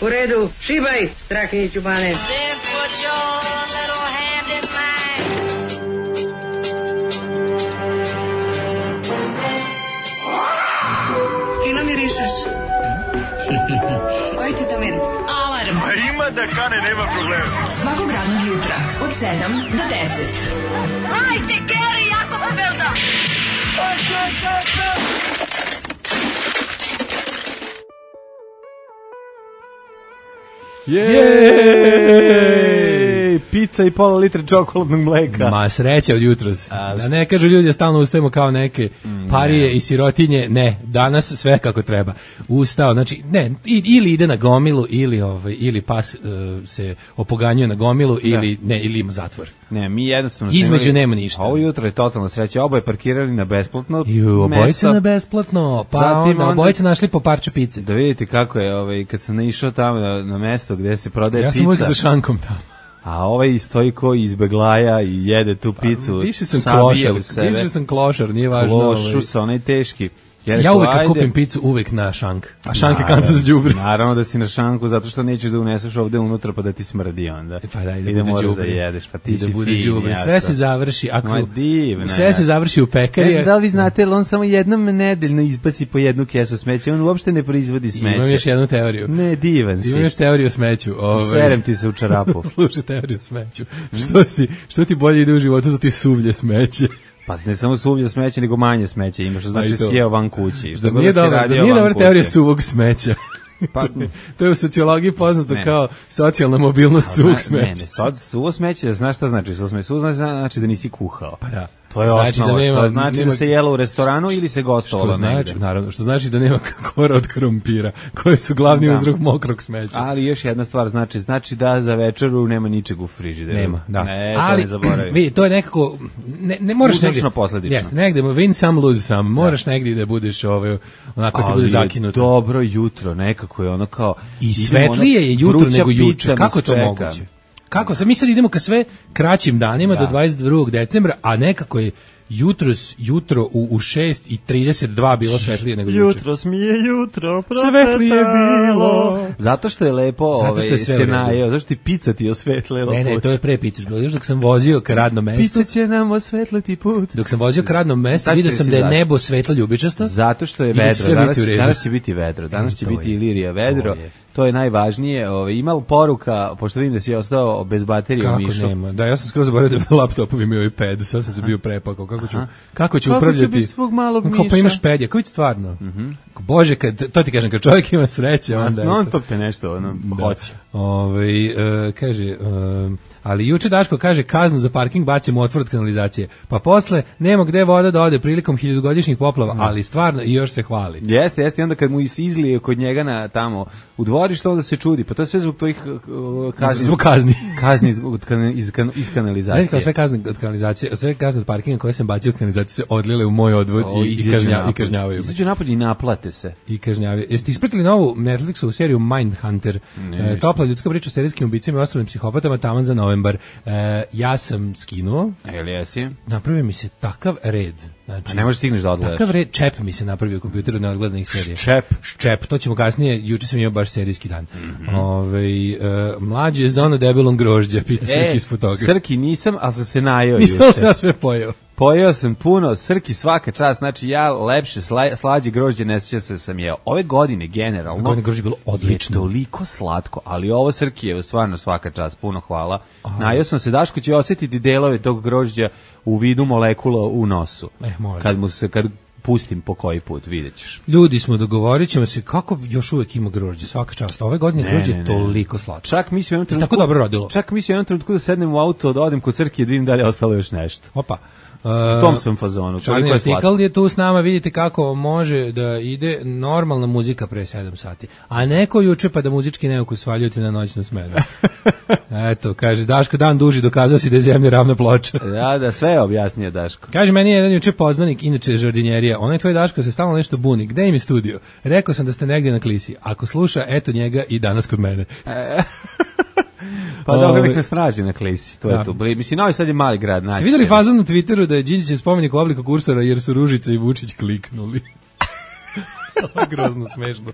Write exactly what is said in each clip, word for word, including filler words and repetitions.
U redu, šibaj, Strahinjiću Bane. Fino mirišeš. Koji ti to miris? Alarm. A ima da kane, nema problema. Svakog radnog jutra od sedam do deset. Hajde, Geri, jako se belda. Jej! Pizza i pola litra čokoladnog mleka. Ma sreća od jutros. Da ne kažu ljudi da stalno ustajemo kao neke parije i sirotinje. Ne, danas sve kako treba. Ustao, znači ne, ili ide na gomilu ili ovaj ili pas uh, se opoganjuje na gomilu ili ne, ili ima zatvor. Ne, mi jednostavno između nema ništa. Ovo jutro je totalna sreća. Oboje parkirali na besplatno. I obojice na besplatno. Pa zatim onda obojice našli po parče pice. Da vidite kako je, ovaj kad sam naišao tamo na, na mesto gde se prodaje ja pica. Ja sam uvijek za šankom tamo. A ovaj stoji ko izbeglaja i jede tu picu. Pa, više sam klošar, više sam klošar, nije važno. Klošu sa onaj teški. Ja, ja uvek kad kupim picu, uvek na šank. A šank je kanta za đubre. Naravno da si na šanku, zato što nećeš da uneseš ovde unutra pa da ti smrdi onda. Pa da, i da moraš da jedeš, pa ti si fin. Sve se završi, ako Ma, divna, sve se završi u pekari. Ne znam da li vi znate, ali on samo jednom nedeljno izbaci po jednu kesu smeća, on uopšte ne proizvodi smeće. Imam još jednu teoriju. Ne, divan si. Imam još teoriju o smeću. Ove... Serem ti se u čarapu. Slušaj teoriju o smeću. Što, si, što ti bolje ide u životu, to ti suvlje smeće. Pa ne samo suvlje smeće, nego manje smeće imaš, što znači sjeo van kući. Što nije dobra, nije dobra teorija suvog smeća. Pa, to je u sociologiji poznato ne. kao socijalna mobilnost suvog smeća. Ne, ne, suvo smeće, znaš šta znači suvo smeće? Suvo znači da nisi kuhao. Pa da. To je znači osnova, da nema, što znači nema, da se jelo u restoranu ili se gostovalo znači, negde. Naravno, što znači da nema kora od krompira, koji su glavni da. uzrok mokrog smeća. Ali još jedna stvar znači, znači da za večeru nema ničeg u frižideru. Nema, da. Ne, ali, to ne zaboravi. Vi, to je nekako, ne, ne moraš negdje. Uzročno posledično. Jes, negde, win some, lose some. Moraš da. negdje da budeš ovaj, onako ti bude zakinuto. Dobro jutro, nekako je ono kao... I svetlije je jutro nego juče. Kako to moguće? Kako se mi sad idemo ka sve kraćim danima da. do dvadeset drugog decembra, a nekako je jutros jutro u u šest i trideset dva bilo svetlije nego juče. Jutros mi je jutro svetlije bilo. Zato što je lepo, ovaj se najeo, zašto ti pica ti osvetlila. Ne, ne, to je pre pice bilo. Još dok sam vozio ka radnom mestu. Pica će nam osvetliti put. Dok sam vozio ka radnom mestu, video sam da je nebo svetlo ljubičasto. Zato što je vedro, danas, danas će biti vedro, danas će biti Ilirija vedro. To je najvažnije. Ovaj ima poruka, pošto vidim da si ostao bez baterije u Mišu. Kako nema? Da, ja sam skroz zaboravio da laptopovi imaju iPad, sad sam se bio prepakao. Kako ću, kako ću upravljati? Kako pa imaš pad, kako stvarno? Mm-hmm. Bože, kad, to ti kažem, kad čovjek ima sreće, onda... Non stop te nešto, ono, hoće. Ovaj uh, kaže... Uh, ali juče Daško kaže kaznu za parking bacimo otvor od kanalizacije. Pa posle nema gde voda da ode prilikom hiljadugodišnjih poplava, mm. ali stvarno i još se hvali. Jeste, jeste, i onda kad mu izlije kod njega na tamo u dvorištu, onda se čudi. Pa to je sve zbog tvojih uh, kazni. Zbog kazni. Kazni od kan, iz, kan, iz kanalizacije. Ne, sve kazne od kanalizacije, sve kazne od parkinga koje sam bacio u kanalizaciju se odlile u moj odvod o, i, i, kažnja, i kažnjavaju. Izađu napolje i naplate se. I kažnjavaju. Jeste ispratili novu Netflixovu seriju Mindhunter? E, topla ljudska priča o serijskim ubicama i ostalim psihopatama taman za novembar. E, ja sam skinuo. Jel jesi? Napravio mi se takav red. Znači, a ne možeš stigneš da odgledaš. Takav red, čep mi se napravio u kompjuteru neodgledanih serija. Čep. Čep, to ćemo kasnije, juče sam imao baš serijski dan. Mm-hmm. Ove, e, mlađi je za ono debelom grožđa, pita Srki iz fotografa. Srki nisam, ali sam se najeo nisam juče. Nisam sve pojeo. Pojeo sam puno, Srki svaka čast, znači ja lepše, sla, slađe grožđe ne sjećam se sam jeo. Ove godine generalno Ove godine grožđe bilo odlično. Je toliko slatko, ali ovo Srki je stvarno svaka čast, puno hvala. Aha. Najeo sam se, Daško će osjetiti delove tog grožđa u vidu molekula u nosu. Eh, može. Kad mu se, kad pustim po koji put, vidjet ćeš. Ljudi smo, dogovorit ćemo se kako još uvijek ima grožđe, svaka čast. Ove godine grožđe je toliko slatko. Čak mi se u jednom trenutku, tako dobro rodilo. Čak mi se u jednom trenutku da sednem u auto, da odem kod Crke i da vidim da li je ostalo još nešto. Opa. U tom sam fazonu. Čarni artikal je tu s nama, vidite kako može da ide normalna muzika pre sedam sati. A neko juče pa da muzički neukus svaljuti na noćnu smenu. Eto, kaže, Daško dan duži, dokazao si da je zemlja ravna ploča. Da, da, sve je objasnio Daško. Kaže, meni je jedan juče poznanik, inače žardinjerija, onaj tvoj Daško se stalno nešto buni. Gde im je studio? Rekao sam da ste negdje na klisi. Ako sluša, eto njega i danas kod mene. Pa dobro, nek nas traži na klisi, to da. Je to. Mislim, Novi Sad je mali grad. Ste vidjeli fazon na Twitteru da je Điđićev spomenik u obliku kursora jer su Ružica i Vučić kliknuli? Grozno smešno.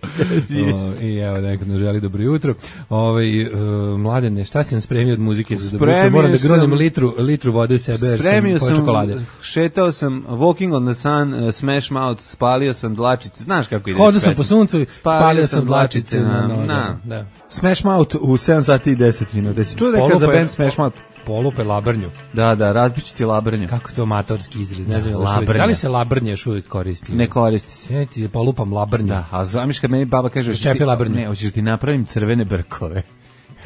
O, I evo, neko nam želi dobro jutro. Ovaj uh, Mladene, šta si nam spremio od muzike za dobro jutro? Moram da gronim litru, litru vode u sebe, jer sam po čokolade. Šetao sam Walking on the Sun, uh, Smash Mouth, spalio sam dlačice. Znaš kako ide? Hodao sam po suncu, spalio sam dlačice na, na, na. Da. Smash Mouth u sedam sati i deset minuta. Si čuo da je kad za band Smash Mouth? Polupe labrnju. Da, da, razbiću ti labrnju. Kako to amatorski izraz, ne znam, da, da li se labrnje još uvijek koristi? Ne koristi se. Ja ti polupam labrnju. Da, a zamiš kad meni baba kaže, Začepi labrnju. Ne, hoćeš ti napravim crvene brkove.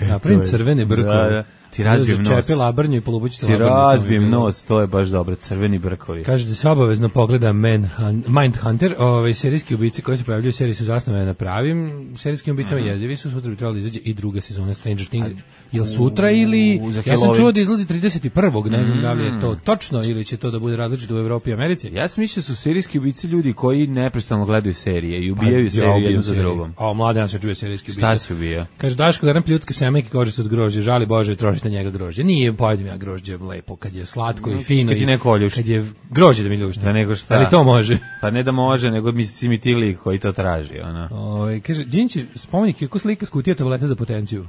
Napravim crvene brkove. Da, da. Ti razbijem nos. Začepi labrnju i polupuću ti labrnju. Ti razbijem nos, to je baš dobro, crveni brkovi. Kaže da se obavezno pogleda Man, Mindhunter, ovaj serijski ubice koji se pojavljuju u seriji su zasnovane na pravim serijskim ubicama, mm. jezivi su, sutra bi trebalo da izađe i druga sezona Stranger Things. Jel sutra ili... Ja sam čuo da izlazi trideset prvog ne znam mm. da li je to točno ili će to da bude različito u Evropi i Americi. Ja sam mislio su serijski ubici ljudi koji neprestano gledaju serije i ubijaju pa, seriju jednu za drugom. A mladen ja se čuje serijski ubica. Šta se ubija? Kaže Daško garan pljutke semenke kože od grožđa, žali Bože trošiš na njega grožđe. Nije pojedem ja grožđe lepo kad je slatko i fino kad, i, kad je grožđe da mi ljušta. Da nego šta? Ali to može. Pa ne da može, nego mi si mi ti lik koji to traži, ona. Oj, kaže Đinći spomenik kako slika skutija tableta za potenciju.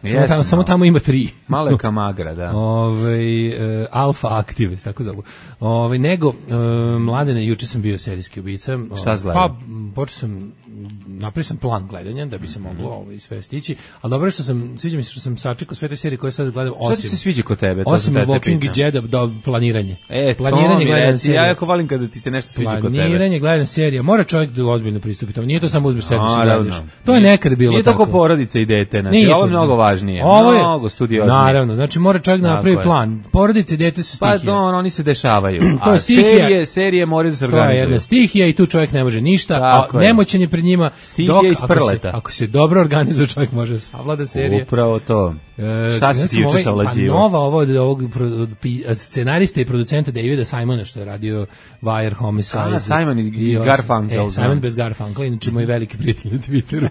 Jeste, tamo, samo tamo ima tri. Malo je kamagra, da. Ove, e, alfa aktive, tako zovu. Ove, nego, e, Mladene, juče sam bio serijski ubica. Šta zgledam? Pa, počeo sam, napravio sam plan gledanja, da bi se moglo ovo sve stići, ali dobro što sam, sviđa mi se što sam sačekao sve te serije koje sad gledam, osim... Šta ti se sviđa kod tebe? To osim Walking Dead, do planiranje. E, planiranje, to mi reci, ja jako volim kada ti se nešto sviđa kod tebe. Planiranje, gledanje serija, mora čovjek da ozbiljno pristupi tome, nije to samo uzmeš sedmiš i gledaš. To je nekad bilo nije tako. Nije tako porodica i dete, znači, ovo je mnogo važnije. Ovo je, mnogo studioznije. Naravno, znači mora čovjek da napravi plan. Porodice i dete su stihije. Pa do, oni se dešavaju. A serije, serije moraju da se organizuju. To je jedna stihija i tu čovjek ne može ništa, a nemoćan je pred njima. Dok, ako, se, ako se dobro organizuje, čovjek može savlada serije. Upravo to. E, Šta si ti juče savlađivo? Pa nova ovo od ovog scenarista i producenta Davida Simona, što je radio Wire, Homicide. A, Simon i Garfunkel. E, Simon bez Garfunkel, inače moj veliki prijatelj na Twitteru.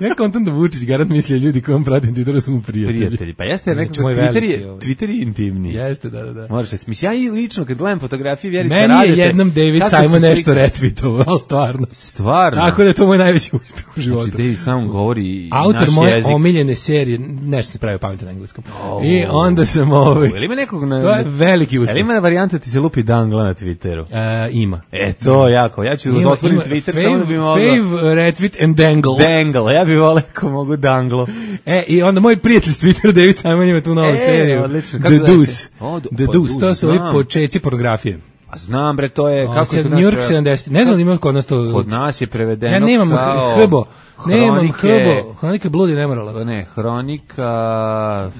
Ja kontam da Vučić garant misli ljudi koji on pratim Twitteru su mu prijatelji. Prijatelji, pa jeste nekako Twitter je, Twitter je intimni. Jeste, da, da, da. Možeš reći, mislim, ja i lično kad gledam fotografije Vjerice Meni Radete... Meni je jednom David Simon nešto retweetovao, ali stvarno. Stvarno? Tako da je to moj najveći uspjeh u životu. Znači, David Simon govori autor naš moje jezik. Omiljene serije, nešto se pravi pametan na engleskom. Oh. I onda sam ovaj... Jel ima nekog... Na, to je veliki uspjeh. Jel ima varijanta ti se lupi dangla na Twitteru? E, ima. E, to jako. Ja ću da otvorim Twitter, fave, samo da bi mogao... Fave, retweet and dangle. Dangle, ja bih volio ko mogu danglo. E, i onda moj prijatelj s Twittera, David Simon, ima tu novu e, seriju. Odlično. The Deuce. Oh, The pa, Deuce, to su ovi počeci pornografije. A znam bre, to je... kako je New York sedamdeset. Ne znam da ima kod nas to... Kod nas je prevedeno ja nemam kao... hbo. Nemam hbo. Hronika bludi ne morala. Ne, hronika...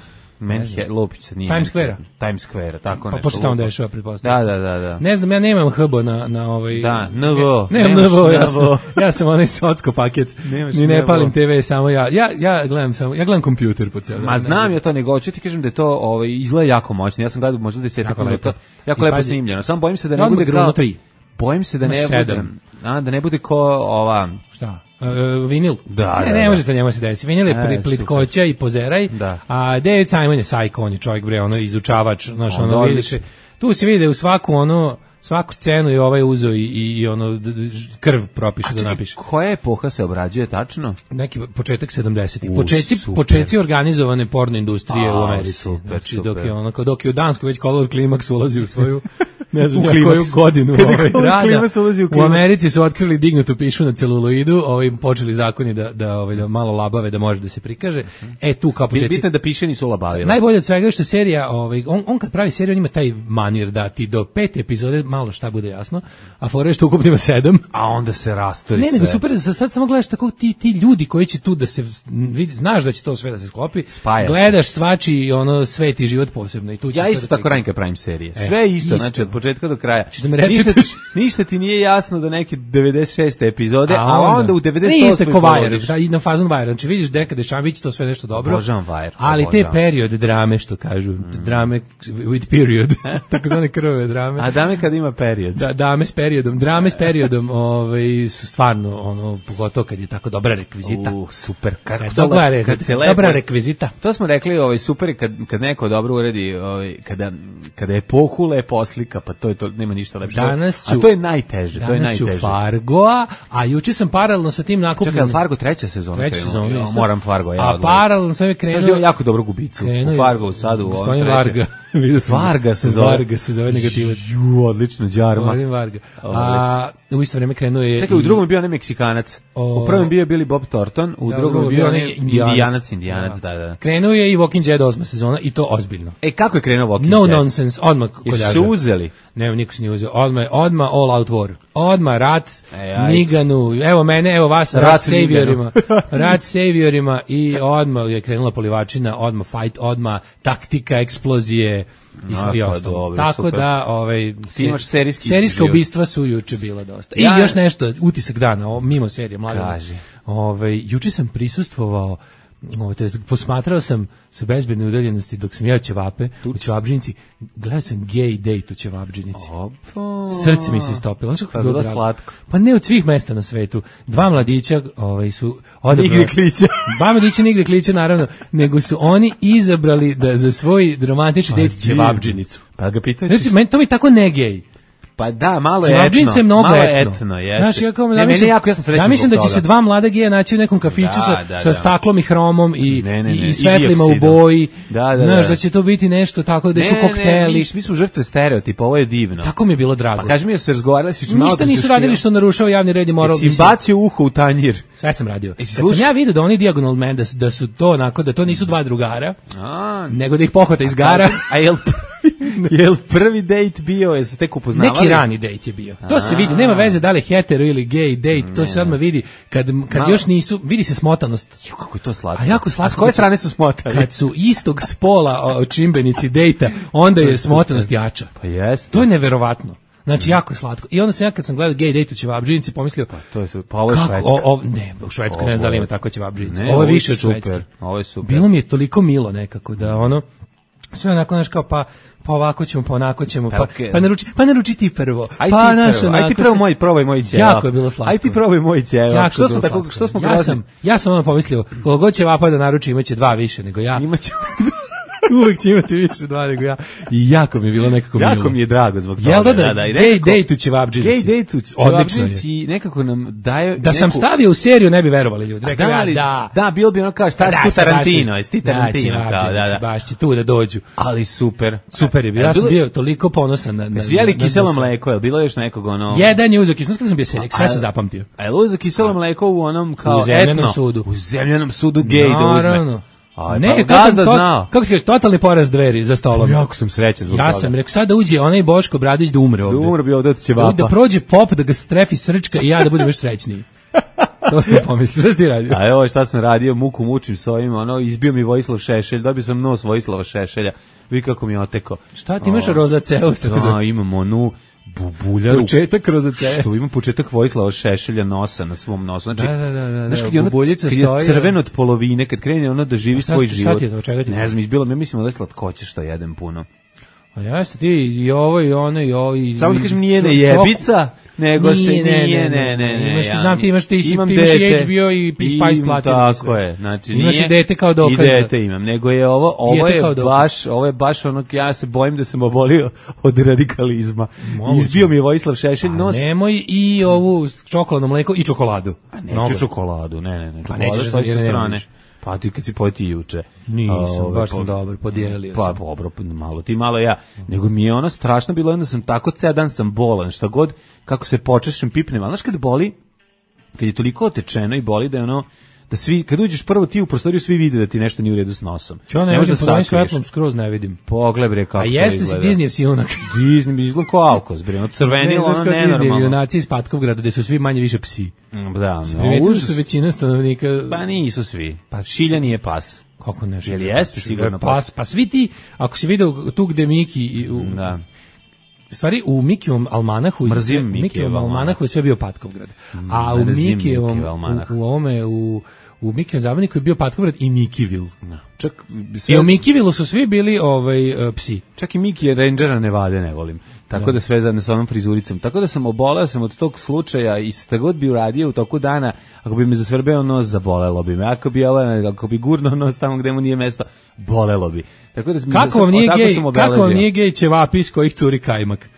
Manhattan, Lupić nije. Times Square. Times Square, tako nešto. Pa pošto tamo dešava, pretpostavljam. Da, da, da, da. Ne znam, ja nemam H B na na ovaj. Da, N V. Ne, nemam N V, ja sam ja sam onaj socko paket. Ni ne palim te ve, samo ja. Ja ja gledam samo, ja gledam kompjuter po ceo dan. Ma znam ja to, nego hoću ti kažem da je to ovaj izgleda jako moćno. Ja sam gledao možda deset minuta. Jako lepo snimljeno. Samo bojim se da ne bude kao Bojim se da ne bude. A da ne bude ko ova. Šta? Uh, vinil. Da, ne, da, ne da. može to njemu se desiti. Vinil je e, plitkoća i pozeraj, da. A David Simon je sajko, on je čovjek, bre, ono izučavač, znaš, ono vidiš. Tu se vidi u svaku ono, svaku scenu i ovaj uzo i, i ono krv propiše da napiše. Koja epoha se obrađuje tačno? Neki početak sedamdesetih. Počeci, počeci organizovane porno industrije A, u Americi. Super, znači, super. dok je ono, dok je u Danskoj već Color Climax ulazi u svoju ne znam ja koju godinu ovaj rada. U, u Americi su otkrili dignutu pišu na celuloidu, ovaj počeli zakoni da da ovaj da malo labave da može da se prikaže. E tu kao počeci. Bitno da piše nisu labavile. Najbolje od svega je što serija, ovaj on on kad pravi seriju on ima taj manir da ti do pete epizode malo šta bude jasno, a fore što ukupno ima sedam, a onda se rastori sve. Ne, nego super, sad samo gledaš tako ti ti ljudi koji će tu da se vidi, znaš da će to sve da se sklopi. Spaja gledaš se. Svači ono sveti život posebno i tu će ja isto tako radim kad pravim serije. Sve e, isto, isto, znači od početka do kraja. Da me ništa, ništa ti nije jasno do neke devedeset šeste epizode, a, a onda, onda u devedeset osmoj isto ko Wire, da, i na fazon Wire, znači vidiš deka Dešavić, to sve nešto dobro. Božan Wire. Ali te period drame, što kažu, mm. drame with period, takozvane krvave drame. A dame kad ima period. Da, dame s periodom, drame s periodom, ovaj su stvarno ono pogotovo kad je tako dobra rekvizita. U, super. Kako kad, to, kad, kad se lepo, dobra rekvizita. To smo rekli, ovaj super kad kad neko dobro uredi, ovaj kada kada je epohu lepo oslika, pa to je to, nema ništa lepše. Danas ću, a to je najteže, to je najteže. Danas ću Fargoa, a juče sam paralelno sa tim nakupljeno. Čekaj, je Fargo treća sezona? Treća sezona, ja, moram Fargo, ja. A paralelno sam je krenuo. Kažem, jako dobro gubicu. U Fargo u sadu, u ovom trećem. Varga. Varga se zove. Varga se zove negativac. Ju, odlično, đarma. Gospodin Varga. A u isto vreme krenuo je... Čekaj, u drugom je bio onaj Meksikanac. U prvom bio je Billy Bob Thornton, u drugom je bio onaj Indijanac, Indijanac, da, da. Krenuo je i Walking Dead osma sezona i to ozbiljno. E, kako je krenuo Walking No Dead? nonsense, odmah koljaža. I su uzeli? Ne, niko se nije uzeo. Odmah, odmah all out war. Odmah rat, e, Niganu, evo mene, evo vas, rat, rat saviorima. Rat saviorima i odmah je krenula polivačina, odmah fight, odmah taktika, eksplozije i, i ostalo. Tako super. Da, ovaj, se, serijska ubistva su juče bila dosta. I ja, još nešto, utisak dana, o, mimo serije, mlada. Ovaj, juče sam prisustvovao, ovaj, te, posmatrao sam sa bezbedne udaljenosti dok sam jeo ćevape u ćevabdžinici, gledao sam gay date u ćevabdžinici. Srce mi se istopilo. Znaš kako je bilo slatko. Pa ne od svih mesta na svetu. Dva mladića ovaj, su odabrali... Nigde klića. Dva mladića nigde klića, naravno, nego su oni izabrali da za svoj romantični pa, date ćevabdžinicu. Pa ga pitao ćeš... Znači, to mi tako ne gej. Pa da, malo je etno. Ćevabdžinice je mnogo malo etno. etno jeste. Znaš, ja kao, ne, meni jako, ja sam srećan zamišljam da će se dva mlada geja naći u nekom kafiću da, sa, da, sa staklom i hromom i, ne, ne, ne, i svetlima u boji. Da, da, znaš, da. da će to biti nešto tako, da su kokteli. Ne, mi smo žrtve stereotipa, ovo je divno. Tako mi je bilo drago. Pa kaži mi da su razgovarali, su malo ništa nisu radili što narušava javni red i moral. Jesi bacio uho u tanjir? Sve sam radio. Kad sam ja vidio da oni Diagonal Man, da su, da su to onako, da to nisu dva drugara, a, nego da ih pohvata iz gara. A jel jel prvi dejt bio, jesu tek upoznavali? Neki rani dejt je bio. To se vidi, nema veze da li hetero ili gay dejt, to se odmah vidi kad, kad još nisu, vidi se smotanost. Jo, kako je to slatko. A jako slatko. A s koje strane su smotali? Kad su istog spola čimbenici dejta, onda je smotanost jača. Pa jeste. To je neverovatno. Znači, jako slatko. I onda sam ja kad sam gledao gay date u ćevabdžinici pomislio, pa to je pa ovo je Švedska. O, o, ne, u Švedskoj ne znam da li ima tako ćevabdžinici. Ovo je više od Švedske. Ovo je super. Bilo mi je toliko milo nekako da ono sve onako znaš kao pa pa ovako ćemo, pa onako ćemo, pa, pa naruči, pa naruči ti prvo. Aj pa ti naš prvo, aj ti prvo moj, probaj moj ćevap. Jako je bilo slatko. Aj ti probaj moj ćevap. Što smo tako, što smo ja sam, ja sam ono pomislio, koliko god ćevapa da naruči imaće dva više nego ja. Imaće uvek će imati više dva nego ja. I jako mi je bilo nekako milo. Jako mi je drago zbog toga. Jel da, da, da, da gay date u ćevabdžinici. Gay date u ćevabdžinici nekako nam daje... Da sam stavio u seriju ne bi verovali ljudi. Rekao ja, da. Da, bilo bi ono kao šta si tu Tarantino, jesi ti Tarantino. Da, da, baš će tu da dođu. Ali super. Super je bio. Ja sam bio toliko ponosan na... na Svijeli kiselo mleko, je bilo još nekog ono... Jedan je uzeo kiselo, kada sam bio seljak, sve sam zapamtio. A je uzeo kiselo mleko u onom kao etno. U zemljanom sudu gay da uzme. A ne, pa, gazda to, znao. Kako ti kažeš, totalni poraz dveri za stolom. Jako sam srećan zbog ja toga. Ja sam rekao, sad da uđe onaj Boško Bradović da umre ovde. Da umre bi ovde od ćevapa. Da prođe pop, da ga strefi srčka i ja da budem još srećniji. To sam pomislio, šta si ti radio? A evo šta sam radio, muku mučim s ovim, ono, izbio mi Vojislav Šešelj, dobio sam nos Vojislava Šešelja, vi kako mi je oteko. Šta ti imaš rozaceu? Da, imam onu bubuljaru. Početak rozaceu. Što ima početak Vojislava Šešelja nosa na svom nosu. Znači, da, da, da, da, znaš, kad je, ono, kad je crveno od polovine, kad krene ono da živi svoj život. Ne znam, izbilo mi, ja mislim da je slatkoće što jedem puno. A jeste ti i ovo i ono i ovo i... Samo da kažem, nije ne jebica, nego se nije, ne, ne, ne. Imaš, znam ti imaš ti si H B O i Spice Platinum. Tako je, znači nije... Imaš i dete kao dokaz. I dete imam, nego je ovo, ovo je baš, ovo je baš ono, ja se bojim da sam obolio od radikalizma. Izbio mi je Vojislav Šešelj nos. Nemoj i ovu čokoladno mleko i čokoladu. A neću čokoladu, ne, ne, ne. Pa nećeš sa strane. Pa ti kad si pojeti juče. Nisam, Ove, baš sam po, dobar, podijelio pa, sam. Pa dobro, malo ti, malo ja. Nego mi je ono strašno bilo, onda sam tako ceo dan sam bolan, šta god, kako se počešem, pipnem. Ali znaš kad boli, kad je toliko otečeno i boli da je ono, da svi, kad uđeš prvo ti u prostoriju, svi vide da ti nešto nije u redu s nosom. Ja ne, ne vidim, pod ovim svetlom skroz ne vidim. Pogled bre kako a jeste si Disneyev si junak. Disney bi izgleda kao Alkos, bre, ono crvenilo, ono nenormalno. Disneyev junaci iz Patkovgrada, gde su svi manje više psi. Da, no, užas. Su većina stanovnika... Pa nisu svi. Pa Šiljan je pas. Kako ne? Jel jeste sigurno pas? pas? Pa svi ti, ako si video tu gde Miki... U, da. U stvari, u Mikijevom almanahu... Mrzim Mikijevom almanahu je sve bio Patkovgrad. A u Mikijevom, u, u ovome, u... U Mikijevom zabavniku je bio Patkovgrad i Mikivil. No. Čak, sve... I u Mikivilu su svi bili ovaj, uh, psi. Čak i Miki je Rangera Nevade ne volim. Tako da, da sve zajedno sa onom frizuricom. Tako da sam oboleo sam od tog slučaja i šta god bi uradio u toku dana, ako bi me zasvrbeo nos, zabolelo bi me. Ako bi, ako bi gurno nos tamo gde mu nije mesto, bolelo bi. Tako da kako vam nije gej, kako vam nije gej ćevapi iz kojih curi kajmak?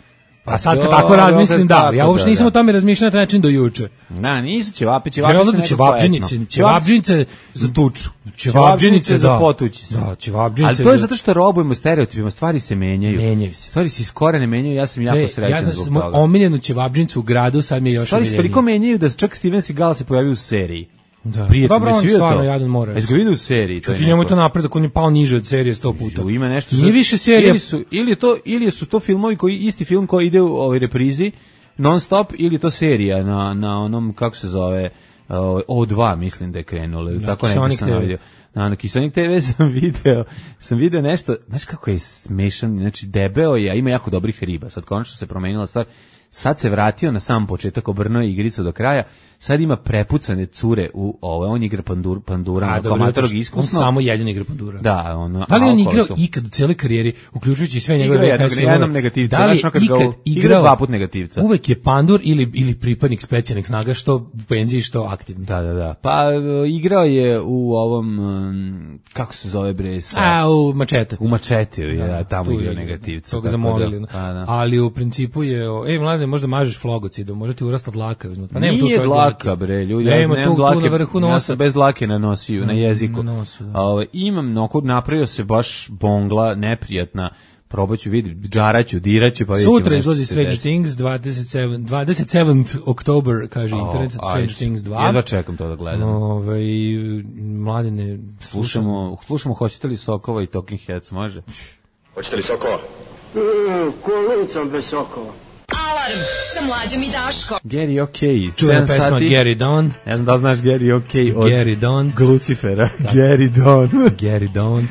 A sad kad dobro, tako razmislim, da, tako, ja uopšte da, nisam da. o tome razmišljao na taj način do juče. Da, nisu ćevapi, ćevapi Ja su da nekako ćevabdžinice, etno. ćevabdžinice za tuču. Ćevabdžinice za da. potući se. Da, ćevabdžinice. Ali to je za- zato što robujemo stereotipima, stvari se menjaju. Menjaju se. Stvari se iz korene menjaju, ja sam jako Ej, srećan ja znam zbog moju toga. omiljenu ćevabdžinicu u gradu, sad mi je još Stvari se omiljenije. toliko menjaju da čak Steven Seagal se pojavio u seriji. Da. Prijatno, Dobro, jesi on vidio stvarno to? jadan mora. Jesi ga vidio u seriji? Čuti, njemu je to napredak, on je pao niže od serije sto puta. Ima nešto. Nije više serija. Ili su ili je to ili su to filmovi koji isti film koji ide u ovoj reprizi non stop ili je to serija na na onom kako se zove ovaj, O dva mislim da je krenulo ili tako Kisonik nešto sam te ve. vidio. Na, na Kisonik te ve sam video, sam video nešto, znaš kako je smešan, znači debeo je, a ima jako dobrih riba, sad konačno se promenila stvar, sad se vratio na sam početak, obrnuo je igricu do kraja, sad ima prepucane cure u ovo, on igra pandur, pandura, A, kao dobro, amatorog on iskusno. samo jedin igra pandura. Da, ono, Da li on a igrao okolo su- ikad u cijeloj karijeri, uključujući sve njegove Igrao je V H S jednog- filmove? jednom negativca, Da li znaš ono kad ga ikad u- igrao igrao dva put negativca. Uvek je pandur ili, ili pripadnik specijalnih snaga, što u penziji, što aktivni. Da, da, da. Pa e, igrao je u ovom, um, kako se zove bre, sa, A, u mačete. u Mačetiju, je, da, tamo tu igrao je, negativca. To ga tako zamolili. da, pa da. Ali u principu je, o, ej, mlade, možda mažeš flogocidom, možda ti urasta dlaka. uzmut. Pa nema tu Nije čovjek dlaka, bre, ljudi, ja Nema nemam tu, tu dlake, na vrhu ja nosa. sam bez dlake na nosiju, na jeziku. na nosu, da. A, ovaj, imam, noko, napravio se baš bongla, neprijatna, probaću vidjeti, džaraću, diraću, pa vidjet ćemo Sutra nešto izlazi se Stranger desi. Things, dvadeset sedam, dvadeset sedmog Oktober, kaže internet, O, Stranger ajde. Things dva. Jedva čekam to da gledam. Ove, mladine, Slušamo, slušamo hoćete li Sokova i Talking Heads, može? Hoćete li sokova? Alarm sa Mlađom i Daškom. Gary OK, čuvena sedam pesma sati. Gary Don, Ne znam da li znaš Gary OK od Gary Don, Lucifera. Gary Don. Gary Don.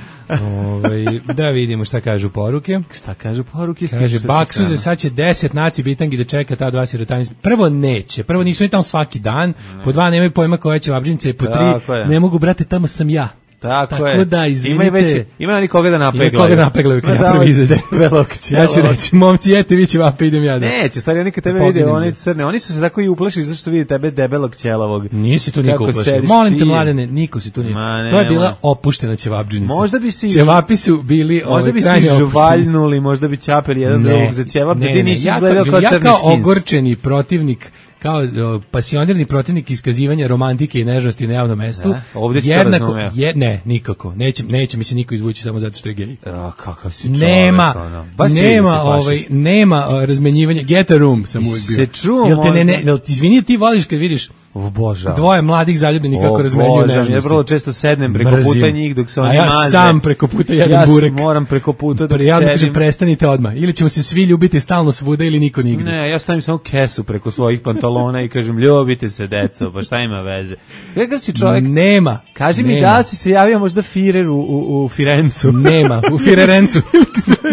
Ove, da vidimo šta kažu poruke. Šta kažu poruke? Kaže, Baksuze, sad će deset naci bitangi da čeka ta dva sirotani. Prvo neće, prvo nisu oni tamo svaki dan, po dva nemaju pojma koja će vabdžinice, po Tako tri je. ne mogu, brate, tamo sam ja. Tako, Tako je. da, izvinite. Ima i već, ima oni koga da napeglaju. Ima koga da napeglaju kad Ma ja da, prvi izađem. debelog Ja ću ćela. reći, momci, jete, vi će vape, idem ja da. Neće, stari, oni kad tebe Poginem vide, oni se. crne, oni su se tako i uplašili zašto su vidi tebe debelog ćelavog. Nisi tu niko Kako uplašio. sediš Molim te, ti? mladene, niko si tu nije. Ma, To je nemoj. bila opuštena ćevabdžinica. Možda bi si- Ćevapi su bili Možda ovaj, bi se krajnje opušteni. žuvaljnuli, možda bi ćapeli jedan drugog za ćevap, da ti nisi ja izgledao kažem, kao ja crni kao skins. ogorčeni protivnik, kao o, pasionirni protivnik iskazivanja romantike i nežnosti na javnom mestu. Da, ovdje si to jednako, razumeo. je, ne, nikako. Neće, neće mi se niko izvući samo zato što je gej. A, kakav si čovek, Nema, ono. Baš si nema, si ovaj, fašist. nema o, razmenjivanja. Get a room sam uvijek bio. Se čuo Jel te ne, ne, možda? jel ti, izvini, ti voliš kad vidiš Obožavam. dvoje mladih zaljubljenih kako O, razmenjuju Bože, nežnosti. Ja vrlo često sednem preko Mrzim. puta njih dok se oni A ja maze. sam preko puta jedem ja burek. moram preko puta dok Pre, ja kažem, sedim. prestanite odmah. Ili ćemo se svi ljubiti stalno svuda ili niko nigde. Ne, ja stavim samo kesu preko svojih pantalona i kažem ljubite se deco, pa šta ima veze. Kakav si čovjek? Nema. Kaži mi nema. da li si se javio možda Firer u, u, u Firencu. Nema, u Firerencu.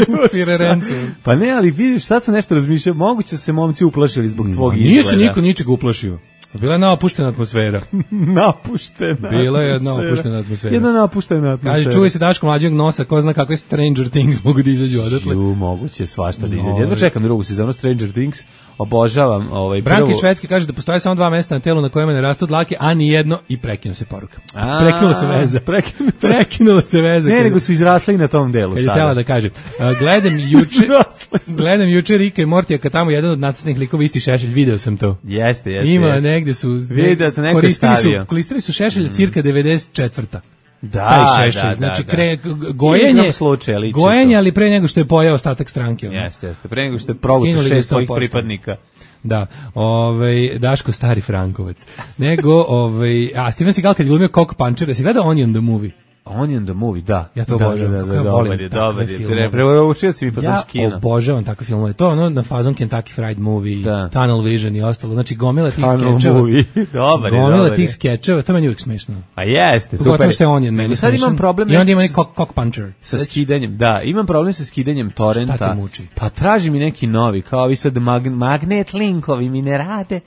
u Firerencu. Pa ne, ali vidiš, sad sam nešto razmišljao, moguće da se momci uplašili zbog tvog Ma, izgleda. nije se niko ničega uplašio. Bila je napuštena atmosfera. Napuštena. Bila je jedna atmosfera. opuštena atmosfera. Jedna napuštena atmosfera. Kaže, čuvaj se Daško mlađeg nosa, ko zna kakve Stranger Things mogu da izađu odatle. Ju, moguće svašta da izađe. No, Jedva čekam drugu sezonu Stranger Things. Obožavam ovaj Branki prvu. Švedski kaže da postoje samo dva mesta na telu na kojima ne rastu dlake, a ni jedno i prekinu se poruka. A, Prekinula se veza. prekinu- Prekinula se veza. Ne, kad- nego su izrasli i na tom delu Kad je sada. tela da kaže. Uh, gledam juče, Izrasle su. gledam juče Rika i Mortija kad tamo jedan od nacrtnih likova isti šešelj, video sam to. Jeste, jeste. Ima jeste. negde su Video sam, neko je koristili stavio. su koristili su šešelj cirka devedeset četvrta. Da, Taj šešelj, da, da, znači da. kre, g- gojenje, Igrom slučaja liči gojenje, to. ali pre nego što je pojao ostatak stranke. ono. Jeste, jeste. Pre nego što je proguto Skinuli ga šest sto svojih posto. pripadnika. Da, ovaj Daško stari Frankovac. Nego ovaj a Steven Seagal kad je glumio Cock Puncher, si gledao Onion the Movie? Onion the Movie, da. Ja to da, obožavam, Da, da, kako da, ja dobar volim je, takve dobar je. filmove. Preučio si mi pa sam Ja skino. obožavam takve filmove. To je ono na fazon Kentucky Fried Movie, Da. Tunnel Vision i ostalo. Znači gomila tih Tunnel skečeva. Movie. Dobar je, Gomila dobar je. tih skečeva, to meni uvijek smešno. A jeste, Pogotovo super. što je Onion meni Nego sad smešan. imam problem I onda nešto ima i s- cock, cock Puncher. sa skidanjem. Da, imam problem sa skidanjem torrenta. Šta te muči? Pa traži mi neki novi, kao ovi sad mag, magnet linkovi mi ne rade.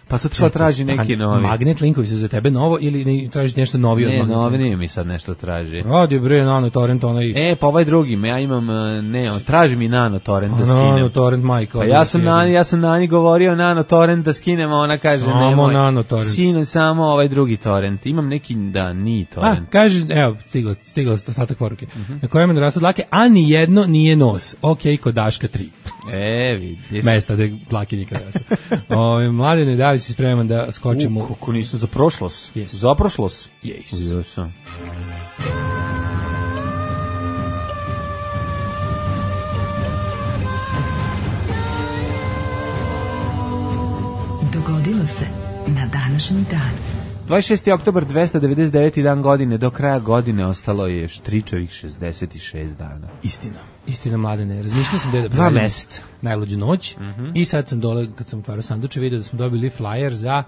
Pa sad kao traži neki novi. Magnet linkovi su za tebe novo ili ne, tražiš nešto novi od Ne, Magnet novi linka? nije mi sad nešto traži. Radi bre, nano torrent, onaj... E, pa ovaj drugi, ja imam, e, ne, on traži mi nano torrent da Nano skinem. torrent majka. Pa ja sam na ja sam na njih govorio nano torrent da skinemo, ona kaže Samo nemoj. nano torrent. Sine samo ovaj drugi torrent. Imam neki da ni A, torrent. kaže, evo, stiglo, stiglo ostatak poruke. Mhm. Na kojem ne rastu dlake, a ni jedno nije nos. Ok, kod Daška tri. E, vidiš. Mesta gde dlake nikada rastu. Ove, Mladene, da li si spreman da skočimo? U, kako nisam za prošlost. Yes. Za prošlost? Yes. Jesam. Dogodilo se na današnji dan. dvadeset šesti oktobar, dvesta devedeset deveti dan godine, do kraja godine ostalo je štričevih šezdeset šest dana. Istina. Istina, Mladene. Razmišljao sam da je da Dva meseca. Najluđu noć Mm-hmm. i sad sam dole, kad sam otvarao sanduče, vidio da smo dobili flyer za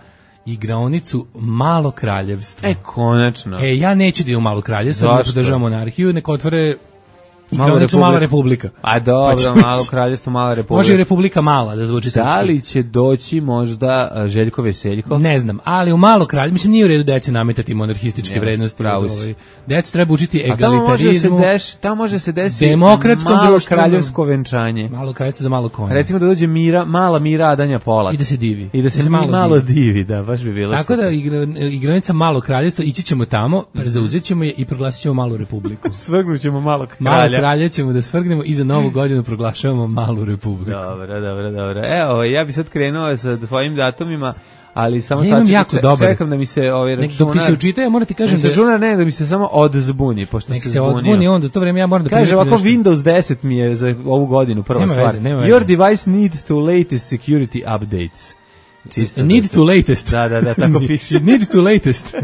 igraonicu Malo kraljevstvo. E, konačno. E, ja neću da idem u Malo kraljevstvo, da Zašto? podržavam monarhiju, nek otvore Malo igraonicu republika. Mala republika. A dobro, Pa ćemo malo ići. kraljevstvo, mala republika. Može i Republika Mala da zvuči srpski. Da li će doći možda a, Željko Veseljko? Ne znam, ali u Malo kralje, mislim nije u redu deci nametati monarhističke Jeste, vrednosti. pravo si. Ovaj, decu treba učiti A tamo može se egalitarizmu. deš, tamo može se desiti demokratskom malo društvenom- kraljevsko venčanje. Malo kraljevstvo za malo konja. Recimo da dođe Mira, mala Mira Adanja Polak. I da se divi. I da se, malo, malo divi, da, baš bi bilo Tako da super. igra, igranica Malo kraljevstvo, ići ćemo tamo, zauzet ćemo je i proglasit ćemo Malu republiku. Svrgnut ćemo malog Malo kralja. kralje ćemo da svrgnemo i za novu godinu proglašavamo Malu republiku. Dobro, dobro, dobro. Evo, ja bi sad krenuo sa tvojim datumima, ali samo Ja sad imam čekam, jako dobar. čekam da mi se ovaj Nek, računar... dok ti se učita, ja moram ti kažem Nek se da računar ne, da mi se samo odzbuni, pošto nek se se zbunio. odzbuni on, za to vreme ja moram da Kaže primetim ovako, nešto. Windows deset mi je za ovu godinu prva Nema stvar. veze, nema veze. Your device need to latest security updates. Čisto Need da- to latest. Da, da, da, tako piše. Need to latest. Uh,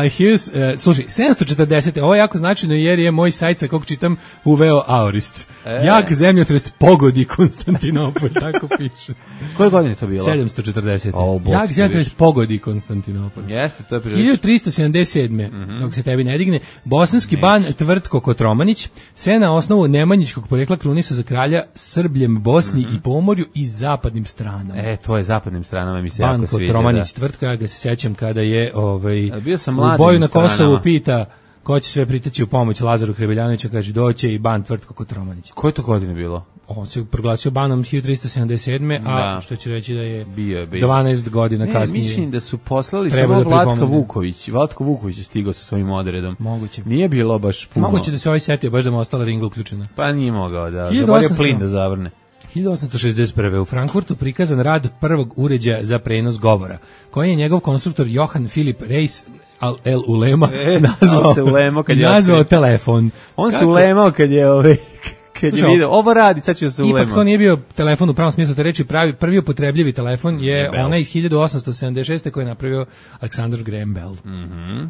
here's, uh, slušaj, sedamsto četrdeset. Ovo je jako značajno jer je moj sajt sa kog čitam uveo Aorist. E. Jak zemljotres pogodi Konstantinopolj, tako piše. Koje godine je to bilo? sedamsto četrdeset. O, bog Jak ti zemljotres vidiš. pogodi Konstantinopolj. Jeste, to je prilično. hiljadu trista sedamdeset sedme. Dok se tebi ne digne, bosanski ban Tvrtko Kotromanić se na osnovu nemanjičkog porekla krunisu za kralja Srbljem, Bosni i Pomorju i zapadnim stranama. E, to je zapadnim stranama mi se Ban jako sviđa. Kotromanić Tvrtko, ja ga se sećam kada je ovaj, Ali bio sam u mladim boju na Kosovu stranama. pita ko će sve priteći u pomoć Lazaru Hrebeljanoviću, kaže doće i ban Tvrtko Kotromanić. Koje to godine bilo? On se proglasio banom hiljadu trista sedamdeset sedme. a Da. što će reći da je Bio je, bio. dvanaest godina Ne, kasnije. mislim da su poslali Treba samo da Vlatka pripomene. Vuković. Vlatko Vuković je stigao sa svojim odredom. Moguće. Nije bilo baš puno. Moguće da se ovaj setio, baš da mu ostala ringla uključena. Pa nije mogao da. hiljadu Zaborio osamsto plin da zavrne. hiljadu osamsto šezdeset prve. u Frankfurtu prikazan rad prvog uređaja za prenos govora, koji je njegov konstruktor Johann Philipp Reis Al El Ulema E, nazvao, on se ulemao kad je nazvao otkrio. telefon. On se Kako- ulemao kad je ovaj kad je Slušaj, video, ovo radi, sad ću se ulemao. Ipak to nije bio telefon u pravom smislu te reči, pravi, prvi upotrebljivi telefon je Bell. onaj iz hiljadu osamsto sedamdeset šeste koji je napravio Alexander Graham Bell. Mhm.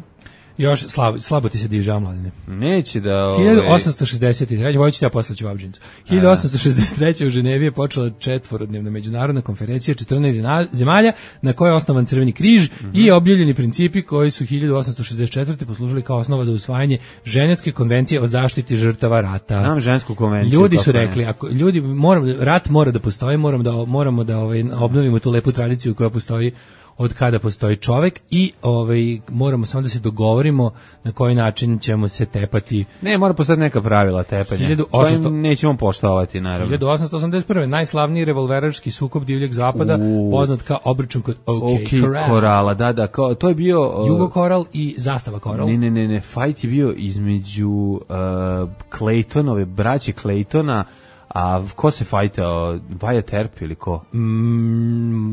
Još slabo, slabo ti se diže, Mladine. Neće da... Ovaj, hiljadu osamsto šezdeset treće. Vojiću te ja poslaću Vavđincu. hiljadu osamsto šezdeset treće. u Ženevi je počela četvorodnevna međunarodna konferencija četrnaest zena- zemalja na kojoj je osnovan Crveni križ i objavljeni principi koji su hiljadu osamsto šezdeset četvrte poslužili kao osnova za usvajanje Ženevske konvencije o zaštiti žrtava rata. Znam žensku konvenciju. Ljudi su kako ne. rekli, ako ljudi moram, rat mora da postoji, moramo da moramo da ovaj obnovimo tu lepu tradiciju koja postoji od kada postoji čovek i ovaj moramo samo da se dogovorimo na koji način ćemo se tepati. Ne, mora postati neka pravila tepanja. hiljadu osamsto Koja nećemo poštovati, naravno. hiljadu osamsto osamdeset prve. najslavniji revolverački sukob divljeg zapada, U. poznat kao obračun kod OK, Ok, Corral. Korala, da, da, kao, to je bio... uh, Jugo Koral i Zastava Koral. Ne, ne, ne, ne, fight je bio između uh, Claytonove, braće Claytona, a ko se fajtao? Wyatt Earp ili ko? Mm,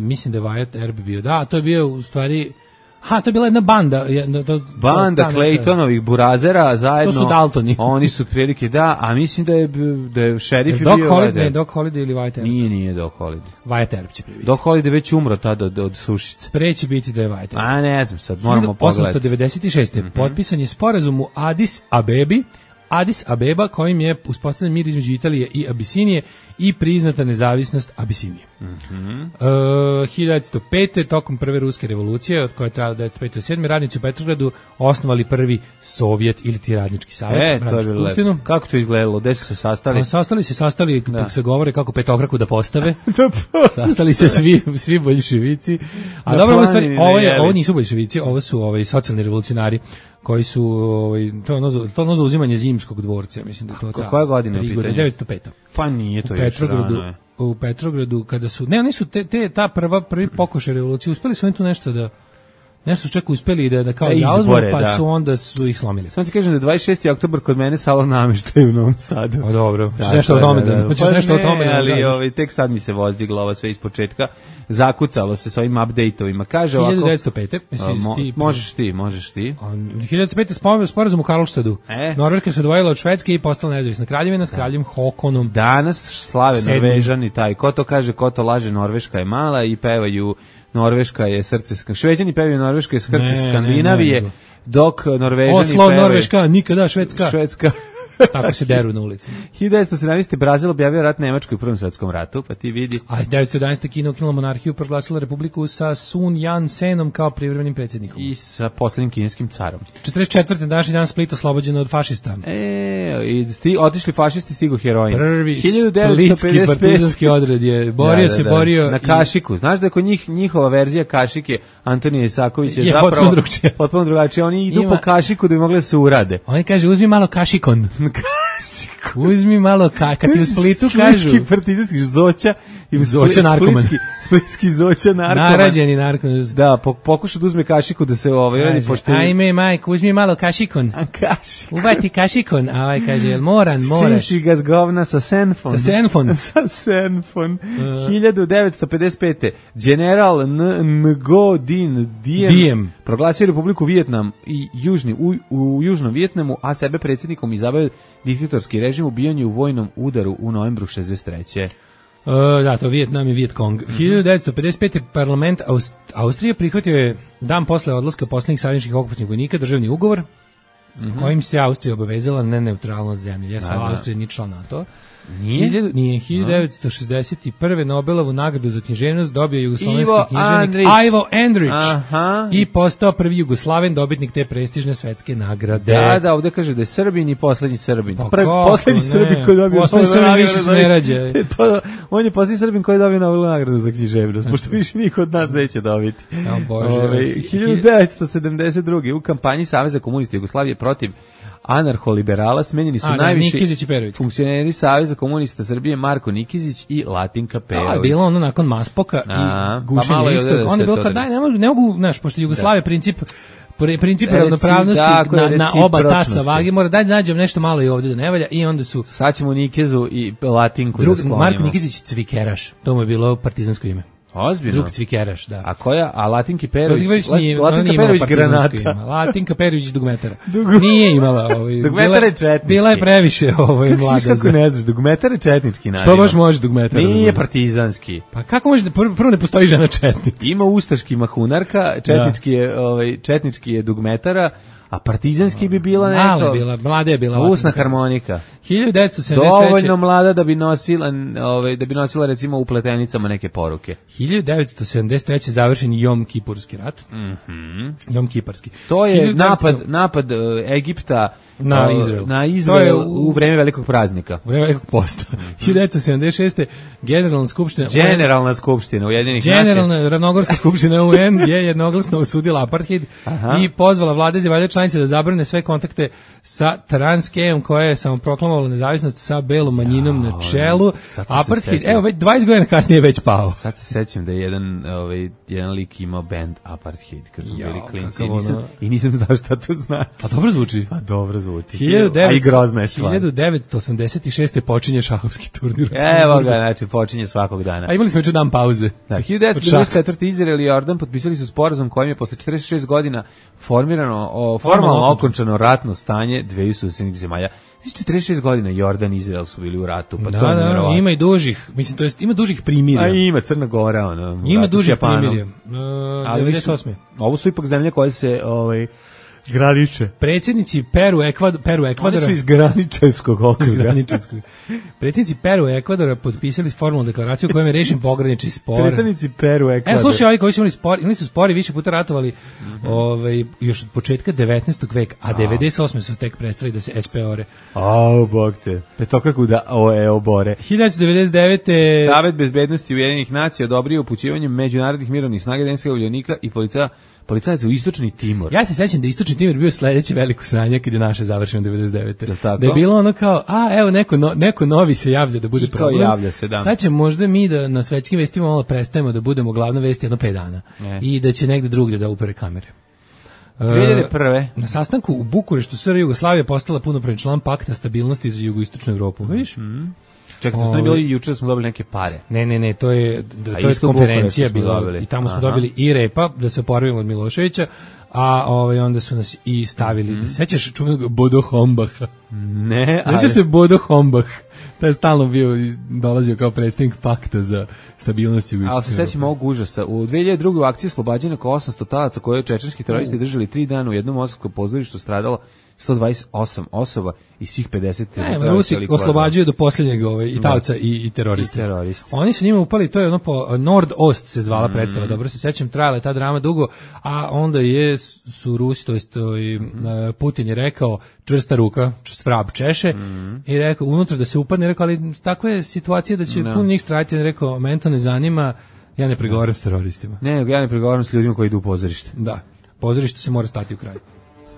mislim da je Wyatt Earp bio. Da, to je bio u stvari... Ha, to je bila jedna banda. Jedna, to, Banda ta neka- Claytonovih burazera zajedno. To su Daltoni. Oni su prilike, da, a mislim da je, da je šerif je Doc bio... Holliday, Wyatt ne, Earp. Doc Holliday ili Wyatt Earp? Nije, nije Doc Holliday. Wyatt Earp će prvi. Doc Holliday već umro tada od, od sušice. Pre će biti da je Wyatt Earp. A ne znam sad, moramo pogledati. osamsto devedeset šeste. potpisan je sporazum u Addis Abebi, Addis Abeba kojim je uspostavljen mir između Italije i Abisinije i priznata nezavisnost Abisinije. Mhm. E, hiljadu devetsto pete. tokom prve ruske revolucije, od koje je trajala devetsto pete do sedme. radnici u Petrogradu osnovali prvi Sovjet ili ti radnički savjet. E, to je radničku bilo skupštinu. lepo. Kako to izgledalo? Gde su se sastali? Pa, sastali se, sastali, Da. se govore kako petokraku da postave. Sastali se svi svi boljševici. A Na dobro, ovo, stvari, planini ovo, je, najeli. ovo nisu boljševici, ovo su ovaj socijalni revolucionari koji su ovaj to je ono za- to je ono za uzimanje zimskog dvorca, mislim da je to ta. koja godina je u prigoda, pitanju? devetsto peta. Pa nije to U još Petrogradu, rano je. u Petrogradu kada su ne, oni su te, te ta prva prvi pokušaj revolucije, uspeli su oni tu nešto da nešto su čak uspeli da, da kao Da zauzmu, izbore, pa da. su onda su ih slomili. Samo ti kažem da je dvadeset šesti oktobar kod mene salon namještaja u Novom Sadu. Pa dobro, Da, hoćeš nešto o tome da, da, hoćeš pa nešto o ne, tome da. ali da- ovaj, tek sad mi se vozdigla ova sve iz početka. Zakucalo se sa ovim update-ovima. Kaže ovako... hiljadu devetsto pete a, Mislim, mo- ti, možeš ti, možeš ti. A, hiljadu devetsto pete spomenu sporazum u Karlštadu. E. Norveška se odvojila od Švedske i postala nezavisna kraljevina s kraljem Håkonom. Danas slave Sedmi. Norvežani taj. Ko to kaže, ko to laže, Norveška je mala i pevaju Norveška je srce... Sk- Šveđani pevaju Norveška je srce Ne, ne, Skandinavije, ne, ne. dok Norvežani Oslo, pevaju... Norveška, nikada Švedska. Švedska. Tako se deru na ulici. hiljadu devetsto sedamnaeste. Brazil objavio rat Nemačkoj u Prvom svetskom ratu, pa ti vidi. A devetsto jedanaeste. Kina ukinula monarhiju, proglasila republiku sa Sun Yat-senom kao privremenim predsjednikom. I sa poslednjim kineskim carom. četrdeset četvrte. današnji dan Split oslobođen od fašista. E, i sti, otišli fašisti, stigo heroin. Prvi hiljadu devetsto splitski pedeset pete. partizanski odred je borio Da, da, se, da. borio na i- Kašiku. Znaš da je kod njih njihova verzija Kašike Antonija Isakovića Je zapravo potpuno drugačija. potpuno drugačija. Oni idu Ima- po Kašiku da bi mogli da se urade. On kaže, uzmi malo kašikon. Uzmi malo, ka, kad ti u Splitu kažu. Splitski partizanski zoća i Zoća narkoman. Splitski, splitski zoća narkoman. Narađeni narkoman. Da, po, pokuša da uzme Kašiku da se ovaj radi Kaže, pošto ajme, majko, uzmi malo kašikon. A Kašik. Ubati kašikon. A ovaj kaže, jel moran, S čim moraš. si ga zgovna sa Senfon? Sa Senfon. sa Senfon. hiljadu devetsto pedeset pete. General N. Ngo Dinh Diem, Diem. proglasio Republiku Vijetnam i južni, u, u južnom Vijetnamu, a sebe predsjednikom izabrao diktatorski režim ubijanju u vojnom udaru u novembru šezdeset treće. Uh, da, to Vijetnam i Vietkong. hiljadu devetsto pedeset pete. parlament Aust Austrije prihvatio je dan posle odlaska poslednjih savezničkih okupacionih vojnika državni ugovor kojim se Austrija obavezala na neutralnost zemlje. Jes, Da, da. Austrija nije član NATO. Nije? Hiljadu- Nije. hiljadu devetsto šezdeset prve. Nobelovu nagradu za književnost dobio je jugoslovenski Ivo književnik Andrić. Ivo Andrić Aha. i postao prvi Jugoslaven dobitnik te prestižne svetske nagrade. Da, da, ovde kaže da je Srbin i poslednji Srbin. Pa Prvi, kako poslednji ne? Srbin koji je dobio Poslednji Nobelovu Srbin nagradu više se za- ne rađa. Pa, on je poslednji Srbin koji je dobio Nobelovu nagradu za književnost, pošto više niko od nas neće dobiti. O Bože. Ove, hiljadu devetsto sedamdeset druge. u kampanji Saveza komunista Jugoslavije protiv anarholiberala smenjeni su A, da, najviši Nikizić i Perović. funkcioneri Saveza komunista Srbije Marko Nikizić i Latinka To Perović. je bilo ono nakon Maspoka A, i gušenja pa malo je istog. ovde da Onda se je bilo to kao, da- daj, ne mogu, ne mogu, znaš, pošto Jugoslavije princip pri- princip Reci- ravnopravnosti tako je, na, na oba tasa recipročnosti. vage, mora daj da nađem nešto malo i ovde da ne valja i onda su Sad ćemo Nikezu i Latinku drug, da sklonimo. Marko Nikizić Cvikeraš, to mu je bilo partizansko ime. Ozbiljno. Drug Cvikeraš, da. A koja? A Latinki Perović? Perović nije, La- ona nije Latinka imala Perović partizansko ime. granata. Latinka Perović dugmetara. Dugu- Nije imala ovaj. Dugmetar bila- je četnički. Bila je previše ovaj Kako mlada. si kako za- ne znaš, dugmetar je četnički naziv. Što baš može dugmetara? Nije partizanski. Pa kako može da prvo, prvo ne postoji žena četnik? Ima ustaški mahunarka, četnički je, ovaj, četnički je dugmetara, a partizanski bi bila neko... Mala je bila, mlada je bila. Usna Latinka. harmonika. hiljadu devetsto sedamdeset treće. Dovoljno mlada da bi nosila, ovaj, da bi nosila recimo u pletenicama neke poruke. hiljadu devetsto sedamdeset treće. završen Jom Kipurski rat. Mhm. Jom Kiparski. To je hiljadu devetsto napad napad uh, Egipta Na uh, Izrael. Na To je Izrael u- u vreme velikog praznika. U vreme velikog posta. hiljadu devetsto sedamdeset šeste. Generalna skupština Generalna skupština Ujedinjenih nacija. Generalna ravnogorska skupština U N je jednoglasno osudila apartheid Aha. i pozvala vlade zemalja članice da zabrane sve kontakte sa Transkeom koja je samoproklamovala nezavisnost sa belom manjinom na čelu. sad sam se Apartheid, setio. evo već dvadeset godina kasnije je već pao. Sad se sećam da je jedan, ovaj, jedan lik imao band Apartheid kad smo Jao, bili klinci kakav i nisam, ono- i nisam znao šta to znači. A dobro zvuči. Pa dobro zvuči. hiljadu A i grozna je stvar. hiljadu devetsto osamdeset šeste počinje šahovski turnir. Evo ga, znači počinje svakog dana. A imali smo juče dan pauze. Da, hiljadu devetsto devedeset četvrte. Izrael i Jordan potpisali su sporazum kojim je posle četrdeset šest godina formirano, o, formalno Formalno okončano ratno stanje dveju susednih zemalja. Znači četrdeset šest godina Jordan i Izrael su bili u ratu, pa Da, to je da, nevjerovatno. ima i dužih, mislim, to jest ima dužih primirja. A ima Crna Gora, ono. u Ima ratu s dužih Japanom. primirja. Uh, Ali devedeset mislim, osme. ovo su ipak zemlje koje se ovaj, graniče. Predsjednici Peru, Ekvador, Peru, Oni Ekvadora. su iz graničevskog okruga. Graničarskog. Predsjednici Peru i Ekvadora potpisali formalnu deklaraciju kojom je rešen pogranični spor. Predstavnici Peru, Ekvador. Evo slušaj, ovi koji su imali spor, imali su spori, više puta ratovali ovaj, još od početka devetnaestog veka, a devedeset osme su tek prestali da se S P O-re. Au, bog te. Petokraku da o, e, obore. hiljadu devetsto devedeset devete. Savet bezbednosti Ujedinjenih nacija odobrio upućivanje međunarodnih mirovnih snaga Danskog uljonika i policija policajaca u istočni Timor. Ja se sećam da istočni Timor bio sledeće veliko sranje kad je naše završeno devedeset devete. Jel tako? Da je bilo ono kao, a evo neko, no, neko novi se javlja da bude I kao problem. javlja se, da. Sad će možda mi da na svetskim vestima malo prestajemo da budemo glavna vest jedno pet dana. Ne. I da će negde drugde da upere kamere. dve hiljade prve. Na sastanku u Bukureštu S R Jugoslavija postala punopravni član pakta stabilnosti za jugoistočnu Evropu. Vidiš? Mm. Čekaj, to je bilo i juče da smo dobili neke pare. Ne, ne, ne, to je da, A to je isto u konferencija Bukureštu smo bila dobili. i tamo smo Aha. dobili i repa da se oporavimo od Miloševića, a ovaj onda su nas i stavili. Mhm. Sećaš čuvenog Bodo Hombacha? Ne, ali... Sećaš se Bodo Hombach? To je stalno bio i dolazio kao predstavnik pakta za stabilnost jugoistočne Ali se sećam ovog užasa. U dve hiljade druge u akciji oslobađanja oko osamsto talaca koje je čečenski teroristi držali tri dana u jednom moskovskom pozorištu stradalo sto dvadeset osam osoba i svih pedeset. Ne, Rusi oslobađaju do posljednjeg ovaj, i talca i, i teroristi. I teroristi. Oni su njima upali, to je ono po Nord-Ost se zvala Mm. predstava, dobro se sećam, trajala je ta drama dugo, a onda je su Rusi, to jest to i, Putin je rekao čvrsta ruka, svrab češe Mm. i rekao unutra da se upadne, rekao ali takva je situacija da će No. puno njih straditi, on je rekao mene to ne zanima, ja ne pregovaram s teroristima. Ne, nego ja ne pregovaram s ljudima koji idu u pozorište. Da, pozorište se mora stati u kraj.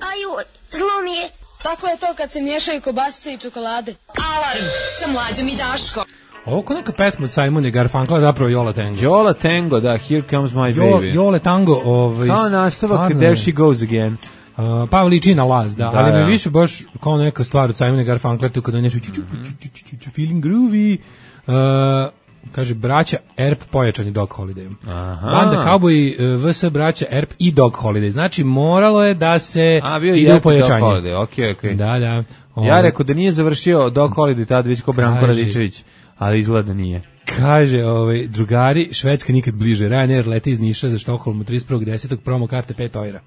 Aju, zlo mi je. Tako je to kad se miješaju kobasice i čokolade. Alarm sa Mlađom i Daškom. Ovo ko neka pesma od Simona i Garfunkla, zapravo Jola Tango. Jola Tango, da, Here Comes My Jo, Baby. Jole Tango, ovaj Kao nastavak, stvarno There je. She Goes Again. Uh, pa liči na Laz, da, Da, ali me da. više baš kao neka stvar od Simona Garfunkla, tu kada nešto feeling groovy. Uh, kaže, braća Erp pojačani Dog Holidayom. Aha. Banda Cowboy, V S braća Erp i Dog Holiday. Znači, moralo je da se A, bio ide je u pojačanje. Dog Holiday, okej, okej. Da, da. Ja Ovaj, rekao da nije završio Dog Holiday tad već kao Branko Kaži. Radičević, ali izgleda da nije. Kaže, ovaj, drugari, Švedska nikad bliže. Ryanair leti iz Niša za Štokholm u trideset prvog desetog promo karte pet eura.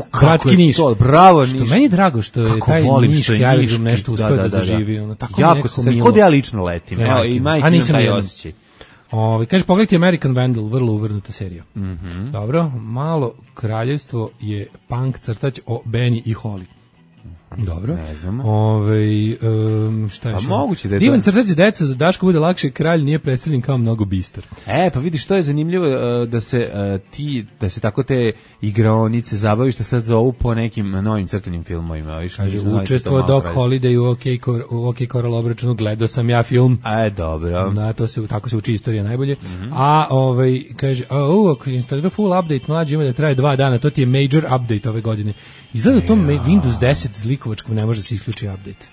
Uh, Bratski Niš. To, bravo Što Niš. meni je drago što je Kako taj volim što niški je aerodrom niški, nešto uspeo da, zaživi. Ono, tako mi jako nekako se sve, milo. kod ja lično letim. Ja, Evo, majke i mi. majke A imam nisam taj nijedan. osjećaj. Ovaj kaže pogledajte American Vandal, vrlo uvrnuta serija. Mhm. Dobro, malo kraljevstvo je punk crtač o Benny i Holly. Dobro. Ne znamo. Ovaj um, šta je? Pa još? moguće da je to- Divan crtač za decu, za Daško bude lakše, kralj nije predstavljen kao mnogo bistar. E, pa vidiš, to je zanimljivo uh, da se uh, ti, da se tako te igraonice zabaviš, da sad zovu po nekim novim crtanim filmovima. Viš, Kaže, nismo znali da to učestvovao malo Doc pravi. Holiday u OK, Cor, u OK Coral obračunu, gledao sam ja film. E, dobro. Da, to se tako se uči istorija najbolje. A ovaj kaže, a u ako instalira full update mlađi ima da traje dva dana, to ti je major update ove godine. Izgleda da to ma- Windows deset zlikovačkom ne može da se isključi update.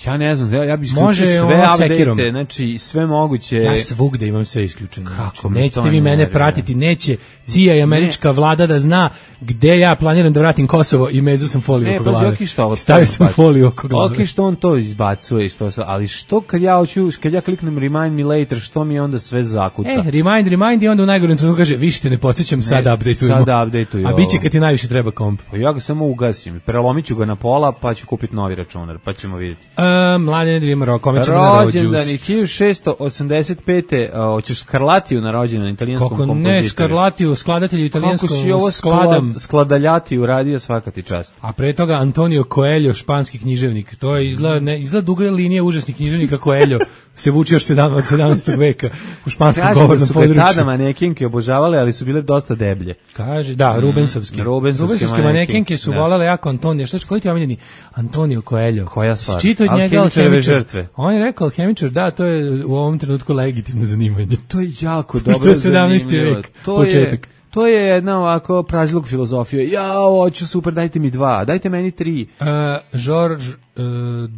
Ja ne znam, ja, ja bih Može isključio sve ono update, sekirom. znači sve moguće. Ja svugde imam sve isključeno. Kako Znači, me nećete to vi mene nervira. pratiti, neće C I A i američka vlada da zna gde ja planiram da vratim Kosovo i mezu sam foliju Ne, oko pa glave. okej što ovo Stavio sam foliju oko glave. Okej što on to izbacuje i što sa, ali što kad ja hoću, kad ja kliknem remind me later, što mi onda sve zakuca? E, remind, remind i onda u najgorem trenutku kaže, više te ne podsjećam, sad Ne, updateujemo. sad updateuju A bit će ovo. kad ti najviše treba komp. Pa ja ga samo ugasim, prelomit ću ga na pola, pa ću kupiti novi računar, pa ćemo vidjeti. E, mladine da vidimo ro, kome ćemo na Rođendan rođust. je hiljadu šessto osamdeset pete. a, hoćeš Skarlatiju na rođendan, italijanskom Kako kompozitoru. ne, Skarlatiju, skladatelju Kako italijanskom si ovo skladam. sklad, skladaljati uradio, svaka ti čast. A pre toga Antonio Coelho, španski književnik. To je izgleda, ne, izgleda duga linija užasnih književnika Coelho. Se vuče još sedam, od sedamnaestog veka u španskom Kažu da govornom su ga području. tada manekinke obožavale, ali su bile dosta deblje. Kaže, da, Rubensovski. Rubensovske Rubensovske manekenke, manekenke su da. volele jako Antonija. Šta će, koji ti je omiljeni? Antonio Coelho. Koja stvar? Čito od njega Alhemičareve alhemičar. žrtve. On je rekao alhemičar, da, to je u ovom trenutku legitimno zanimanje. To je jako Što dobro. je sedamnaesti zanimljivo. vek, To početak. Je, to je jedna ovako prazilog filozofija. Ja, hoću super, dajte mi dva, dajte meni tri. Uh, Georges uh,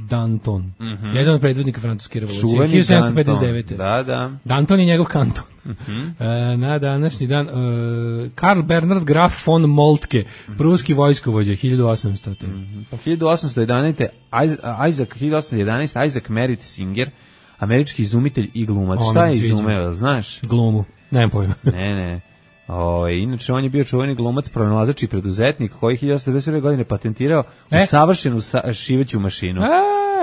Danton, jedan od predvodnika francuske revolucije, Čuveni hiljadu sedamsto pedeset Danton. devete. Da, da. Danton je njegov kanton. E, na današnji dan uh, Karl Bernhard Graf von Moltke, pruski vojskovođa, hiljadu osamsto. Pa hiljadu osamsto jedanaeste. Is- Isaac, hiljadu osamsto jedanaeste. Isaac Merritt Singer, američki izumitelj i glumac. On Šta mi je se sviđa. izumeo, znaš? Glumu, nemam pojma. Ne, ne. O, inače, on je bio čuveni glumac, pronalazač i preduzetnik koji je hiljadu osamsto devedeset prve. godine patentirao E? usavršenu sa, šiveću mašinu. A,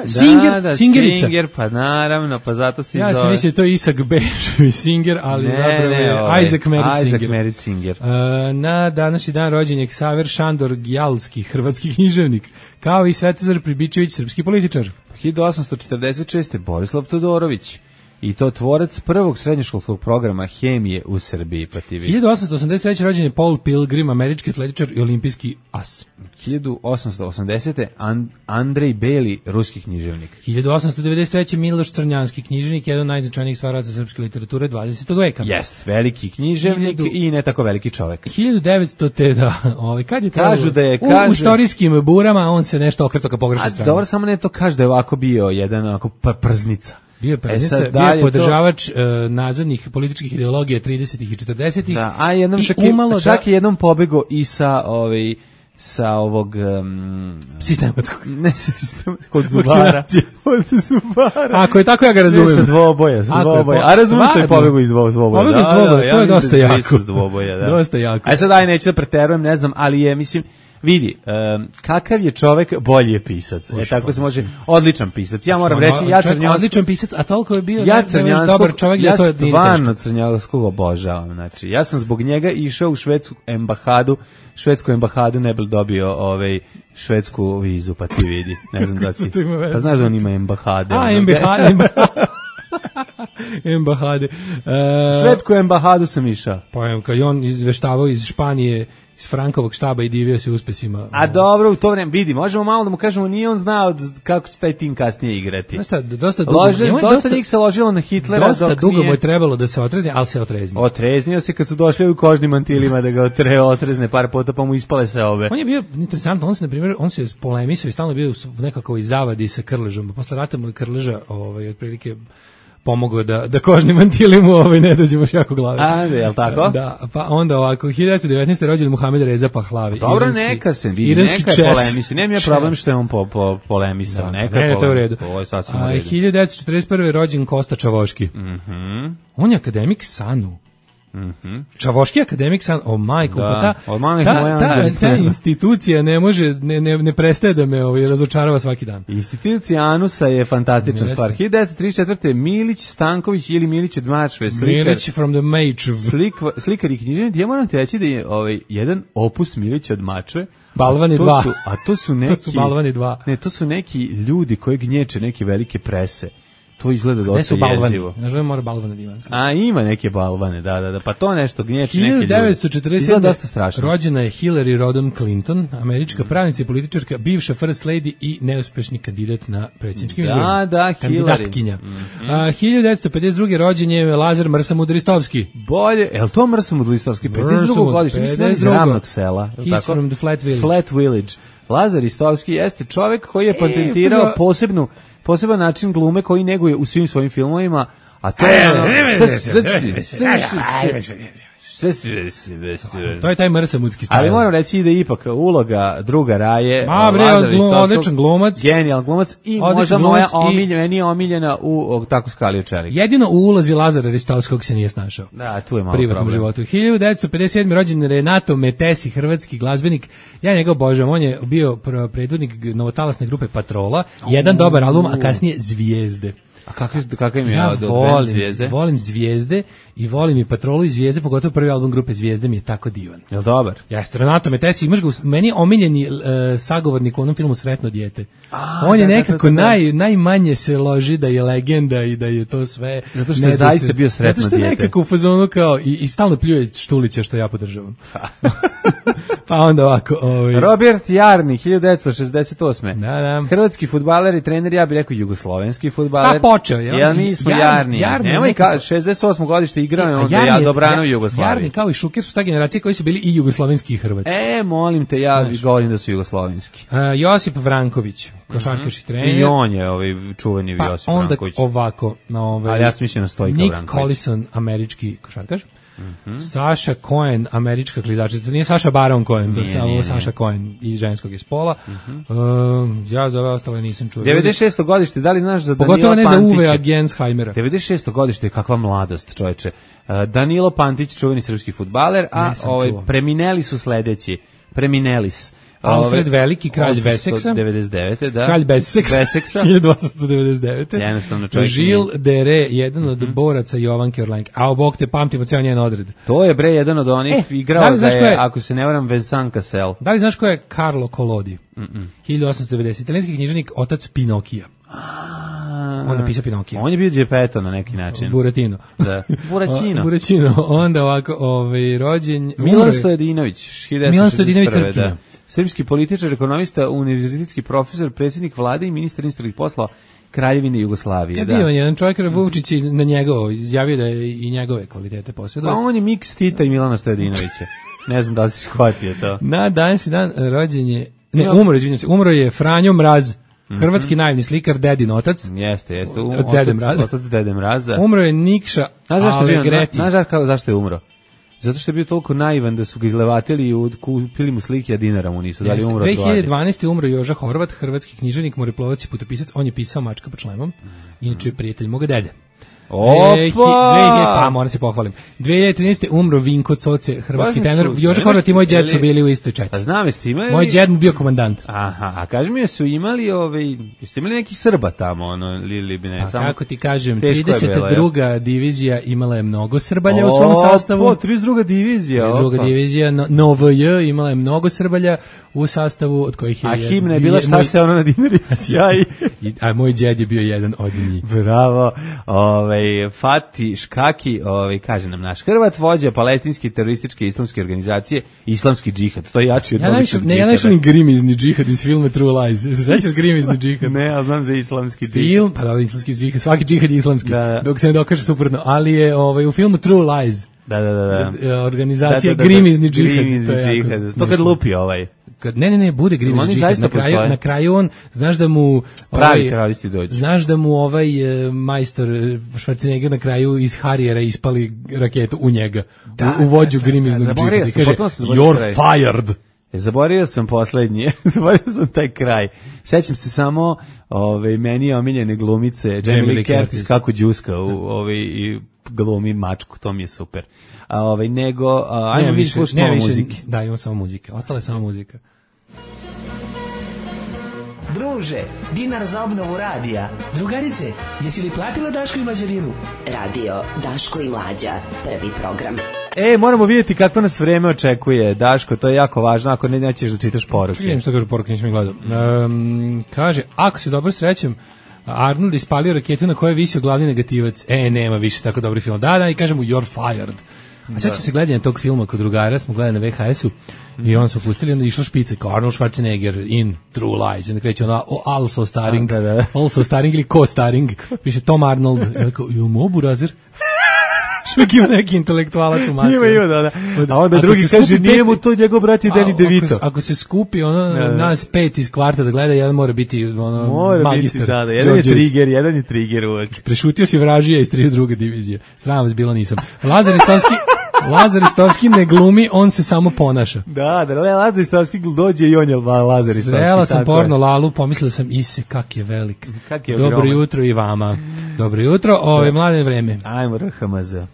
Singer, da, da, Singerica. Singer, pa naravno, pa zato se Ja zove. sam mislio to je Isak Bešović Singer, ali Ne, zapravo ne, je ovaj, Isaac Merritt Isaac Singer. Merritt Singer. E, na današnji dan rođen je Ksaver Šandor Gjalski, hrvatski književnik, kao i Svetozar Pribičević, srpski političar. hiljadu osamsto četrdeset šeste. Borislav Todorović. i to tvorac prvog srednjoškolskog programa hemije u Srbiji, pa ti vidi. hiljadu osamsto osamdeset treće rođen je Paul Pilgrim, američki atletičar i olimpijski as. hiljadu osamsto osamdesete And, Andrej Beli, ruski književnik. hiljadu osamsto devedeset treće Miloš Crnjanski, književnik, jedan od najznačajnijih stvaraca srpske literature dvadesetog veka. Jest, veliki književnik hiljadu i ne tako veliki čovek. hiljadu devetsto te da, ovaj kad je kažu trebalo, da je u, kažu, u istorijskim burama on se nešto okreto ka pogrešnoj strani. Dobro, samo ne to kaže da je ovako bio jedan onako prznica. Bio je preznica, e bio je podržavač to... uh, nazadnih političkih ideologija tridesetih i četrdesetih. Da, a jednom čak, je, čak da... je jednom pobego i sa ovaj sa ovog um, sistematskog. Ne, sistematskog, od zubara. Od zubara. Ako je tako, ja ga razumem. Ne, sa dvoboja, sa dvoboja. A razumiješ što je pobego iz dvoboja. Pobego iz dvoboja, to je dosta jako. Dvoboja, da. Dosta jako. Aj sad daj, neću da preterujem, ne znam, ali je, mislim, vidi, um, kakav je čovek, bolji je pisac. E, tako se može, odličan pisac. Ja moram reći, ja Crnjanskog... Odličan pisac, a toliko je bio ja ne, ne dobar čovek, ja, ja to je stvarno Crnjanskog obožavam. Znači, ja sam zbog njega išao u švedsku embahadu, švedsku embahadu ne bi dobio ovaj švedsku vizu, pa ti vidi. Ne znam da si. Pa znaš da on ima embahade. A, embahade. Embahade. Uh, švedsku embahadu sam išao. Pa kad je on izveštavao iz Španije, iz Frankovog štaba i divio se uspesima. A dobro, u to vreme, vidi, možemo malo da mu kažemo, nije on znao kako će taj tim kasnije igrati. Znaš šta, dosta dugo, Lože, dosta, dosta njih se ložilo na Hitlera. Dosta dok dugo nije... mu je trebalo da se otrezni, ali se otreznio. Otreznio se kad su došli u kožnim mantilima da ga otre, otrezne par puta, pa mu ispale se obe. On je bio interesantno, on se, na primjer, on se polemisao i stalno bio u nekakvoj zavadi sa Krležom. Posle rata mu je Krleža, ovaj, otprilike, pomogao da, da kožni mantili mu ovaj, ne dođe baš jako glave. A, je li tako? Da, pa onda ovako, hiljadu devetsto devetnaeste. rođen Muhamed Reza Pahlavi. Dobro, iranski, neka se vidi, neka je polemisi. Nema je problem što je on po, po, polemisao. Da, neka ne, to je u redu. Ovo je sasvim u redu. redu. hiljadu devetsto četrdeset prve. rođen Kosta Čavoški. Mhm. On je akademik Sanu. Mhm. Čavoški akademik San, o majko, da. pa ta, ta, ta, ta institucija ne može, ne, ne, ne prestaje da me ovaj, razočarava svaki dan. Institucija Anusa je fantastična ne stvar. hiljadu devetsto trideset četvrte. Milić Stanković ili Milić od Mačve, slikar. Milić from the Mačve. Slik, slikar i književnik. Ja moram ti reći da je ovaj, jedan opus Milić od Mačve. Balvani dva. Su, a to su neki... to su Balvani dva. Ne, to su neki ljudi koji gnječe neke velike prese. To izgleda dosta jezivo. Ne želim mora balvane da ima. A ima neke balvane, da, da, da. Pa to nešto gnječi neki ljudi. hiljadu devetsto četrdeset sedme. dosta strašno. Rođena je Hillary Rodham Clinton, američka mm. pravnica i političarka, bivša first lady i neuspešni kandidat na predsjedničkim izborima. Da, da, kandidatkinja. Mm-hmm. A, hiljadu devetsto pedeset druge. rođen je Lazar Mrsamud Ristovski. Bolje, je li to Mrsamud Ristovski? pedeset drugo godište, mislim da je iz Ravnog sela. He's tako? from the Flat Village. Flat Village. Lazar Ristovski jeste čovjek koji je patentirao posebnu poseban način glume koji neguje u svim svojim filmovima, a to je to je taj mrsamudski stajl. Ali moram reći da je ipak uloga druga Raje, Ma bre, glum, odličan glumac, genijal glumac i možda moja omiljena, omiljena u tako Skalio čelik. Jedino u ulozi Lazara Ristovskog se nije snašao. Da, tu je malo privatnom problem. životu. hiljadu devetsto pedeset sedme. rođen Renato Metesi, hrvatski glazbenik. Ja njega obožavam, on je bio predvodnik novotalasne grupe Patrola, jedan dobar album, a kasnije Zvijezde. A kakav kakav im je ja od volim, Zvijezde? Volim Zvijezde i volim i Patrolu i Zvijezde, pogotovo prvi album grupe Zvijezde mi je tako divan. Jel dobar? Jeste, Renato Metesi, imaš ga, meni je omiljeni uh, sagovornik u onom filmu Sretno dijete. A, on je da, nekako da, da, da. Naj, najmanje se loži da je legenda i da je to sve. Zato što je zaista bio Sretno dijete. Zato što je nekako u fazonu kao i, i stalno pljuje Štulića što ja podržavam. Pa onda ovako. Ovaj. Robert Jarni, hiljadu devetsto šezdeset osme. Da, da. Hrvatski fudbaler i trener, ja bih rekao jugoslovenski fudbaler. Pa počeo je. Jel mi smo Jarni? Jarni Nemoj ka šezdeset osmo godište igrao je onda ja dobrano u Jugoslaviji. Jarni kao i Šuker su ta generacija koji su bili i jugoslovenski i hrvatski. E, molim te, ja Znaš. govorim da su jugoslovenski. Uh, Josip Vranković, košarkaš i trener. I on je ovaj čuveni pa Josip onda Vranković. ovako, na ovaj. Ali ja sam mislio na Stojka Nick Vranković. Collison, američki košarkaš. Mm-hmm. Saša Cohen, američka klizačica, to nije Saša Baron Cohen, to je samo Saša Cohen iz ženskog je spola. Mm-hmm. uh, ja za ove ostale nisam čuo. devedeset šesto godište, da li znaš za Danila Pogotovo Pantića? Pogotovo ne za Uwe Gensheimera. devedeset šesto godište, kakva mladost, čoveče. Uh, Danilo Pantić, čuveni srpski fudbaler, a ovaj, premineli su sledeći. Preminelis. Alfred Veliki, kralj Veseksa. devedeset devete da. Kralj Veseksa. Veseksa. hiljadu osamsto devedeset devete Jednostavno čovjek. Žil Dere, jedan od mm-hmm. boraca Jovanke Orlanke. A Bog te pamtimo cijel njen odred. To je bre jedan od onih e, igrao da, da je, je, ako se ne varam, Vincent Cassel. Da li znaš ko je Carlo Collodi? Mm-mm. hiljadu osamsto devedeset. Italijanski književnik, otac Pinokija. A, on napisao Pinokija. On je bio Geppetto na neki način. Buratino. Da. Buraćino. Buraćino. Onda ovako, ovaj, rođen... Milan Stojadinović, Milan Stojadinović Crkina. Da. Srpski političar, ekonomista, univerzitetski profesor, predsjednik vlade i ministar inostranih poslova Kraljevine Jugoslavije. Da, bio je jedan čovjek, Vučić na njegovo, izjavio da je i njegove kvalitete posjeduje. Pa on je miks Tita i Milana Stojadinovića. Ne znam da li si shvatio to. Na današnji dan rođen je, ne, umro, izvinjam se, umro je Franjo Mraz, hrvatski mm-hmm. naivni slikar, dedin otac. Jeste, jeste. Um, Dede Mraz. Otac Dede Mraza. Umro je Nikša Alegreti. Znaš zašto, zašto je umro? Zato što je bio toliko naivan da su ga izlevatili i kupili mu slike, a dinara mu nisu dali, umro od gladi. dve hiljade dvanaeste. umro Joža Horvat, hrvatski književnik, moreplovac i putopisac. On je pisao Mačka pod šlemom. Inače je prijatelj moga dede. Opa! dve hiljade Pa, moram se pohvalim. dve hiljade trinaeste. umro Vinko Coce, hrvatski tenor. Joža Horvat i moj djed su bili u istoj četi. A znam, jeste imali... Moj djed mu bio komandant. Aha, a kaži mi, su imali, ovaj, jeste imali neki Srba tamo, ono, ili bi ne, pa, samo... kako ti kažem, trideset druga divizija imala je mnogo Srbalja u svom sastavu. O, trideset druga divizija. trideset druga divizija, N V J, imala je mnogo Srbalja u sastavu, od kojih je... A himna je bila šta se ono na dinari sjaj. A moj djed je bio jedan od njih. Bravo, ovaj, Fati Škaki, ovaj, kaže nam naš Hrvat, vođa palestinske terorističke islamske organizacije, islamski džihad, to je jači od ja najviše, ne, ja najviše ni grimizni džihad iz filma True Lies. Se sećaš grimizni džihad? Ne, ja znam za islamski džihad. Film, pa da, islamski džihad, svaki džihad je islamski, da, da. Dok se ne dokaže suprotno, ali je ovaj, u filmu True Lies, da, da, da, da. organizacija da, da, da, grimizni džihad. Grimizni to, džihad. To kad lupi ovaj. Kad, ne, ne, ne, bude grimizni džihad. Na kraju, na kraju on, znaš da mu... Pravi ovaj, teroristi dođu. Znaš da mu ovaj e, majstor Schwarzenegger na kraju iz Harriera ispali raketu u njega. Da, u, u vođu grimiznog džihada. I kaže, you're fired. E, zaboravio sam poslednji, zaboravio sam taj kraj. Sećam se samo ove, meni je omiljene glumice Jamie Lee Curtis kako đuska u, ove, i glumi mačku, to mi je super. A ovaj nego, a, ajmo mi slušati malo muzike. Da, imamo samo muzike, ostala je samo muzika. Druže, dinar za obnovu radija. Drugarice, jesi li platila Daško i Mlađarinu? Radio Daško i Mlađa, prvi program. E, moramo vidjeti kako nas vreme očekuje. Daško, to je jako važno, ako ne nećeš da čitaš poruke. Vidim što kaže poruke, nisam ih gledao. Um, kaže, ako se dobro srećem, Arnold ispalio raketu na kojoj je visio glavni negativac. E, nema više tako dobri film. Da, da, i kažem mu, you're fired. A sećam se gledanja tog filma kod drugara, smo gledali na V H S-u i on su pustili, onda je išla špica kao Arnold Schwarzenegger in True Lies. I onda kreće ona, oh, also starring, da, da. also starring ili co-starring. Piše Tom Arnold. I onda kao, jel mobu razir? Švek ima neki intelektualac u masi. Ima, ima, da, da. A onda drugi kaže, nije mu to njegov brat i Danny DeVito. Ako, ako se skupi ono, da, da. nas pet iz kvarta da gleda, jedan mora biti ono, mora magistar. Biti, da, da. Jedan je trigger, jedan je trigger uvek. Prešutio si vražija iz trideset druge divizije. Sram vas bilo nisam. Lazar Istovski, Lazar Istovski ne glumi, on se samo ponaša. Da, da, Lazar Istovski dođe i on je Lazar Istovski. Srela sam porno Lalu, pomislila sam, ise, kak je velik. Kak je Dobro ogroman. jutro i vama. Dobro jutro, ove mlade vreme. Ajmo, R H M Z.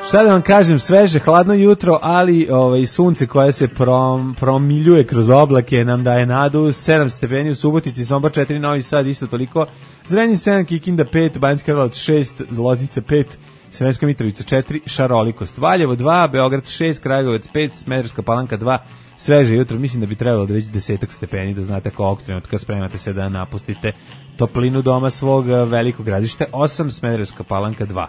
Šta da vam kažem, sveže, hladno jutro, ali ovaj, sunce koje se prom, promiljuje kroz oblake nam daje nadu, sedam stepeni u Subotici, Sombor četiri, Novi Sad isto toliko, Zrenjanin sedam, Kikinda pet, Banjska Karlovac šest, Loznica pet, Sremska Mitrovica četiri, šarolikost, Valjevo dva, Beograd šest, Kragujevac pet, Smederevska Palanka dva, sveže jutro, mislim da bi trebalo da već desetak stepeni, da znate kako ovog trenutka spremate se da napustite toplinu doma svog velikog gradišta, osam, Smederevska Palanka dva.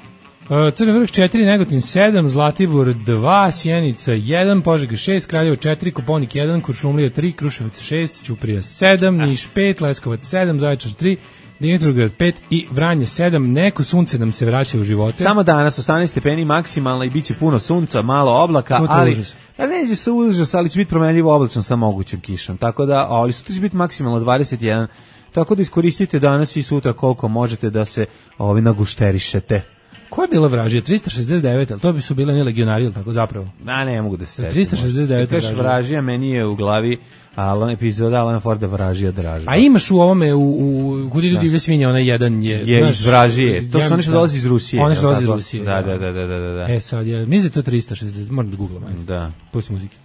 Crni vrh četiri, Negotin sedam, Zlatibor dva, Sjenica jedan, Požega šest, Kraljevo četiri, Koponik jedan, Kuršumlija tri, Kruševac šest, Ćuprija sedam, Niš pet, Leskovac sedam, Zaječar tri, Dimitrovgrad pet i Vranje sedam. Neko sunce nam se vraća u živote. Samo danas osamnaest stepeni maksimalno i biće puno sunca, malo oblaka, Sutra ali užas. Pa neće se užas, ali će biti promenljivo oblačno sa mogućim kišom. Tako da, ali sutra će biti maksimalno dvadeset jedan. Tako da iskoristite danas i sutra koliko možete da se ovi nagušterišete. Ko je bila vražija? trista šezdeset devet, ali to bi su bile ne legionari, ili tako zapravo? Da, ne mogu da se setim. trista šezdeset devet vražija. vražija, meni je u glavi Alan, epizoda Alana Forda vražija dražba. A imaš u ovome, u, u Kud idu divlje svinje, onaj jedan je... Je znaš, iz vražije, to su oni što dolazi iz Rusije. Oni što dolazi iz Rusije, da. Da, da, da, da, da. E sad, je, mislim da to trista šezdeset, moram da googlam. Da. Pusti muzike.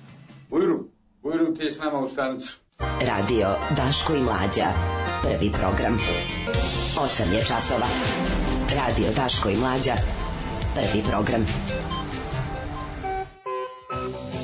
Ujru, Ujru, ti je s nama u stanicu. Radio Daško i Mlađa, prvi program. osam je časova. Radio Daško i Mlađa, prvi program.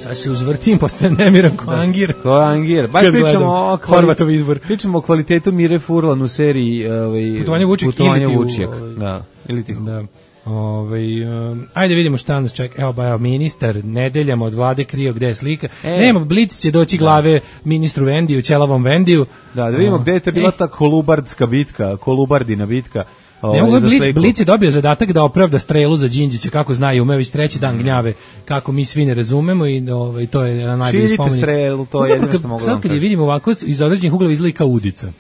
Sad se uzvrtim, postajem nemiran ko Angir. Ko Angir. Baš pričamo o Horvatov izbor. Pričamo o kvalitetu Mire Furlan u seriji ovaj, Putovanje Vučijak. Putovanje Vučijak. Da, ili ti... Da. Ove, um, ajde vidimo šta nas čeka. Evo ba, evo, ministar nedeljama od vlade krio gde je slika. E. Nema, Blic će doći glave ministru Vendiju, ćelavom Vendiju. Da, da vidimo uh, gde je to bila e. ta kolubardska bitka, kolubardina bitka. Ne mogu, Blic, Blic je dobio zadatak da opravda strelu za Đinđića, kako znaju, ume već treći dan gnjave, kako mi svi ne razumemo i ovaj, to je najbolji spomenik. Širite strelu, to je jedno što mogu sad kad je vidimo ovako, iz određenih uglova izgleda kao udica.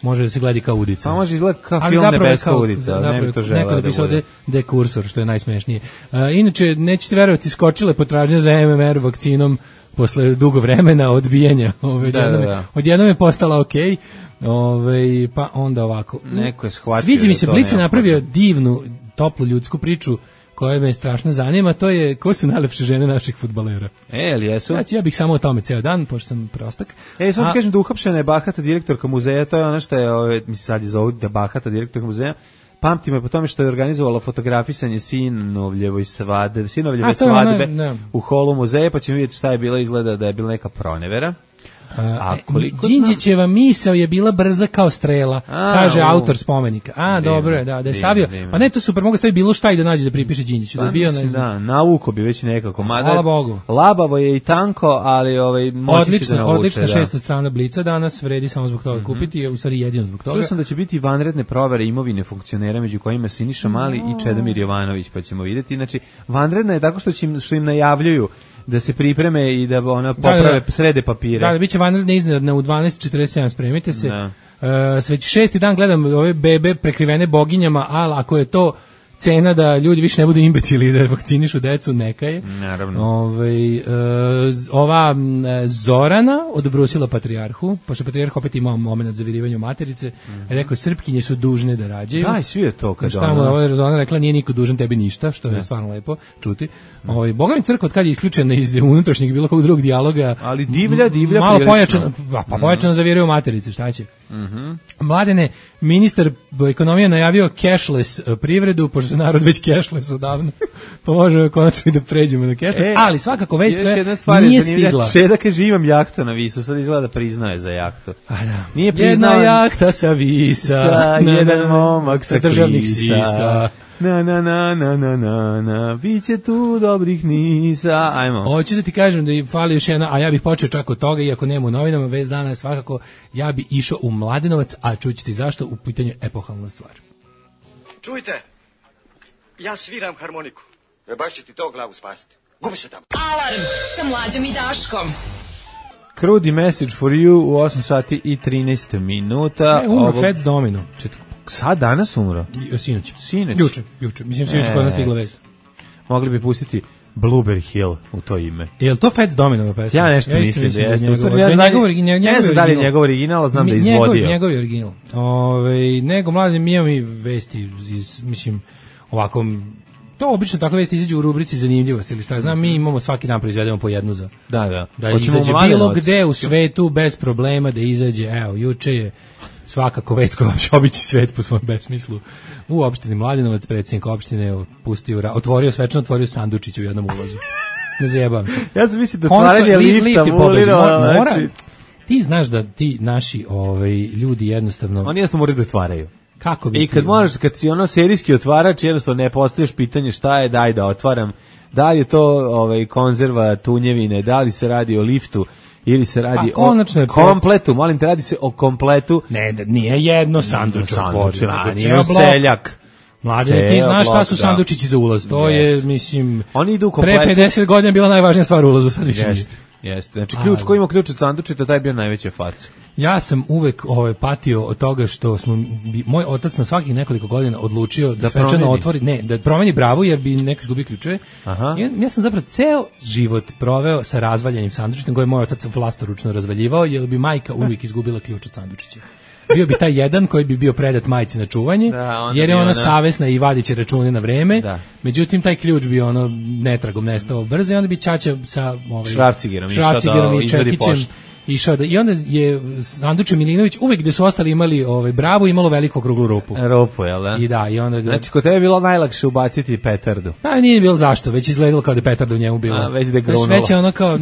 Može da se gleda kao udica. A može izgleda kao film Nebeska udica, zapravo, ne bi to želeo da bude. Ovde dekursor, što je najsmešnije. Uh, inače, nećete verovati, skočile potražnje za M M R vakcinom posle dugo vremena odbijanja. Ove, da, odjednom, da, da. odjednom je postala okej. Okay. Ove, pa onda ovako. Neko je shvatio. Sviđa mi se, da Blic je napravio divnu, toplu ljudsku priču koja me strašno zanima, to je ko su najlepše žene naših fudbalera. E, ali jesu? Znači, ja bih samo o tome ceo dan, pošto sam prostak. E, sad kažem da uhapšena je bahata direktorka muzeja, to je ono što je, ove, mi se sad je zovu da bahata direktorka muzeja, pamtimo je po tome što je organizovala fotografisanje sinovljevoj svadbe, sinovljeve svadbe u holu muzeja, pa ćemo vidjeti šta je bila, izgleda da je bila neka pronevera. A Đinđićeva misao je bila brza kao strela, a, kaže u, autor spomenika. A, divno, dobro je, da, da je stavio. Divno. Pa ne, to super, mogu staviti bilo šta i da nađe da pripiše Đinđiću. Pa, da bio, mislim, da, navuko bi već nekako. Mada, hvala Bogu. Labavo je i tanko, ali ovaj, moći odlična, da navuče. Odlična da. šesta strana Blica danas, vredi samo zbog toga mm-hmm. kupiti, je u stvari jedino zbog toga. Čuo sam da će biti vanredne provere imovine funkcionera, među kojima Siniša Mali no. i Čedomir Jovanović, pa ćemo vidjeti. Znači, vanredna je tako što, će im, što im najavljuju da se pripreme i da ona poprave, da, da, srede papire. Da, da, biće vanredne iznenadne u dvanaest četrdeset sedam, spremite se. Da. Uh, sve šesti dan gledam ove bebe prekrivene boginjama, ali ako je to cena da ljudi više ne budu imbecili da vakcinišu decu, neka je. Naravno. Ove, uh, ova Zorana odbrusila patrijarhu, pošto patrijarh opet imao moment za virivanje materice, mm-hmm. rekao, Srpkinje su dužne da rađaju. Daj, svi je to kad ona. Ova Zorana rekla, nije niko dužan tebi ništa, što je ne. stvarno lepo čuti. Mm. Ove, Boga mi crkva od kad je isključena iz unutrašnjeg bilo kog drugog dijaloga. Ali divlja, divlja. Malo pojačano, pa, pa pojačano mm. za virivanje materice, šta će? Mm-hmm. Mladene, ministar ekonomije najavio cashless privredu, pošto se narod već cashless odavno, pa možemo konačno i da pređemo na cashless, e, ali svakako već koja nije stigla. Čeda kaže imam jahtu na Visu, sad izgleda da priznaje za jahtu. A da. Nije priznao. Jedna jahta sa Visa, sa na, jedan momak sa državnih sisa. Na na na na na na na biće tu dobrih nisa. Ajmo. Hoću da ti kažem da fali još jedna, a ja bih počeo čak od toga, iako nema u novinama, vez dana svakako, ja bih išao u Mladenovac, a čućete zašto, u pitanju epohalna stvar. Čujte, ja sviram harmoniku. E baš će ti to glavu spasiti. Gubi se tamo. Alarm sa Mlađom i Daškom. Krudi message for you u osam sati i trinaest minuta. Ne, umro Fats Domino. Čet... Sad danas umro? Sinoć. Sinoć. Juče, juče. Mislim, sinoć kod nas stigla vest. Mogli bi pustiti Blueberry Hill u to ime. Je li to Fats Domino pesma? Ja nešto ja mislim da jeste. Ja ne znam da li je njegov original, znam da je izvodio. Njegov, njegov je original. Ove, nego, mladim, mi imamo i vesti iz, mislim, ovako, to obično tako vesti izađu u rubrici zanimljivosti ili šta ja znam, mi imamo svaki dan proizvedemo po jednu za. Da, da. Da izađe bilo gde u svetu bez problema da izađe, evo, juče je svakako već koja obići svet po svom besmislu. U opštini Mladenovac predsjednik opštine pustio, otvorio svečano, otvorio sandučić u jednom ulazu. Ne zajebam se. Ja sam mislim da otvaranje lifta mora, znači... Ti znaš da ti naši ovaj, ljudi jednostavno... Oni jednostavno moraju da otvaraju. Kako bi I kad ti... možeš, kad si ono serijski otvarač, jednostavno ne postaviš pitanje šta je, daj da otvaram. Da li je to ovaj, konzerva tunjevine, da li se radi o liftu, ili se radi o kompletu, molim te, radi se o kompletu. Ne, nije jedno sanduč otvorio. Nije seljak. Mladine, ti znaš šta su sandučići za ulaz, to yes. je, mislim, oni idu kompletu. Pre pedeset godina bila najvažnija stvar u ulazu, sad više Jeste, jeste. Znači, ključ, ko ima ključ od sandučita, taj je bio najveća faca. Ja sam uvek ovaj, patio od toga što smo, moj otac na svakih nekoliko godina odlučio da, da svečano otvori, ne, da promeni bravu jer bi neko izgubio ključeve. Ja, ja sam zapravo ceo život proveo sa razvaljenim sandučićem koje je moj otac vlastoručno razvaljivao jer bi majka uvijek izgubila ključ od sandučića. Bio bi taj jedan koji bi bio predat majci na čuvanje, da, jer je ona, ona savesna i vadit će račune na vreme. Da. Međutim, taj ključ bi ono netragom nestao brzo i onda bi ćaća sa ovaj, šrafcigerom i čekićem išao da, i onda je Sanduče Milinović uvek gde su ostali imali ovaj Bravo imalo veliku okruglu rupu. Rupu, jel da? I da, i onda ga... Znači, kod tebe je bilo najlakše ubaciti petardu. Pa nije bilo zašto, već izgledalo kao da je petarda u njemu bila. A, već da je grunulo. Već je ono kao...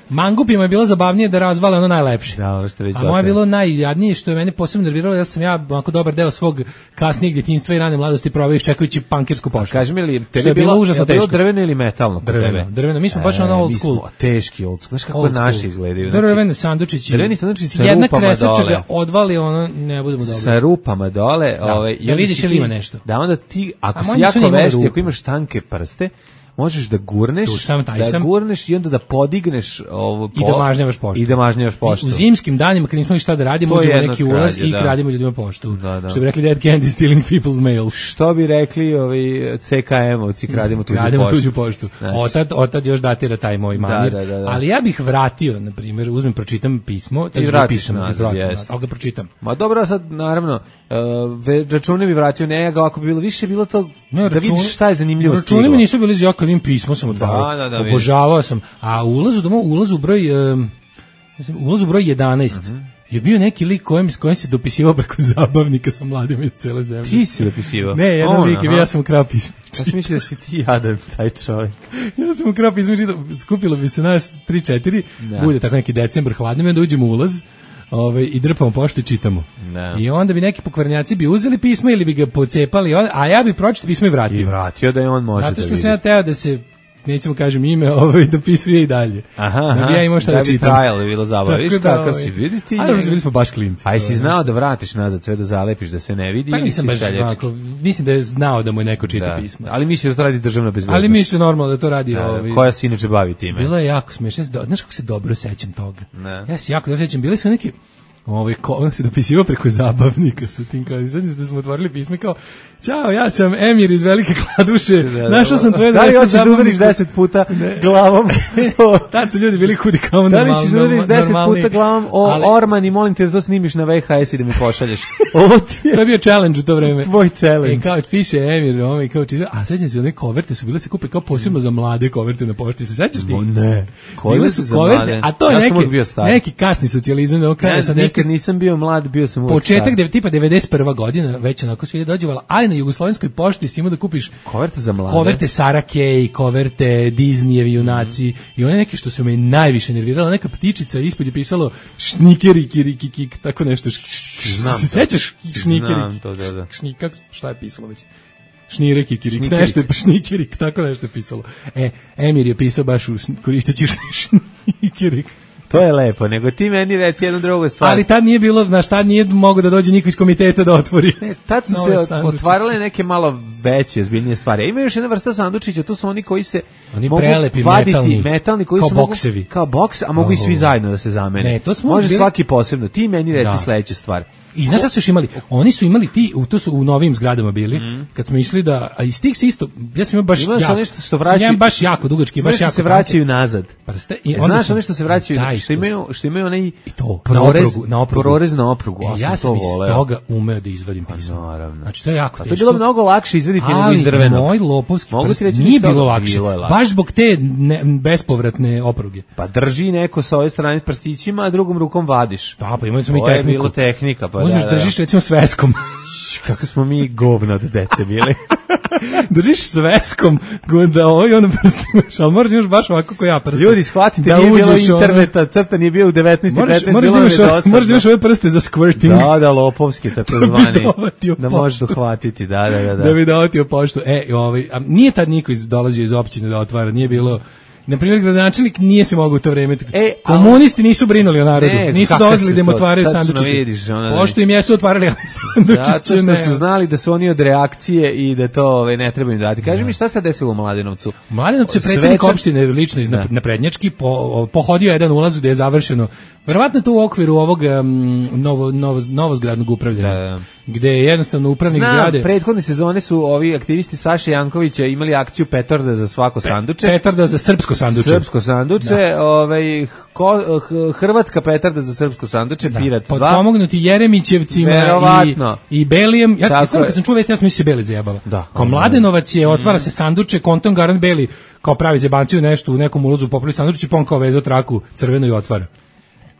Mangupima je bilo zabavnije da razvale ono najlepše. Da, ono što već a moje je bilo najjadnije što je mene posebno nerviralo, ja sam ja onako dobar deo svog kasnijeg djetinjstva i rane mladosti proveo iščekujući pankersku poštu. Kaži mi li, tebi je bilo užasno teško. Bilo drveno ili metalno? Drveno, drveno. Mi smo baš ono old school. Mi smo teški old school. Znaš kako naši izgledaju? Drvene sandučići. Drveni sandučići sa jedna rupama kresača dole. ga odvali, ono, ne budemo dobro. Sa rupama dole. Da, ovaj, da vidiš ili ima nešto. Da onda ti, ako si jako vešti, ako imaš tanke prste, možeš da gurneš, da gurneš i onda da podigneš ovo po, i da mažnjavaš poštu. I da mažnjavaš poštu. I u zimskim danima kad nismo imali šta da radimo, uđemo neki ulaz i kradimo ljudima poštu. Da, da. Što bi rekli Dead Candy stealing people's mail. Što bi rekli ovi C K M-ovci, kradimo tuđu kradimo poštu. Tuđu poštu. Znači. Otad, otad još datira taj moj manir. Da, da, da, da. Ali ja bih vratio, na primjer, uzmem, pročitam pismo, i vratiš nazad, ali ga pročitam. Ma dobro, sad, naravno, uh, račune bi vratio, ne, ako bi bilo više, bilo to ne, da račun, vidiš šta je zanimljivo stiglo. Račune mi nisu bili za kad im pismo sam otvarao. Da, da, da, obožavao sam. A u ulazu doma, u ulazu broj um, ulazu broj jedanaest. Uh-huh. Je bio neki lik kojem, s kojim se dopisivao preko zabavnika sa mladima iz cele zemlje. Ti si dopisivao? Ne, jedan On, lik, aha. ja sam ukrao pismo. Ja sam mislio da si ti jadan, taj čovjek. Ja sam ukrao pismo, skupilo bi se nas tri četiri, bude tako neki decembar hladno, onda uđemo u ulaz, Ove, i drpamo poštu i čitamo. Ne. I onda bi neki pokvarnjaci bi uzeli pismo ili bi ga pocepali, a ja bi pročitao pismo i vratio. I vratio da je on može da vidi. Zato što sam ja teo da se, nećemo kažem ime, ovaj, dopisuje i dalje. Aha, aha, da bi ja imao šta da, da čitam. Da bi trajalo, da bi bilo zabavno. Viš kakav ovaj, si, vidiš ti? Ali bili smo baš klinci. A jesi znao da vratiš nazad sve da zalepiš, da se ne vidi? Pa nisam baš ovako, mislim da je znao da mu je neko čita da. pismo. Ali misli da to radi državna bezbednost. Ali misli normalno da to radi. Da, ovaj, koja se inače bavi time? Bilo je jako smiješno, znaš kako se dobro sećam toga. Ne. Ja se jako dobro sećam, bili su neki... Ovaj ko se dopisivao preko zabavnika sa tim kao znači da smo otvorili pismo kao ćao, ja sam Emir iz Velike Kladuše. Našao sam tvoje da li hoćeš da udariš deset puta ne. glavom? Tad su ljudi bili hudi kao normalno. Da li ćeš da udariš deset puta glavom o ali, Orman i molim te da to snimiš na V H S i da mi pošalješ? Ovo ti je. To je bio challenge u to vreme. Tvoj challenge. I kao piše Emir, ovaj kao čita, a sećam se one koverte su bile se kupe kao posebno za mlade koverte na pošti. Se sećaš ti? Ne. Bile su koverte, a to je neki neki kasni socijalizam do kraja sa nikad nisam bio mlad, bio sam uvijek početak de, tipa devedeset prva godina, već onako svi dođevala, ali na jugoslovenskoj pošti si imao da kupiš koverte za mlade. Koverte Sara Kay, koverte Disneyevi junaci mm. i one neke što su me najviše nervirala, neka ptičica ispod je pisalo šnikeri kiriki kik, tako nešto. Znam se sećaš šnikeri? Znam to, da, da. Šnikak, šta je pisalo već? Šnirek i kirik, nešto je šnikirik, tako nešto je pisalo. E, Emir je pisao baš u, koristeći šnikirik. To je lepo, nego ti meni reci jednu drugu stvar. Ali tad nije bilo, znaš, tad nije mogo da dođe niko iz komiteta da otvori. Ne, tad su se otvarale neke malo veće, zbiljnije stvari. A ima još jedna vrsta sandučića, to su oni koji se oni mogu prelepi, vaditi, metalni, metalni koji kao se boksevi. Mogu, kao boks, a mogu oh. i svi zajedno da se zamene. Ne, to smo može bili... svaki posebno. Ti meni reci da. sledeću stvar. I znaš šta su još imali? Oni su imali ti, to su u novim zgradama bili, mm. kad smo išli da, a iz tih se isto, ja sam imao baš ima jako, nešto što vraćaju, baš jako dugački, baš jako. se vraćaju nazad. Prste, i onda znaš ono što se vraćaju, taj, što imaju, što imaju onaj to, prorez, na oprugu, na oprugu. prorez na oprugu. E, ja sam iz toga umeo da izvadim pismo. Pa, naravno. Znači to je jako teško. teško. To je bilo mnogo lakše izvaditi nego iz drvenog. Ali moj lopovski prst nije bilo lakše. Baš zbog te bespovratne opruge. Pa drži neko sa ove strane prstićima, a drugom rukom vadiš. Da, pa imali smo i tehniku. To je bilo tehnika, pa uzmeš, držiš recimo sveskom. Kako smo mi govna od dece bili. Držiš sveskom da ovaj ono prstimaš, ali moraš imaš baš ovako ko ja prst. Ljudi, shvatite, da nije bilo interneta, ono... crta nije bio u devetnaest petnaest, bilo je dosadno. Moraš da imaš ove prste za squirting. Da, da, lopovski, tako zvani. Da možeš dohvatiti, da, da, da. Da bi dovatio poštu. E, ovaj, a nije tad niko iz, dolazio iz općine da otvara, nije bilo... Na primjer, gradonačelnik nije se mogao u to vreme. E, komunisti nisu brinuli o narodu. Ne, nisu dolazili da im otvaraju sandučiće. Pošto im jesu otvarali sandučiće. Zato što ne. su znali da su oni od reakcije i da to ove, ne treba im dati. Kaži mi šta se desilo u Mladenovcu? U Mladenovcu je predsjednik opštine lično iz naprednjački po, pohodio jedan ulaz gde je završeno. Verovatno to u okviru ovog um, novo, novo, novozgradnog upravljanja. Da, da. Gde je jednostavno upravnik Znam, zgrade... prethodne sezone su ovi aktivisti Saše Jankovića imali akciju petarda za svako sanduče. Petarda za srpsko sanduče. Srpsko sanduče, ovaj, ko, hrvatska petarda za srpsko sanduče, da. Pirat dva. Potpomognuti Jeremićevcima i, i Belijem. Ja sam, sam kad sam čuo vesti, ja sam mislio se Beli zajebava. Da. Kao Mladenovac je, otvara se sanduče, kontom Garant Beli, kao pravi zebanciju nešto u nekom ulazu popravi sandučić i pon kao vezao traku crveno i otvara.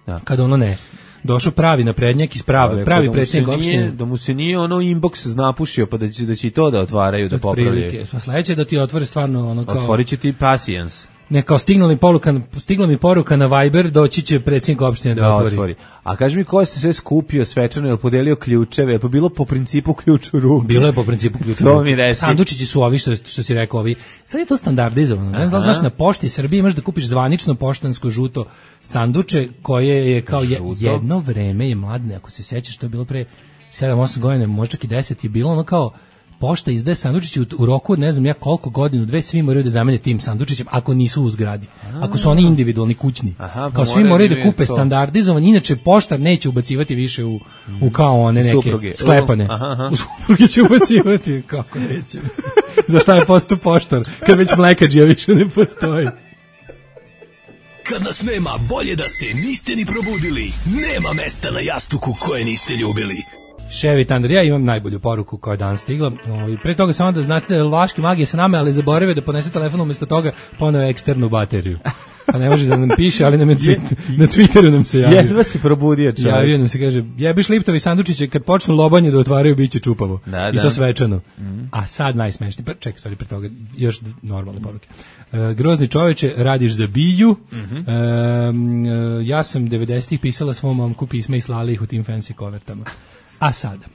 Da. Kad ono ne, došao pravi naprednjak iz pravi, pravi da predsjednik opštine. Da mu se nije ono inbox napušio, pa da će, da će i to da otvaraju, da popravljaju. Pa sledeće da ti otvore stvarno ono kao... Otvorit će ti Patience. Ne, kao stigla mi poruka, stigla mi poruka na Viber, doći će predsjednik opštine da, da otvori. otvori. A kaži mi ko se sve skupio svečano, je li podelio ključeve, je li bilo po principu ključ u ruku? Bilo je po principu ključ u ruku. Sandučići su ovi, što, što si rekao, ovi. Sad je to standardizovano. Ne znam, znaš, na pošti Srbije imaš da kupiš zvanično poštansko žuto sanduče, koje je kao je, jedno vreme je mladne, ako se sjećaš, to je bilo pre sedam osam godina, možda čak i deset, je bilo ono kao pošta izdaje sandučiće u, u roku od ne znam ja koliko godinu, dve, svi moraju da zamene tim sandučićem ako nisu u zgradi. Ako su oni individualni kućni. Aha, kao svi moraju da kupe to standardizovan, inače poštar neće ubacivati više u, u kao one neke supruge. Sklepane. Aha, aha. U supruge će ubacivati, kako neće. Za šta je posto poštar, kad već mlekađija više ne postoji. Kad nas nema, bolje da se niste ni probudili. Nema mesta na jastuku koje niste ljubili. Ševi Tandar, ja imam najbolju poruku koja je danas stigla. I pre toga samo da znate da je Vlaški magije sa nama, ali zaboravio da ponese telefon umjesto toga poneo eksternu bateriju. Pa ne može da nam piše, ali nam je twi- na Twitteru nam se javio. Jedva si probudio čovjek. Javio nam se, kaže, jebiš Liptovi sandučiće, kad počnu lobanje da otvaraju, bit će čupavo. Da, I da. to svečano. Mm. A sad najsmešniji, pa čekaj, stvari pre toga, još normalne poruke. E, grozni čoveče, radiš za biju. Mm-hmm. e, ja sam devedesetih pisala svom momku pisma i slali ih u tim fancy kovertama. A sada,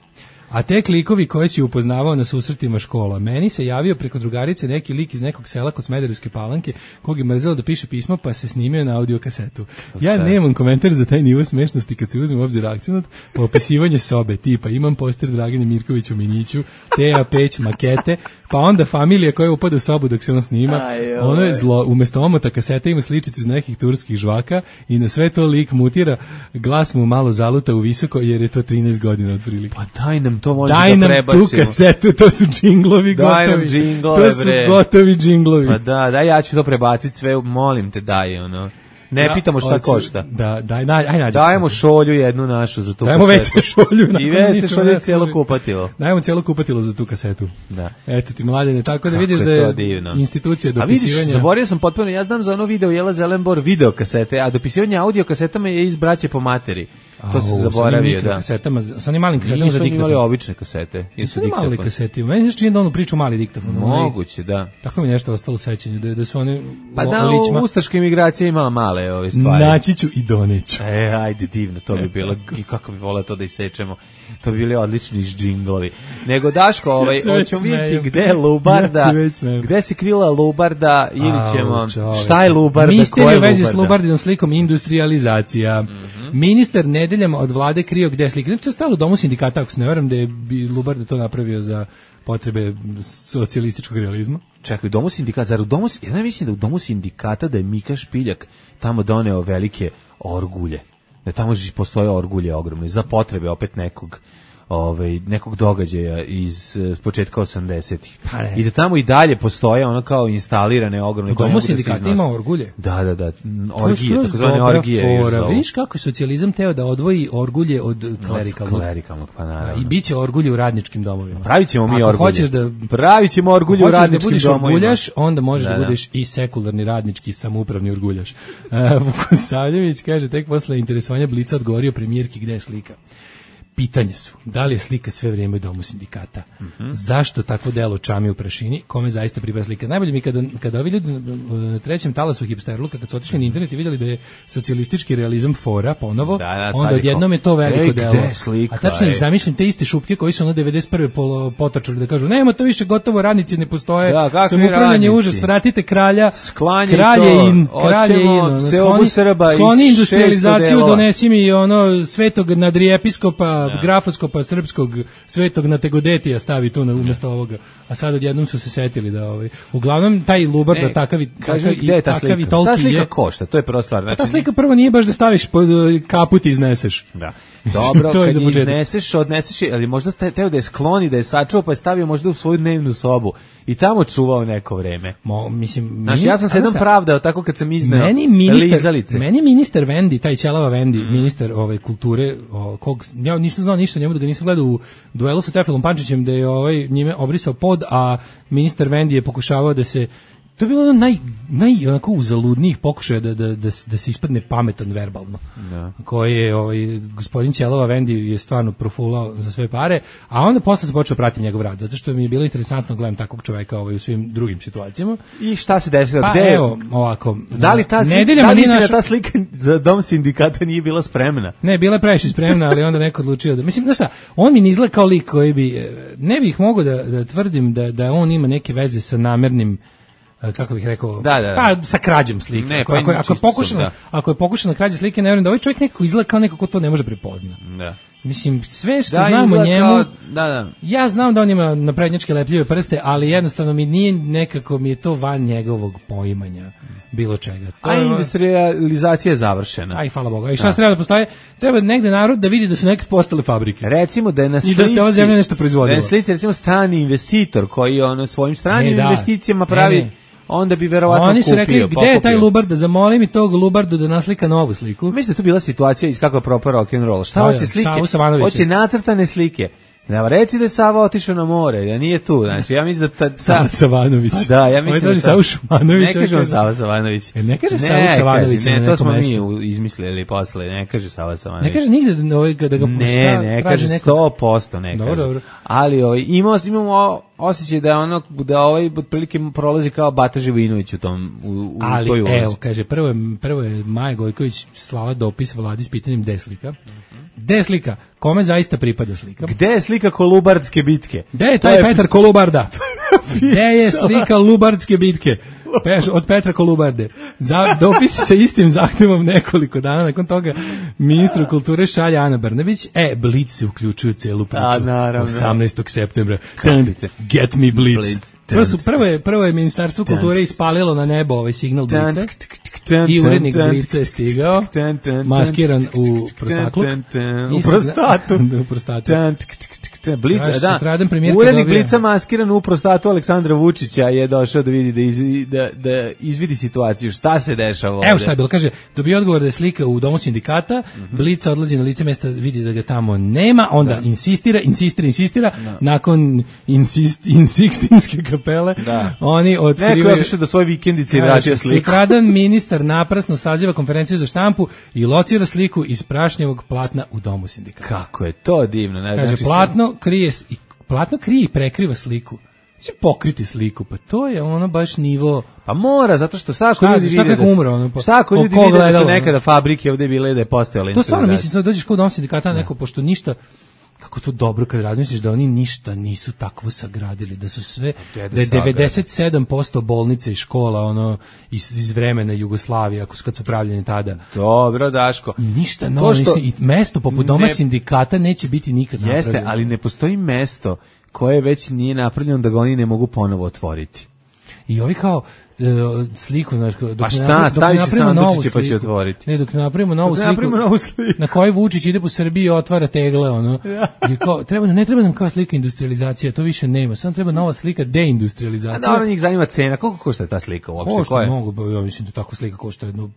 a te klikovi koje si upoznavao na susretima škola, meni se javio preko drugarice neki lik iz nekog sela kod Smederevske Palanke, kog je mrzelo da piše pismo, pa se snimio na audio kasetu. Ja nemam komentar za taj nivo smešnosti kad se uzme u obzir akcenat, pa opisivanje sobe, tipa imam poster Dragane Mirković u Miniću, Teja Peć, makete, pa onda familija koja upada u sobu dok se on snima, ono je zlo, umjesto omota kasete ima sličicu iz nekih turskih žvaka i na sve to lik mutira, glas mu malo zaluta u visoko jer je to trinaest godina otprilike. Pa daj nam to možda daj da prebacimo. Daj nam tu kasetu, to su džinglovi daj gotovi. Daj nam džinglove, to su bre. gotovi džinglovi. Pa da, daj ja ću to prebaciti sve, molim te, daj ono. Ne ja, pitamo šta oči, košta. Da, daj, daj, aj nađi. Dajemo šolju jednu našu za tu dajemo kasetu. Dajemo šolju. I vece šolju je cijelo kupatilo. Dajemo cijelo kupatilo za tu kasetu. Da. Eto ti mladene, tako da kako vidiš da je divno. Institucija dopisivanja. A vidiš, zaboravio sam potpuno, ja znam za ono video Jela Zelenbor video kasete, a dopisivanje audio kasetama je iz braće po materi. To se zaboravio, da. Kasetama, sa onim malim kasetama za diktafon. Nisu imali obične kasete. Nisu imali kasete. Meni se čini da ono priču mali diktafon. Moguće, da. Tako mi nešto ostalo u sećanju, da, da su oni pa da, u ustaške imigracije imala male ove stvari. Naći ću i doneću. E, ajde, divno, to bi bilo, i kako bi voleo to da isečemo. To bi bili odlični džinglovi. Nego, Daško, ovaj, hoćemo vidjeti gde je Lubarda, ja gde se krila Lubarda, ili ćemo, šta je Lubarda, mister ko je Lubarda? Mister u vezi s Lubardinom slikom industrializacija. Mm-hmm. Ministar nedeljama od vlade krio gde je slika. To je stalo u domu sindikata, ako se ne varam, da je Lubarda to napravio za potrebe socijalističkog realizma. Čekaj, u domu sindikata, zar u domu, ja ne mislim da u domu sindikata da je Mika Špiljak tamo doneo velike orgulje. Da tamo postoje orgulje ogromne za potrebe opet nekog ovaj nekog događaja iz uh, početka osamdesetih. Pa I da tamo i dalje postoje ono kao instalirane ogromne koje mogu da se ima orgulje. Da, da, da, orgije, takozvane orgije. Vidiš kako socijalizam teo da odvoji orgulje od klerikalnog. Klerikalnog, pa naravno. I biće orgulje u radničkim domovima. Pravićemo mi orgulje. Hoćeš da pravićemo orgulje u radničkim da domovima. Orguljaš, onda možeš da, da, da budeš i sekularni radnički samoupravni orguljaš. Uh, Vukosavljević kaže tek posle interesovanja Blica odgovorio premijerki gde je slika. Pitanje su, da li je slika sve vrijeme u domu sindikata? Mm-hmm. Zašto takvo delo čami u prašini? Kome zaista pripada slika? Najbolje mi kada, kada ovi ljudi na trećem talasu hipsterluka, kad su otišli na internet i vidjeli da je socijalistički realizam fora ponovo, da, da, onda odjednom je to veliko ej, delo. Slika, a tačno zamišljam te iste šupke koji su ono devedeset prve potočali da kažu, nema to više gotovo, radnici ne postoje, da, samoupravljanje užas, vratite kralja, sklanje kralje to, in, kralje in, ono, skloni, skloni industrializaciju, donesi mi ono svetog nadrijepiskopa, grafoskopa srpskog svetog Nategodetija stavi tu na umjesto ovoga, a sad odjednom su se setili da ovaj uglavnom taj Lubarda e, takav i takav i takav i toliki je. Ta slika košta, to je prva stvar. Znači, ta slika prvo nije baš da staviš pod kaput i izneseš. Da. Dobro, to kad izneseš, odneseš, ali možda teo da je skloni, da je sačuvao, pa je stavio možda u svoju dnevnu sobu i tamo čuvao neko vreme. Mo, mislim, znači, ja sam se jednom pravdao tako kad sam izneo meni ministar, lizalice. Meni ministar Vendi, taj ćelava Vendi, mm. ministar ove kulture, o, kog, ja nisam znao ništa njemu, da ga nisam gledao u duelu sa Tefilom Pančićem, da je ovaj njime obrisao pod, a ministar Vendi je pokušavao da se To je bilo ono naj, naj onako uzaludnijih pokušaja da, da, da, da se ispadne pametan verbalno. Da. Koji je, ovaj, gospodin Ćelova Vendi je stvarno profulao za sve pare, a onda posle se počeo pratiti njegov rad, zato što mi je bilo interesantno gledam takvog čoveka ovaj, u svim drugim situacijama. I šta se desilo? Pa Gde? evo, ovako. Da li ta, nedeljama da li naš... ta slika za dom sindikata nije bila spremna? Ne, bila je previše spremna, ali onda neko odlučio da... Mislim, znaš šta, on mi ne izgleda kao lik koji bi... Ne bih mogao da, da tvrdim da, da on ima neke veze sa namernim, kako bih rekao, da, da, da. pa sa krađom slike. Ne, ako, pa ako, ako, je pokušano, da. ako je pokušano krađe slike, ne vjerujem da ovaj čovjek nekako izgleda kao neko ko to ne može prepozna. Da. Mislim, sve što da, znam o njemu, kao, da, da. ja znam da on ima naprednjačke lepljive prste, ali jednostavno mi nije nekako, mi je to van njegovog poimanja bilo čega. To A je, industrializacija je završena. Aj, hvala Bogu. I šta se treba da postoje? Treba negde narod da vidi da su neke postale fabrike. Recimo da je na slici, i da ste ova zemlja nešto proizvodila. Da je na slici, recimo, strani investitor koji ono svojim stranim ne, da. investicijama pravi... Ne, ne. Onda bi verovatno kupio. Oni su rekli, gde je taj Lubarda, zamoli mi tog Lubardu da naslika novu sliku. Mislim da je tu bila situacija iz kako je propao rock and roll. Šta hoće slike? Hoće nacrtane slike. Da, reci da je Sava otišao na more, da nije tu. Znači, ja mislim da... Ta, ta... Sava Savanović. Da, ja mislim da... Ta... Sava Šumanović. Ne kaže on Sava Savanović. E, ne kaže Sava Savanović. Ne, to smo mestu. Mi izmislili posle, ne kaže Sava Savanović. Ne kaže nigde da, ovaj, da ga pušta. Ne, ne kaže sto posto ne kaže. Dobro, dobro. Ali ovaj, imamo, imamo osjećaj da, ono, da ovaj otprilike prolazi kao Bata Živojinović u, tom, u, u ali, toj ulozi. Evo, kaže, prvo je, prvo je Maja Gojković slala dopis vladi s pitanjem gde slika. Gde je slika? Kome zaista pripada slika? Gde je slika Kolubardske bitke? Gde je taj to je... Petar Kolubarda? Gde je slika Lubardske bitke? Peš, od Petra Kolubarde. Za, dopisi sa istim zahtevom nekoliko dana. Nakon toga ministru kulture šalje Ana Brnabić. E, Blitz se uključuju celu priču. A, naravno. osamnaestog septembra. Get me Blitz. Blitz. Prvo, su, prvo, je, prvo je ministarstvo kulture ispalilo na nebo ovaj signal Blitza. I urednik Blitza je stigao. Maskiran u prostaklu. U prostatu. U prostatu. Blica, da. Urednik Blica maskiran u prostatu Aleksandra Vučića je došao da vidi da, izvidi, da, da izvidi situaciju. Šta se dešava ovde? Evo šta je bilo, kaže, dobio odgovor da je slika u domu sindikata, mm-hmm. Blica odlazi na lice mesta, vidi da ga tamo nema, onda da. insistira, insistira, insistira, da. nakon insist, insistinske kapele, da. oni otkrivaju... Neko je otišao do svoje vikendice i vratio sliku. Sutradan ministar naprasno saziva konferenciju za štampu i locira sliku iz prašnjevog platna u domu sindikata. Kako je to divno. Ne? Kaže, znači, platno krije, platno krije i prekriva sliku. Će pokriti sliku, pa to je ono baš nivo... Pa mora, zato što šta ako šta, ljudi šta vide da, umre, ono, pa, šta ako ljudi vide da su nekada fabrike ovde bile da je postojala. To stvarno mislim, da dođeš kod dom sindikata neko, pošto ništa, kako to dobro kad razmisliš da oni ništa nisu takvo sagradili, da su sve, da je devedeset sedam posto bolnica i škola ono iz, iz vremena Jugoslavije, ako su kad su pravljeni tada. Dobro, Daško. Ništa novo, što... i mesto poput doma ne... sindikata neće biti nikad napravljeno. Jeste, ali ne postoji mesto koje već nije napravljeno da ga oni ne mogu ponovo otvoriti. I ovi kao uh, sliku, znaš, dok pa šta, staviš se sandučiće pa će otvoriti. Ne, dok ne napravimo novu dok sliku, napravimo novu sliku, na kojoj Vučić ide po Srbiji i otvara tegle, ono. Ja. I kao, treba, ne treba nam kao slika industrializacija, to više nema, samo treba nova slika deindustrializacija. A da, ono njih zanima cena, koliko košta ta slika uopšte? Košta mnogo, ja mislim da tako slika košta jedno,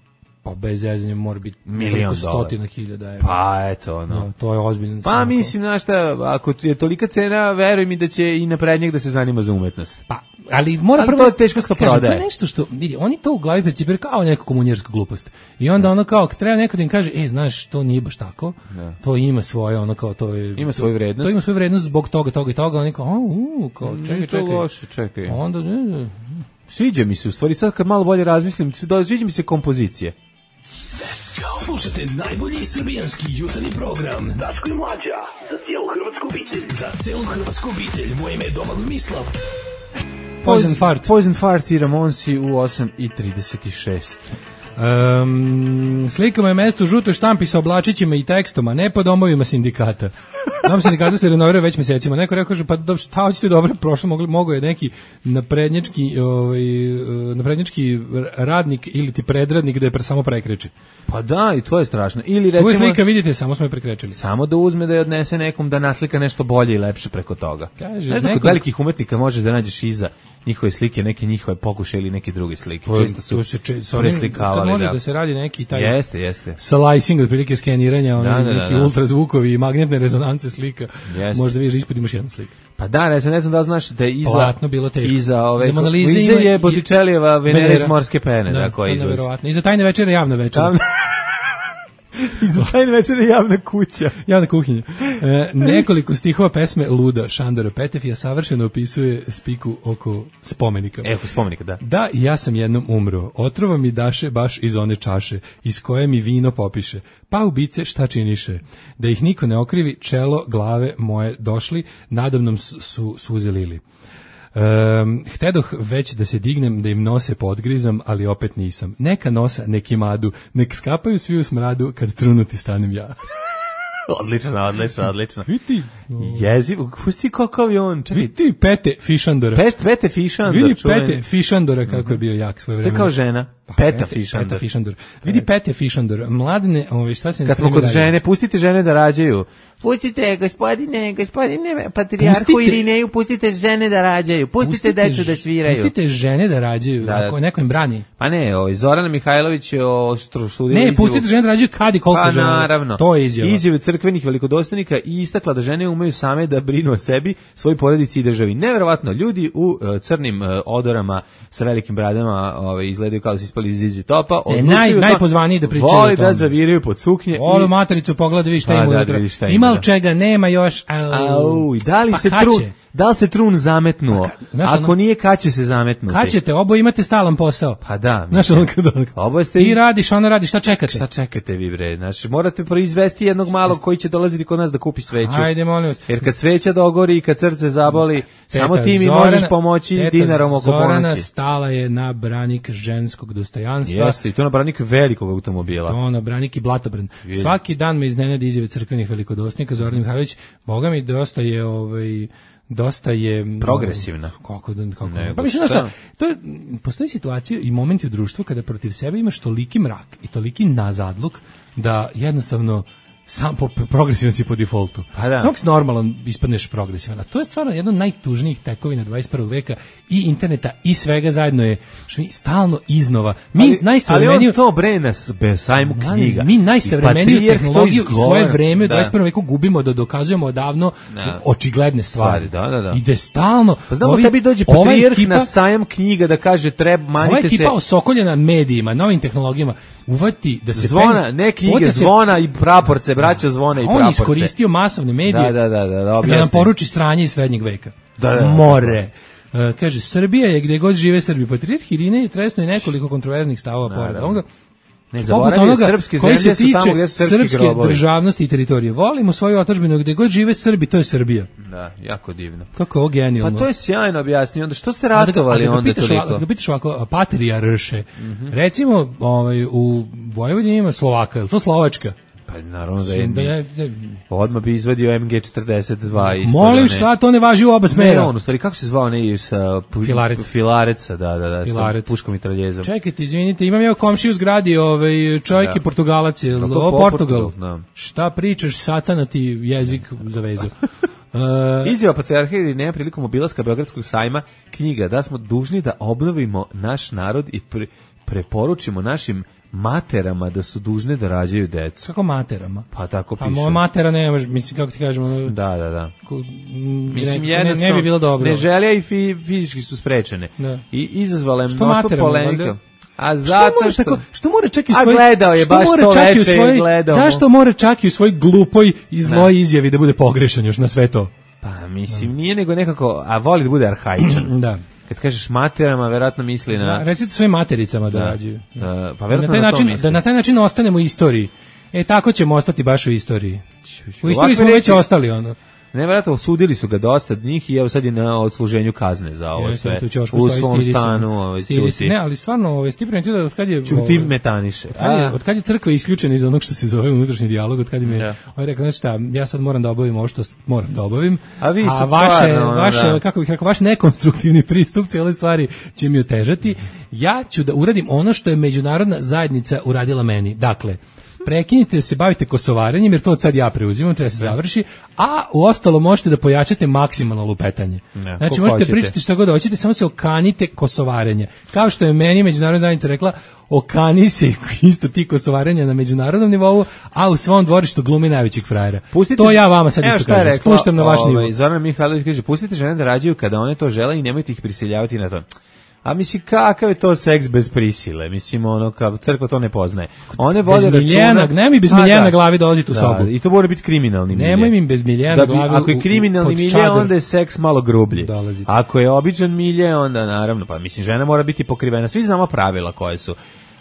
pa bez zezanja mora biti milion stotina hiljada evra. Pa eto, ono. No, to je ozbiljno. Pa mislim, znaš šta, ako je tolika cena, veruj mi da će i naprednjak da se zanima za umetnost. Pa, ali mora ali prvo... to je teško što prodaje. To je nešto što, vidi, oni to u glavi percipiraju kao neku komunjersku glupost. I onda ono kao, treba neko da im kaže, e, znaš, to nije baš tako, da. To ima svoje, ono kao, to je... Ima svoju vrednost. To ima svoju vrednost zbog toga, toga i toga, oni kao, u, kao, čekaj, čekaj. To loše, čekaj. Onda, ne, ne. Sviđa mi se, u stvari, sad kad malo bolje razmislim, sviđa mi se kompozicije. Slušajte najbolji srbijanski jutarnji program Daško i Mlađa, za cijelu hrvatsku obitelj. Za cijelu hrvatsku obitelj, moje ime je Domagoj Mislav. Poison Fart. Poison Fart i Ramonsi u osam i trideset šest. Um, slikama je mesto u žutoj štampi sa oblačićima i tekstom, a ne po domovima sindikata. Dom sindikata se renovira već mesecima. Neko rekao, pa šta hoćete dobro, prošlo mogli, mogo je neki naprednjački, ovaj, naprednjački radnik ili ti predradnik da je pre, samo prekreće. Pa da, i to je strašno. Ili recimo... Ovo slika, vidite, samo smo je prekrečili. Samo da uzme da je odnese nekom da naslika nešto bolje i lepše preko toga. Kaže, ne znam, kod velikih umetnika možeš da nađeš iza njihove slike, neke njihove pokušaje ili neke druge slike. To, često su to se če, preslikavali. Može da. da se radi neki taj jeste, jeste. slicing, otprilike skeniranja, ono, da, da, neki da, da. ultrazvukovi i magnetne rezonance slika. Jeste. Možda vidiš ispod imaš jedna slika. Pa da, ne znam, ne znam da li znaš da je iza... Platno bilo teško. Iza ove... Iza Mona Lise iza ima je i- Botticellijeva Venera iz Venera. morske pene, Da, da, koja to je izlazi. neverovatno. Iza tajne večere javna večera. Javna- Iza tajne večere javna kuća. Javna kuhinja. E, nekoliko stihova pesme Luda Šandora Petefija savršeno opisuje spiku oko spomenika. Evo, spomenika, da. Da, i ja sam jednom umro. Otrova mi daše baš iz one čaše, iz koje mi vino popiše. Pa ubice šta činiše? Da ih niko ne okrivi, čelo, glave moje došli, nadamnom su, su suze lili. Um, htedoh već da se dignem, da im nose podgrizam, ali opet nisam. Neka nosa, neki madu, nek skapaju svi u smradu kad trunuti stanem ja. Odlično, odlično, odlično. Vidi, Jeziv, pusti kakav je on, čekaj. vidi Pete Fišandora. Pet, Pete Fišandor, Vidi čuveni. Pete Fišandora kako je bio jak svoje To je vreme. kao žena. Peta Fišandor. Peta Fišandor. Vidi Pete Fišandor. Mladine, ovaj šta se Kad smo kod žene, pustite žene da rađaju. Pustite, gospodine, gospodine, patrijarhu Pustite- Irineju, pustite žene da rađaju. Pustite, decu da sviraju. Pustite žene da rađaju, Da, da. ako neko im brani. Pa ne, ovaj, Zorana Mihajlović je o stru- studiju Ne, izjavu- pustite žene da rađaju kad i koliko Pa žele. naravno. To je izjava. Izjave crkvenih velikodostojnika i istakla da žene umeju same da brinu o sebi, svoj porodici i državi. Neverovatno, ljudi u uh, crnim uh, odorama sa velikim bradama ovaj, izgledaju kao da su ispali iz Zizi Topa. E, odlučuju naj, to- najpozvaniji da pričaju Voli o tome. da zaviraju pod suknje. Olu i- matericu pogleda, vidi šta Pa ima da, unutra. vidi šta ima, Ima li da. čega, nema još. Au. Au, i da li Pa se kad trun, će? da li se trun zametnuo? znaš, Ako ono- nije, kad će se zametnuti? Kad ćete, oboje imate stalan posao. Pa da. Znaš, mislim. ono kad ono- Oboje ste Ti i- radiš, ona radi, šta čekate? Šta čekate vi bre? Znači, morate proizvesti jednog malog koji će dolaziti kod nas da kupi sveću. Ajde, molim vas. Jer kad sveća dogori i kad srce zaboli, samo Teta ti mi Zorana- možeš pomoći teta dinarom oko Zorana ponoći. stala je na branik ženskog dostojanstva. Jeste, i to na branik velikog automobila. To na branik i blatobran. Svaki dan me iznenadi izjave crkvenih velikodostojnika. Zoran Mihajlović, boga mi dosta je ovaj dosta je mm, Progresivna. Kako da kako. Nego Pa mislim šta? da to je, postoji situacija i momenti u društvu kada protiv sebe imaš toliki mrak i toliki nazadluk da jednostavno sam po progresivan si po defaultu. Pa da. Samo ako si normalan ispadneš progresivan. A to je stvarno jedan od najtužnijih tekovina dvadeset prvog veka i interneta i svega zajedno je što mi stalno iznova. Mi ali, ali najsavremeniju on to bre na be- sajmu knjiga. mi najsavremeniju I patrijarh to tehnologiju i svoje izgovara. vreme u Da. dvadeset prvom veku gubimo da dokazujemo odavno Da. očigledne stvari. Stvari, da, da, da. I da je stalno Pa znamo, ovi- tebi dođe ova patrijarh ekipa- na sajam knjiga da kaže treba, ova manite se. ekipa osokoljena medijima, novim tehnologijama, uvati da se Zvona, penje- ne knjige, uvati da se- zvona i praporce, braćo zvona i On praporce. iskoristio masovne medije Da, da, da, da, da, da nam objasni. poruči sranje iz srednjeg veka. Da, da, da. More. E, kaže, Srbija je gde god žive Srbi. Patrijarh Irinej je tresno i nekoliko kontroverznih stavova pored Naravno. ovoga. Ne Poput zaboravi, onoga srpske koji zemlje se su tamo tiče gde su srpski srpske grobovi. državnosti i teritorije. Volimo svoju otadžbinu gde god žive Srbi, to je Srbija. Da, jako divno. Kako je ovo genijalno. Pa to je sjajno objasnio. Onda što ste A da ga- ratovali a da ga onda pitaš toliko? ovako- Da ga pitaš ovako, patrijarše. Recimo, ovaj, u Vojvodini ima Slovaka, je li to Slovačka? Pa naravno da je. Da je- da je- Odmah bi izvadio em ge četrdeset dva ispod. Molim, one- šta, to ne važi u oba Ne, smera. on, u stvari, kako se zvao ne sa pu- Filaret. Filareca, da, da, da, Filaret. sa puškom i traljezom. Čekajte, izvinite, imam ja u komšiji u zgradi, ovaj, čovjek Da. je Portugalac, je li Tako, ovo po- Portugal? Portugal, da. Šta pričaš, satana ti jezik zavezao. Uh, Izjava patrijarha Irineja prilikom obilaska Beogradskog sajma knjiga da smo dužni da obnovimo naš narod i pre, preporučimo našim materama da su dužne da rađaju decu. kako materama? Pa tako Pa piše. moja matera ne može, mislim, kako ti kažemo, ono, Da, da, da. ko- m, Mislim, ne, ne, jednostavno, ne bi bilo dobro. Ne želja i fi, fizički su sprečene. Da. I izazvala je Što mnoštvo materama, polemika. valjda? A Što zato mora što... tako, što mora čak i u A svoj gledao je što baš mora to čak i u veče i svojoj- gledao mu. Zašto mora čak i u svoj glupoj i zloj izjavi da bude pogrešan još na sve to? Pa mislim, nije nego nekako, a voli da bude arhaičan. Da. Kad kažeš materama, verovatno misli na... Recite svojim matericama da, Da. rađaju. Da, pa Da verovatno na taj na to način, misli. da na taj način ostanemo u istoriji. E, tako ćemo ostati baš u istoriji. U istoriji Ovakve smo već reči- ostali, ono. Nevjerojatno, osudili su ga dosta od njih i evo sad je na odsluženju kazne za ovo Jeste, sve. tu ćošku U stoji, svom stidi se. stanu, ovaj, Stidi se. ćuti. Ne, ali stvarno, ovaj, ti primetio da od kad je... Ćuti ovaj, metaniše. Od kad, je, A, od kad je crkva isključena iz onog što se zove unutrašnji dijalog, od kad im je, Da. on je rekao, znači šta, ja sad moram da obavim ovo što s- moram da obavim, A vi sad vaše, stvarno, ono, vaše da. kako bih rekao, vaš nekonstruktivni pristup cijeloj stvari će mi otežati, ja ću da uradim ono što je međunarodna zajednica uradila meni. Dakle, prekinite da se bavite kosovarenjem, jer to od sad ja preuzimam, treba se završi, a u ostalo možete da pojačate maksimalno lupetanje. Ne, znači možete pričati šta god hoćete, samo se okanite kosovarenja. Kao što je meni međunarodna zajednica rekla, okani se isto ti kosovarenja na međunarodnom nivou, a u svom dvorištu glumi najvećeg frajera. Pustite, to ja vama sad isto kažem, spuštam na vaš nivo. Zoran Mihajlović kaže, pustite žene da rađaju kada one to žele i nemojte ih prisiljavati na to. A misli, kakav je to seks bez prisile? Mislim, ono, kao crkva to ne poznaje. One vode računa... Nemoj mi bez miljena na glavi dolaziti u da, sobu. I to mora biti kriminalni milje. Nemoj mi bez miljena na glavi. Ako je kriminalni milje, onda je seks malo grublji. Dolazi. Ako je običan milje, onda naravno, pa mislim, žena mora biti pokrivena. Svi znamo pravila koje su.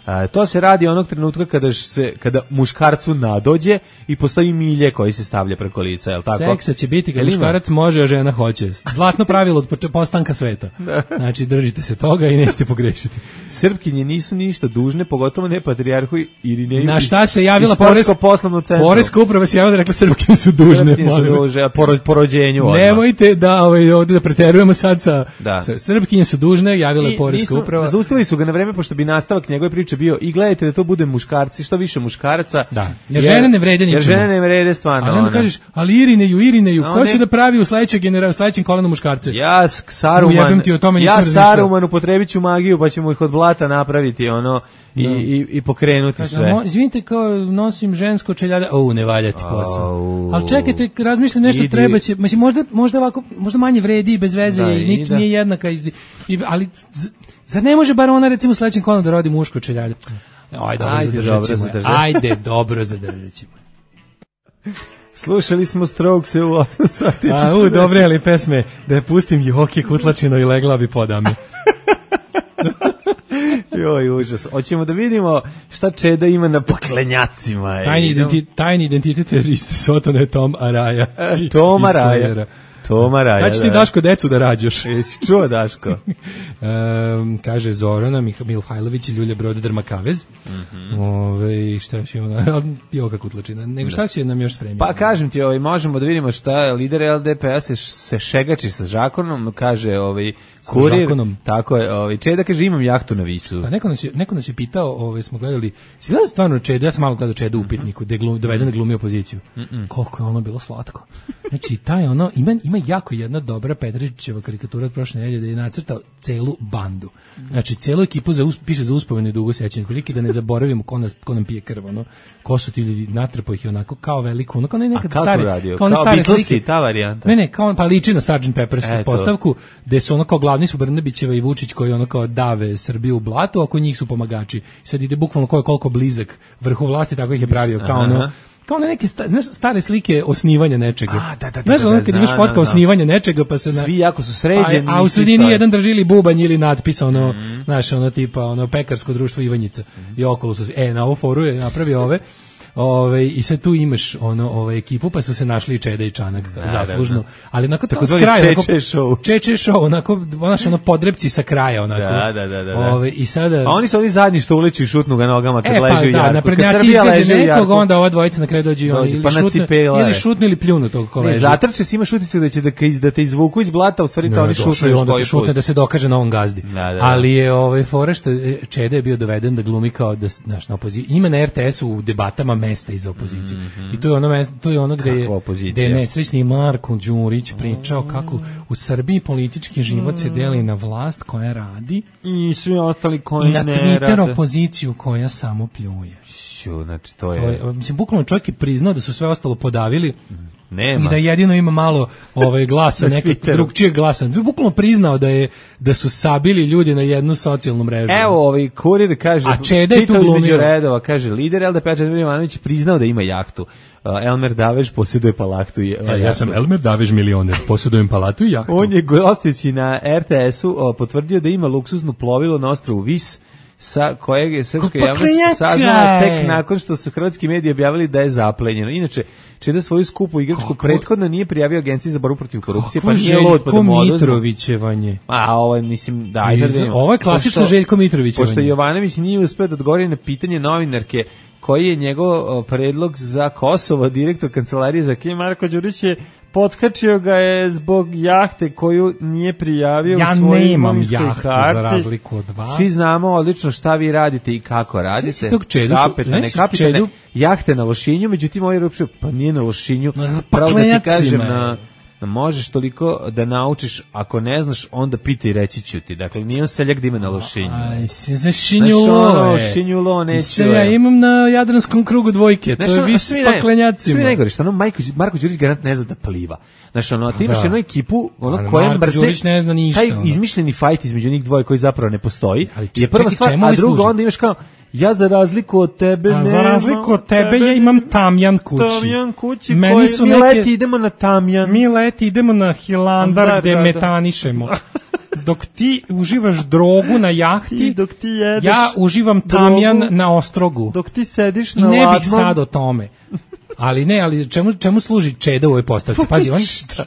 A, to se radi onog trenutka kada se kada muškarcu nadođe i postoji milje koji se stavlja preko lica, je l' tako? Seksa će biti kad muškarac može, a žena hoće. Zlatno pravilo od postanka sveta. Znači, držite se toga i nećete pogrešiti. Srpkinje nisu ništa dužne, pogotovo ne patrijarhu Irineju. Na šta se javila poreska poslovno centru? Poreska uprava se javila da rekla Srpkinje su dužne. Srpkinje su dužne, po, po rođenju odmah. Nemojte da ovaj, ovdje da preterujemo sad sa, da. sa Srpkinje su dužne, javila je poreska uprava. Zaustavili su ga na vreme, pošto bi nastavak njegove priče bio i gledajte da to bude muškarci, što više muškaraca. Da. Jer, jer žene ne vrede ničemu. Jer žene ne vrede stvarno. Ali onda kažeš, ali Irineju, Irineju, ko će da pravi u sledećeg genera, u sledećem kolonu muškarce? Ja Saruman, ja Saruman upotrebit ću magiju, pa ćemo ih od blata napraviti, ono, i, no. i, i pokrenuti Kažem, sve. Mo, izvinite, kao nosim žensko čeljade, o, ne valja ti posao. Oh. Ali čekajte, razmišljam nešto, idi. Treba će, mislim, možda, možda ovako, možda manje vredi i bez veze, da, i nič da. Nije jednaka, iz, i, ali zar ne može bar ona, recimo, u sledećem kolonu da rodi muško čeljade? Ajde, dobro, Ajde, zadržat ćemo. Dobro, Ajde, dobro, zadržat ćemo. Slušali smo Strokese u osam sati. A, u, dobre, ali pesme, da je pustim Joki Kutlačino i legla bi podame. Joj, užas. Hoćemo da vidimo šta Čeda ima na paklenjacima. Tajni, identi, tajni identitet teroriste Sotona je Tom Araja. E, Tom Araja. Toma Raja. Znači ti, Daško, decu da rađaš. Jesi čuo, Daško? um, kaže Zorana Mihajlović i Ljulja Brode Drmakavez. Mm -hmm. Ove, šta još imamo? Joka Kutlačina. Nego šta si nam još spremio? Pa kažem ti, ovaj, možemo da vidimo šta lider L D P A se, se šegači sa žakonom, kaže ovaj, kurir. Tako je, ovaj, Čeda kaže imam jahtu na Visu. Pa neko nas je, neko nas je pitao, ovaj, smo gledali, si gledali stvarno Čeda, ja sam malo gledao Čeda u upitniku, gde glum, doveden da glumi opoziciju. Mm -mm. Koliko je ono bilo slatko. Znači, taj ono, ima, ima jako jedna dobra Petričićeva karikatura od prošle nedelje da je nacrtao celu bandu. Znači, celu ekipu za, piše za uspomenu i dugo sećanje, prilike da ne zaboravimo ko, nas, ko nam pije krv, ono, ko su ti ljudi, natrpao ih je onako kao veliko, ono, kao nekad stare, radio? kao, kao stare slike. slike. Ta varijanta. Ne, ne, kao, pa liči na sergeant Pepper's e, postavku, gde su ono kao glavni su Brnabićeva i Vučić koji ono kao dave Srbiju u blatu, a oko njih su pomagači. Sad ide bukvalno ko je koliko blizak vrhu vlasti, tako ih je pravio, kao ono, kao na neke sta, znaš, stare slike osnivanja nečega. A, da, da, da, znaš, ono kad da, imaš fotka da, osnivanja nečega, pa se na... Svi jako su sređeni. A, a u sredini jedan drži ili bubanj ili natpis, ono, mm. znaš, ono tipa, ono, pekarsko društvo Ivanjica. Mm. I okolo su, e, na ovo foru je napravio ove, ove, i sad tu imaš, ono, ove ekipu, pa su se našli i Čeda i Čanak, da, zaslužno. Da, da. Ali onako tako s kraja, onako, Čeče show. Čeče show, onako, onaš, ono, podrepci sa kraja, onako. Da, da, da, da. Ove, i sada... A oni su oni zadnji što uleću i šutnu ga nogama kad e, leži pa, u jarku. Da, naprednjaci izgaže nekog, onda ova dvojica na kraju dođe i oni, ili, pa šutne, ili šutnu ili pljunu tog ko leži. Ne, zatrče si ima šutice da će da, da te izvuku iz blata, u stvari to oni šutnu onda te šutne da se dokaže na ovom gazdi. Da, da, da. Ali je ovaj fora što Čeda je bio doveden da glumi kao da, znaš, na opoziciji. Ima na R T S-u u debatama mesta iza opozicije. Mm -hmm. I to je ono, to je ono gde je, gde je nesrećni Marko Đurić pričao kako u Srbiji politički život se deli na vlast koja radi i svi ostali koji ne rade. I na Twitter opoziciju koja samo pljuje. Šu, znači to je... To je mislim, bukvalno čovjek je priznao da su sve ostalo podavili. Nema. I da jedino ima malo ovaj glasa, nekog drugčijeg glasa. Bukvalno priznao da je da su sabili ljudi na jednu socijalnu mrežu. Evo, ovaj kurir kaže, a Čeda je tu glumio. Redova, kaže, lider L D P A Čedomir Jovanović priznao da ima jahtu. Uh, Elmer Davež posjeduje palatu i ja, ja sam Elmer Davež milioner, posjedujem palatu i jahtu. On je gostujući na R T S-u uh, potvrdio da ima luksuzno plovilo na ostrvu Vis, sa kojeg je srpska javnost saznala tek nakon što su hrvatski mediji objavili da je zaplenjeno. Inače, Čeda svoju skupu igračku prethodno nije prijavio Agenciji za borbu protiv korupcije, pa nije lud pa da mu oduzme. Mitrovićevanje. A ovo je, mislim, da, ovo je klasično Željko Mitrovićevanje. Pošto Jovanović nije uspeo da odgovori na pitanje novinarke koji je njegov predlog za Kosovo, direktor kancelarije za Kim Marko Đurić je potkačio ga je zbog jahte koju nije prijavio ja u svojoj nemam imovinskoj jahtu karti. za razliku od vas. Svi znamo odlično šta vi radite i kako radite. Znači tog čedu, kapetane, znači kapetane, čedu, jahte na Lošinju, međutim ovaj rupšio, pa nije na Lošinju. Na Pravo da ti kažem, paklenjacima. na, na možeš toliko da naučiš, ako ne znaš, onda pitaj, reći ću ti. Dakle, nije on seljak da ima na Lošinju. Aj, si za šinjulo, je. Šinjulo, neću. Ja imam na Jadranskom krugu dvojke, to je vis paklenjacima. Svi najgore, što ono, Marko, Marko Đurić garant ne zna da pliva. Znaš, ono, ti imaš Da. jednu ekipu, ono, Ali koja Marko Đurić ne zna ništa, taj ono. izmišljeni fajt između njih dvoje koji zapravo ne postoji, Ali je prva čekaj, stvar, čemu a ovi drugo, služe? onda imaš kao, ja za razliku od tebe A nemam. za razliku od tebe ja imam tamjan kući. Tamjan kući, Meni koji, su mi neke- leti idemo na tamjan. Mi leti idemo na Hilandar Da, gde da, da. metanišemo. Dok ti uživaš drogu na jahti, Ti dok ti jedeš ja uživam tamjan drogu, na ostrogu. dok ti sediš I na ne bih ladnom. sad o tome. Ali ne, ali čemu, čemu služi Čeda u ovoj postavci? Pazi, on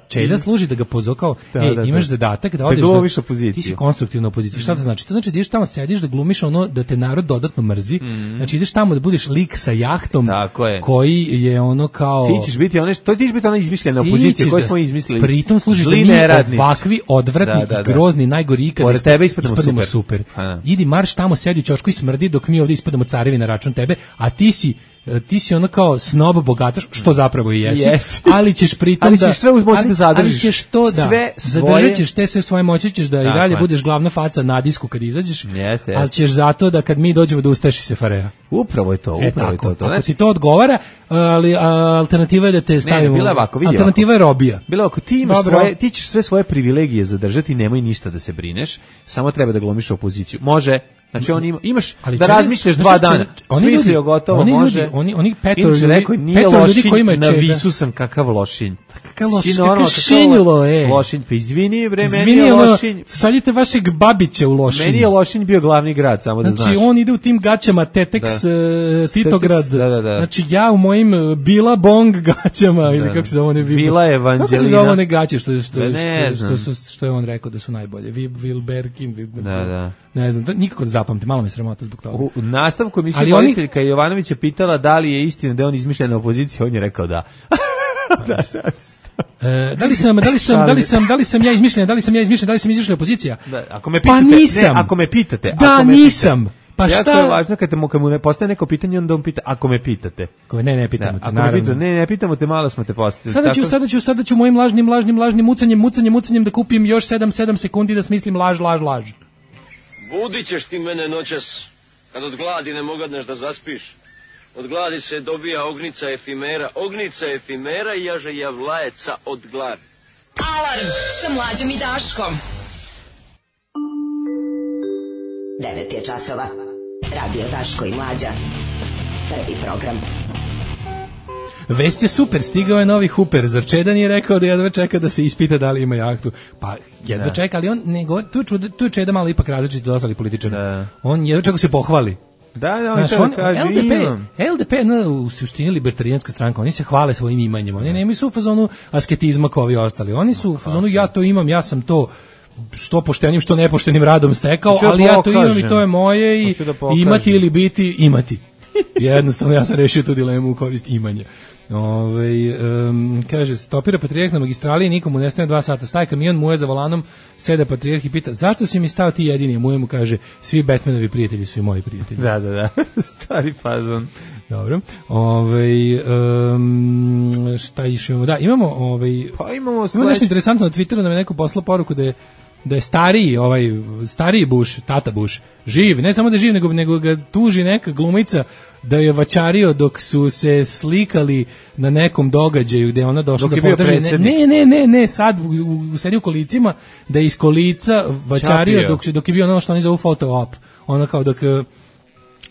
Čeda služi da ga pozove kao, Da, ej, da, imaš da. zadatak da Da odeš glumiš opoziciju. Ti si konstruktivna opozicija. Šta to znači? To znači da ideš tamo, sediš, da glumiš ono da te narod dodatno mrzi. Znači ideš tamo da budeš lik sa jahtom Tako je. koji je ono kao... Ti ćeš biti one, to ti ćeš biti ona izmišljena Ti opozicija ćeš koju da- smo izmislili. Pritom služiš da Zli mi neradnici. ovakvi odvratni Da, da, i da. grozni, najgori ikad Pored tebe ispadnemo super. super. Pa da. Idi marš tamo, sedi u ćošku i smrdi dok mi ovdje ispadamo carevi na račun tebe, a ti si ti si ono kao snob bogataš, što zapravo i jesi, Jesi. ali ćeš pritom Ali da... ćeš sve uz moći ali- da zadržiš. Ali ćeš to da, Sve svoje- zadržat ćeš te sve svoje moći, ćeš da i Tako dalje je. budeš glavna faca na disku kad izađeš, Jeste, ali jeste. ćeš zato da kad mi dođemo da ustaješ i Sefareja. Upravo je to, E upravo je tako, to. to. ako Znači, ti to odgovara, ali a, alternativa je da te stavimo... bila je ovako, vidi alternativa je robija. Bilo ako ti imaš Dobro. svoje, ti ćeš sve svoje privilegije zadržati, nemoj ništa da se brineš, samo treba da glumiš opoziciju. Može, znači on ima, imaš Ali da čega- razmišljaš znaš dva čega- dana. oni ljudi- Smislio gotovo, oni može. ljudi- oni- oni petoro Inače, ljudi- rekao, nije petoro ljudi lošinj, koji imaju na čeda. visu sam kakav lošinj. Kakav loš- Si kakav normalno, kakav šinjilo, e. Lošinj, pa izvini, bre, meni Izvini, je ono, lošinj. sadite vašeg Babića u Lošinj. Meni je Lošinj bio glavni grad, samo da Znači, znaš. on ide u tim gaćama Teteks, Da. e, Titograd. Da, da, da. Znači, ja u mojim e, Bila Bong gaćama, ili kako se zove one... Bila Kako se Evanđelina. zove one gaće što, je- što, Da, je- ne što, što, znam. su- što je on rekao da su najbolje? Vi- Wilberkin, Wil- Da, da. Ne znam, to nikako ne zapamtim, malo me sramota zbog toga. U u nastavku Ali emisije oni- voditeljka Jovanović je pitala da li je istina da je on izmišljena opozicija, on je rekao da. da, zaista. E, da li sam, da li sam, da li sam, da li sam ja izmišljen, da li sam ja izmišljen, da li sam izmišljena opozicija? Da, ako me Pa pitate, nisam. ne, ako me pitate, Da, ako me nisam. pitate. Pa Jako šta? je važno kad, te, mu- kad mu ne postaje neko pitanje, onda on pita, ako me pitate. Ako me- Ne, ne, Da, pitamo te, ako me naravno. pitate, ne, ne pitamo te, malo smo te postavili. Sada ću, Tako- sada ću, sada ću mojim lažnim, lažnim, lažnim mucanjem, mucanjem, mucanjem da kupim još sedam, sedam sekundi da smislim laž, laž, laž. Budit ćeš ti mene noćas, kad od gladi ne mogadneš da zaspiš. Od gladi se dobija ognica efimera, ognica efimera i jaže javlajeca od gladi. Alarm sa Mlađom i Daškom. devet je časova. Radio Daško i Mlađa. Prvi program. Vest je super, stigao je novi Hooper. Zar Čeda nije rekao da jedva čeka da se ispita da li ima jahtu? Pa jedva Da. čeka, ali on ne govori, tu, je čuda- tu je Čeda malo ipak različit od ostalih političara. Da. On jedva čeka se pohvali. Da, da, on Znaš, to on, da kaže, L D P, imam. L D P no, u suštini libertarijanska stranka, oni se hvale svojim imanjem, oni nemaju su u fazonu asketizma kao ovi ostali, oni su u fazonu ja to imam, ja sam to što poštenim, što nepoštenim radom stekao, Hoću da ali ja to pokažem. imam i to je moje i Hoću da pokažem. imati ili biti, imati. Jednostavno ja sam rešio tu dilemu u korist imanja. Ove, um, kaže, stopira patrijarh na magistrali i nikomu ne stane dva sata. Staje kamion, muje za volanom, sede patrijarh i pita, zašto si mi stao ti jedini? Muje mu kaže, svi Batmanovi prijatelji su i moji prijatelji. Da, da, da. Stari fazon. Dobro. Ovaj um, šta još imamo? Da, imamo ovaj Pa imamo imamo nešto sledeće. interesantno na Twitteru da mi je neko poslao poruku da je da je stariji, ovaj stariji Bush, tata Bush, živ, ne samo da je živ, nego, nego ga tuži neka glumica da je vaćario dok su se slikali na nekom događaju gde je ona došla Dok da je bio podrži. Ne, predsjednik. ne, ne, ne, ne, sad u, u, sedi u kolicima da je iz kolica vaćario Čapio. dok, dok je bio ono što oni zovu photo op. Ono kao dok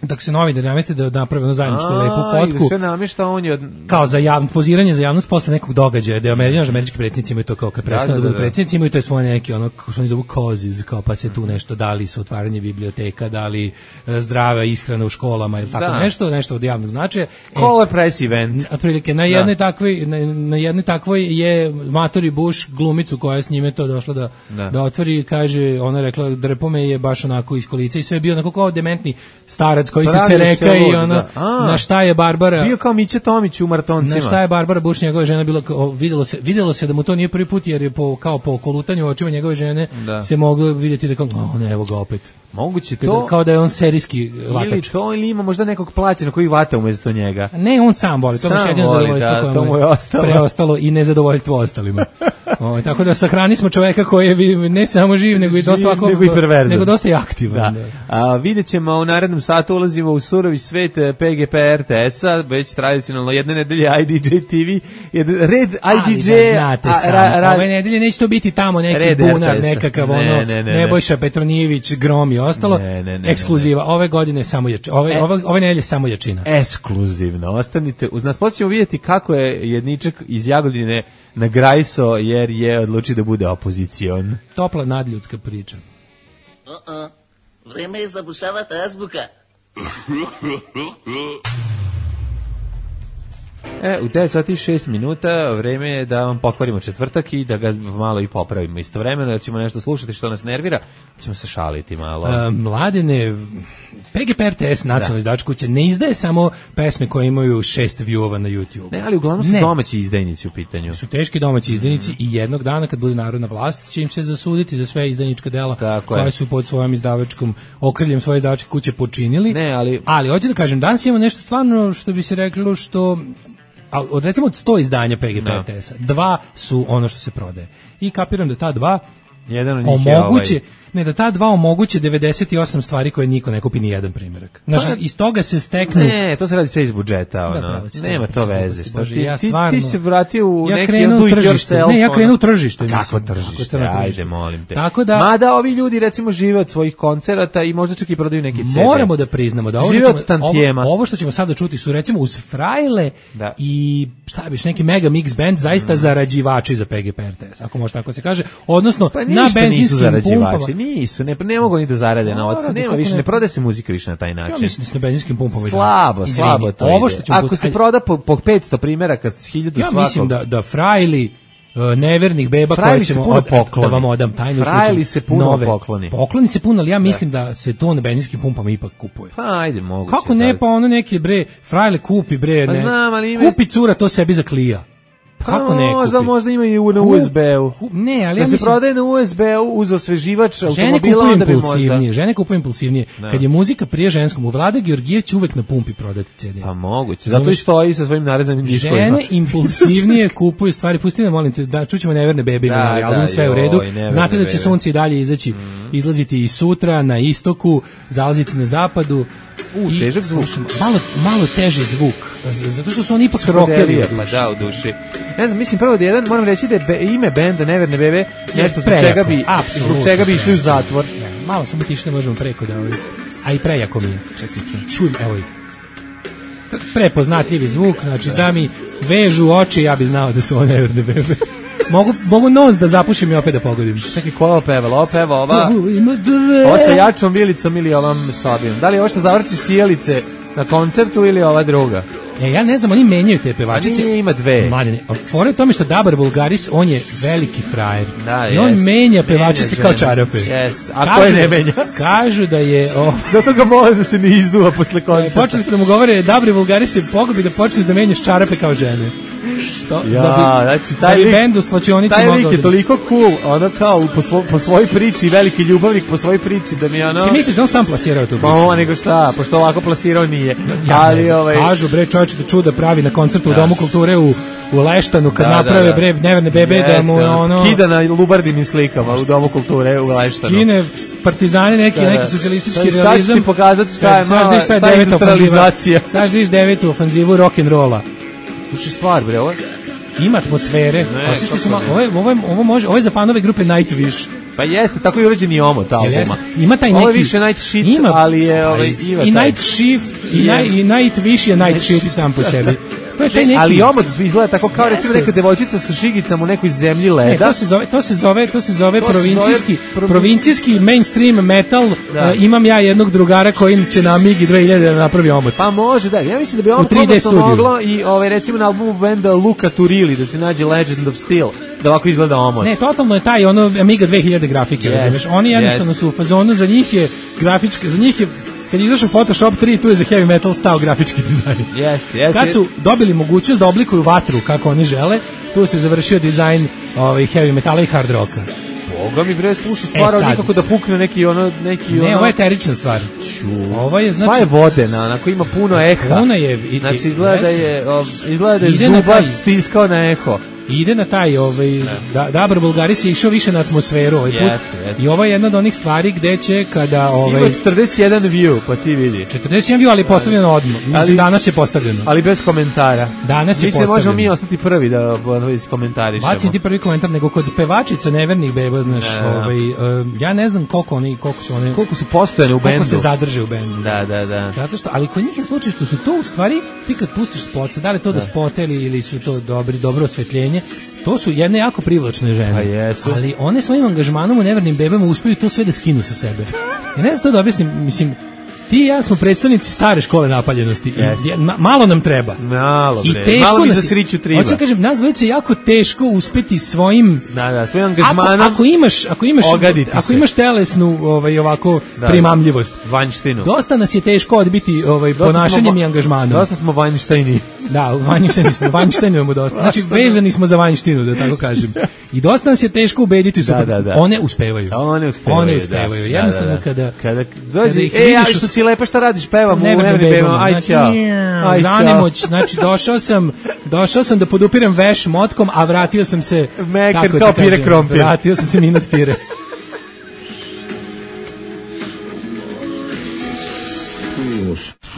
dok se novinari nameste da naprave ono zajedničku A, lepu i da fotku. sve namješta, on je od... Kao za javno poziranje za javnost posle nekog događaja, da američki američki predsjednici imaju to kao kad prestanu da, da, da, budu da. predsjednici imaju to je svoje neki ono što oni zovu causes, kao pa se tu nešto dali su otvaranje biblioteka, dali e, zdrava ishrana u školama ili tako Da. nešto, nešto od javnog značaja. E, Color press event. otprilike na jednoj takvoj na, na jednoj takvoj je Matori Bush glumicu koja je s njime to došla da Da. da otvori, kaže, ona je rekla drpo me je baš onako iz kolica i sve je bio onako kao dementni starac koji Pravio se cereka se i lud, ono, da. A, na šta je Barbara... Bio kao Mića Tomić u Maratoncima. Na šta je Barbara Bush, njegova žena, bilo, kao, videlo, se, videlo se da mu to nije prvi put, jer je po, kao po kolutanju očima njegove žene da. se moglo vidjeti da kao, o ne, evo ga opet. Moguće Kada, to... kao da je on serijski vatač. Ili to, ili ima možda nekog plaćena koji vata umjesto njega. Ne, on sam voli, to mu je jedino zadovoljstvo da, koje to mu je ostalo. preostalo i nezadovoljstvo ostalima. O, tako da sahrani smo čoveka koji je ne samo živ, nego i dosta ovako, nego i perverzan. Nego dosta i aktivan. Da. A, vidjet ćemo u narednom satu ulazimo u surovi svet P G P R T S-a, već tradicionalno jedne nedelje I D J T V, jedan red I D J... Ali da znate a, sam, ra, ra, ove nedelje neće to biti tamo neki red bunar, R T S-a. nekakav ne, ono, ne, ne, ne. Nebojša Petronijević, Grom i ostalo, ne, ne, ne, ekskluziva. Ove godine samo jačina, ove, e, ove, ove nedelje samo jačina. Ekskluzivno, ostanite uz nas. Poslije ćemo vidjeti kako je jedničak iz Jagodine nagrajso jer je odlučio da bude opozicion. Topla nadljudska priča. Uh-uh. Vreme je zabušavati azbuka. E, u devet sati i šest minuta vreme je da vam pokvarimo četvrtak i da ga malo i popravimo istovremeno, jer ćemo nešto slušati što nas nervira, ćemo se šaliti malo. A, mladene, P G P R T S, nacionalna izdavačka kuća, ne izdaje samo pesme koje imaju šest viewova na YouTube. Ne, ali uglavnom su ne. domaći izdajnici u pitanju. Su teški domaći izdajnici i jednog dana kad bude narodna vlast će im se zasuditi za sve izdajnička dela koje su pod svojom izdavačkom okriljem svoje izdavačke kuće počinili. Ne, ali... ali hoću da kažem, danas imamo nešto stvarno što bi se reklo što... A od recimo od sto izdanja P G P R T S-a, dva su ono što se prodaje. I kapiram da ta dva jedan od njih omoguće, je ovaj... ne, da ta dva omoguće devedeset osam stvari koje niko ne kupi ni jedan primjerak. Znači, pa, iz toga se steknu... Ne, to se radi sve iz budžeta, ono. Da, da, nema to veze. Šta ti, ja stvarno, ti, ti se vratio u ja neki do it yourself. Ne, ja krenu u tržište. Kako tržište? Ajde, molim te. Tako da, mada ovi ljudi recimo žive od svojih koncerata i možda čak i prodaju neki C D. Moramo da priznamo da ovo, žive što ćemo, ovo, ovo što ćemo sada čuti su recimo uz frajle da. i šta biš, neki mega mix band zaista mm. zarađivači za P G P R T S, ako može tako se kaže. Odnosno, pa na benzinskim pumpama. Nisu, ne, ne mogu ni da zarade novac. Nema više, ne prodaje se muzika više na taj način. Ja mislim da se na benzinskim pumpama slabo, izvini, slabo to ovo što ako se proda po, po petsto primeraka s hiljadu ja svakog. Ja mislim da, da frajli uh, nevernih beba koje ćemo od, da vam odam tajnu frajli se puno nove. pokloni. Pokloni se puno, ali ja mislim da, da se to na benzinskim pumpama ipak kupuje. Pa ajde, moguće. Kako ne, pa ono neki bre, frajle kupi bre, pa ne. Znam, ali ima... Kupi cura to sebi za klija. Kako ne možda, kupi? možda ima i na U S B-u. Ne, ali da ja se mislim, prodaje na U S B-u uz osveživač automobila, onda bi možda... Žene kupuju impulsivnije. Da. Kad je muzika prije ženskom, u Vlada Georgijev će uvek na pumpi prodati C D. Pa moguće, zato i stoji sa svojim narezanim diskovima. Žene impulsivnije kupuju stvari, pustite, molim te, da čućemo Neverne bebe, da, ali album sve u redu. Znate da će sunce i dalje izaći, mm. izlaziti i sutra, na istoku, zalaziti na zapadu. U, i težak zvuk. Malo, malo teži zvuk, zato što su oni ipak rockeri. Pa da, u duši. Ne znam, mislim prvo da jedan, moram reći da je be, ime benda Neverne bebe nešto zbog čega bi, zbog čega bi išli u zatvor. Ne, malo samo tiše, ne možemo preko da ovaj, a i prejako mi je. Čujem, evo ih. Prepoznatljivi zvuk, znači da mi vežu oči, ja bi znao da su one Neverne bebe. Mogu, mogu nos da zapušim i opet da pogodim. Čekaj, ko je opevala? Ova peva ova... Ova sa jačom vilicom ili ovom slabijom. Da li je ovo što zavrći sjelice na koncertu ili ova druga? E, ja ne znam, oni menjaju te pevačice. Nije, ima dve. Mladine, fora je tome što Dabar Vulgaris, on je veliki frajer. Da, i on jest, menja pevačice kao čarape. Yes. A ko je ne menja? Kažu da je... O, zato ga mole da se ne izduva posle koncerta. Počeli su da mu govore, Dabar Vulgaris je pogobi da počneš da menjaš čarape kao žene. Što? Ja, da bi, znači, taj da bi lik, bend u slačionici taj lik mogao je da... toliko cool, ono kao po, svo, po svojoj priči, veliki ljubavnik po svojoj priči, da mi ono... Ti misliš da on sam plasirao tu? Pa ovo nego šta, pošto ovako plasirao nije. Ja, ali, ovaj... Kažu, bre, čovječe da čuda pravi na koncertu u Domu kulture u, u Leštanu, kad da, naprave, da, da. bre, Neverne bebe, Jeste, da mu ono... Kida na lubardinim slikama u Domu kulture u Leštanu. Skine partizane, neki, da, da. neki socijalistički da, realizam. Sad ću ti pokazati šta je, šta je, šta je, šta je industrializacija. Sad ću devetu ofanzivu rock'n'rolla. Slušaj stvar, bre, ovo ima atmosfere. Ne, su ma, ovo, je, ovo, je, ovo, može, ovo je za fanove grupe Nightwish. Pa jeste, tako je urađen i omot albuma. Ima taj neki... Ovo je više Night Shit, ima, ali je... Ovaj, i Night Shift, i, yeah. i Nightwish je Night Shit sam po sebi. To je taj neki... Ali omot izgleda tako kao recimo neka devojčica sa šigicama u nekoj zemlji leda. Ne, to se zove, to se zove, to se zove to provincijski, zove... provincijski mainstream metal. Da. Uh, imam ja jednog drugara kojim će na Migi dve hiljade da napravi omot. Pa može, da. Ja mislim da bi ovo komotno moglo i ovaj, recimo na albumu benda Luka Turili da se nađe Legend of Steel, da ovako izgleda omot. Ne, totalno je taj ono Amiga dve hiljade grafike, yes, razumeš? Oni jednostavno yes. su u fazonu, za njih je grafička, za njih je kad je izašao Photoshop tri, tu je za heavy metal stao grafički dizajn. Jeste, jeste. Kad su dobili mogućnost da oblikuju vatru kako oni žele, tu se završio dizajn ovaj, heavy metala i hard rocka. Boga mi bre sluša stvar, e nikako da pukne neki ono neki ne, ono. ovo je eterična stvar. Ovo je znači sva je vodena, onako ima puno eha. Puno je, i, znači izgleda da je izgleda da je zubar stiskao na eho. Ide na taj, ovaj, da, Dabar Bulgaris je išao više na atmosferu ovaj put. Jeste, jeste. I ovo je jedna od onih stvari gde će kada... Ovaj, ima četrdeset jedan view, pa ti vidi. četrdeset jedan view, ali postavljeno odmah. Mislim, ali, danas je postavljeno. Ali bez komentara. Danas je Mislim, postavljeno. možemo mi ostati prvi da iskomentarišemo. Bacim ti prvi komentar, nego kod pevačica nevernih beba, znaš, da, da. Ovaj, uh, ja ne znam koliko oni, koliko su one... Koliko su postojene u bendu. Koliko se zadrže u bendu. Da, da, da. Zato što, ali kod njih je slučaj što su to u stvari, ti kad pustiš spot, da li to da, da spoteli ili su to dobri, dobro osvetljenje, to su jedne jako privlačne žene. Pa jesu. Ali one svojim angažmanom u nevernim bebama uspeju to sve da skinu sa sebe. Ja ne znam to da objasnim, mislim, ti i ja smo predstavnici stare škole napaljenosti. Yes. I, ma, malo nam treba. Malo, bre. I teško malo mi nas, za sriću triba. Hoću kažem, nas dvojice je jako teško uspeti svojim... Da, da, svojim angažmanom. Ako, ako imaš, ako imaš, ako imaš telesnu ovaj, ovako da, primamljivost. Vanjštinu. Dosta nas je teško odbiti ovaj, ponašanjem i angažmanom. Dosta smo vanjštajni. Da, vanjštini smo, vanjštini imamo dosta. Znači, vezani smo za vanjštinu, da tako kažem. I dosta nas je teško ubediti su. Da, da, da. One uspevaju. One uspevaju, One uspevaju. Da, jednostavno da, da. kada... Kada dođe, e, ali što si lepa, šta radiš, pevam u nevernim bebama, aj ćao. Zanemoć, znači došao sam, došao sam da podupirem veš motkom, a vratio sam se... Mekar kao pire krompir. Vratio sam se minut pire.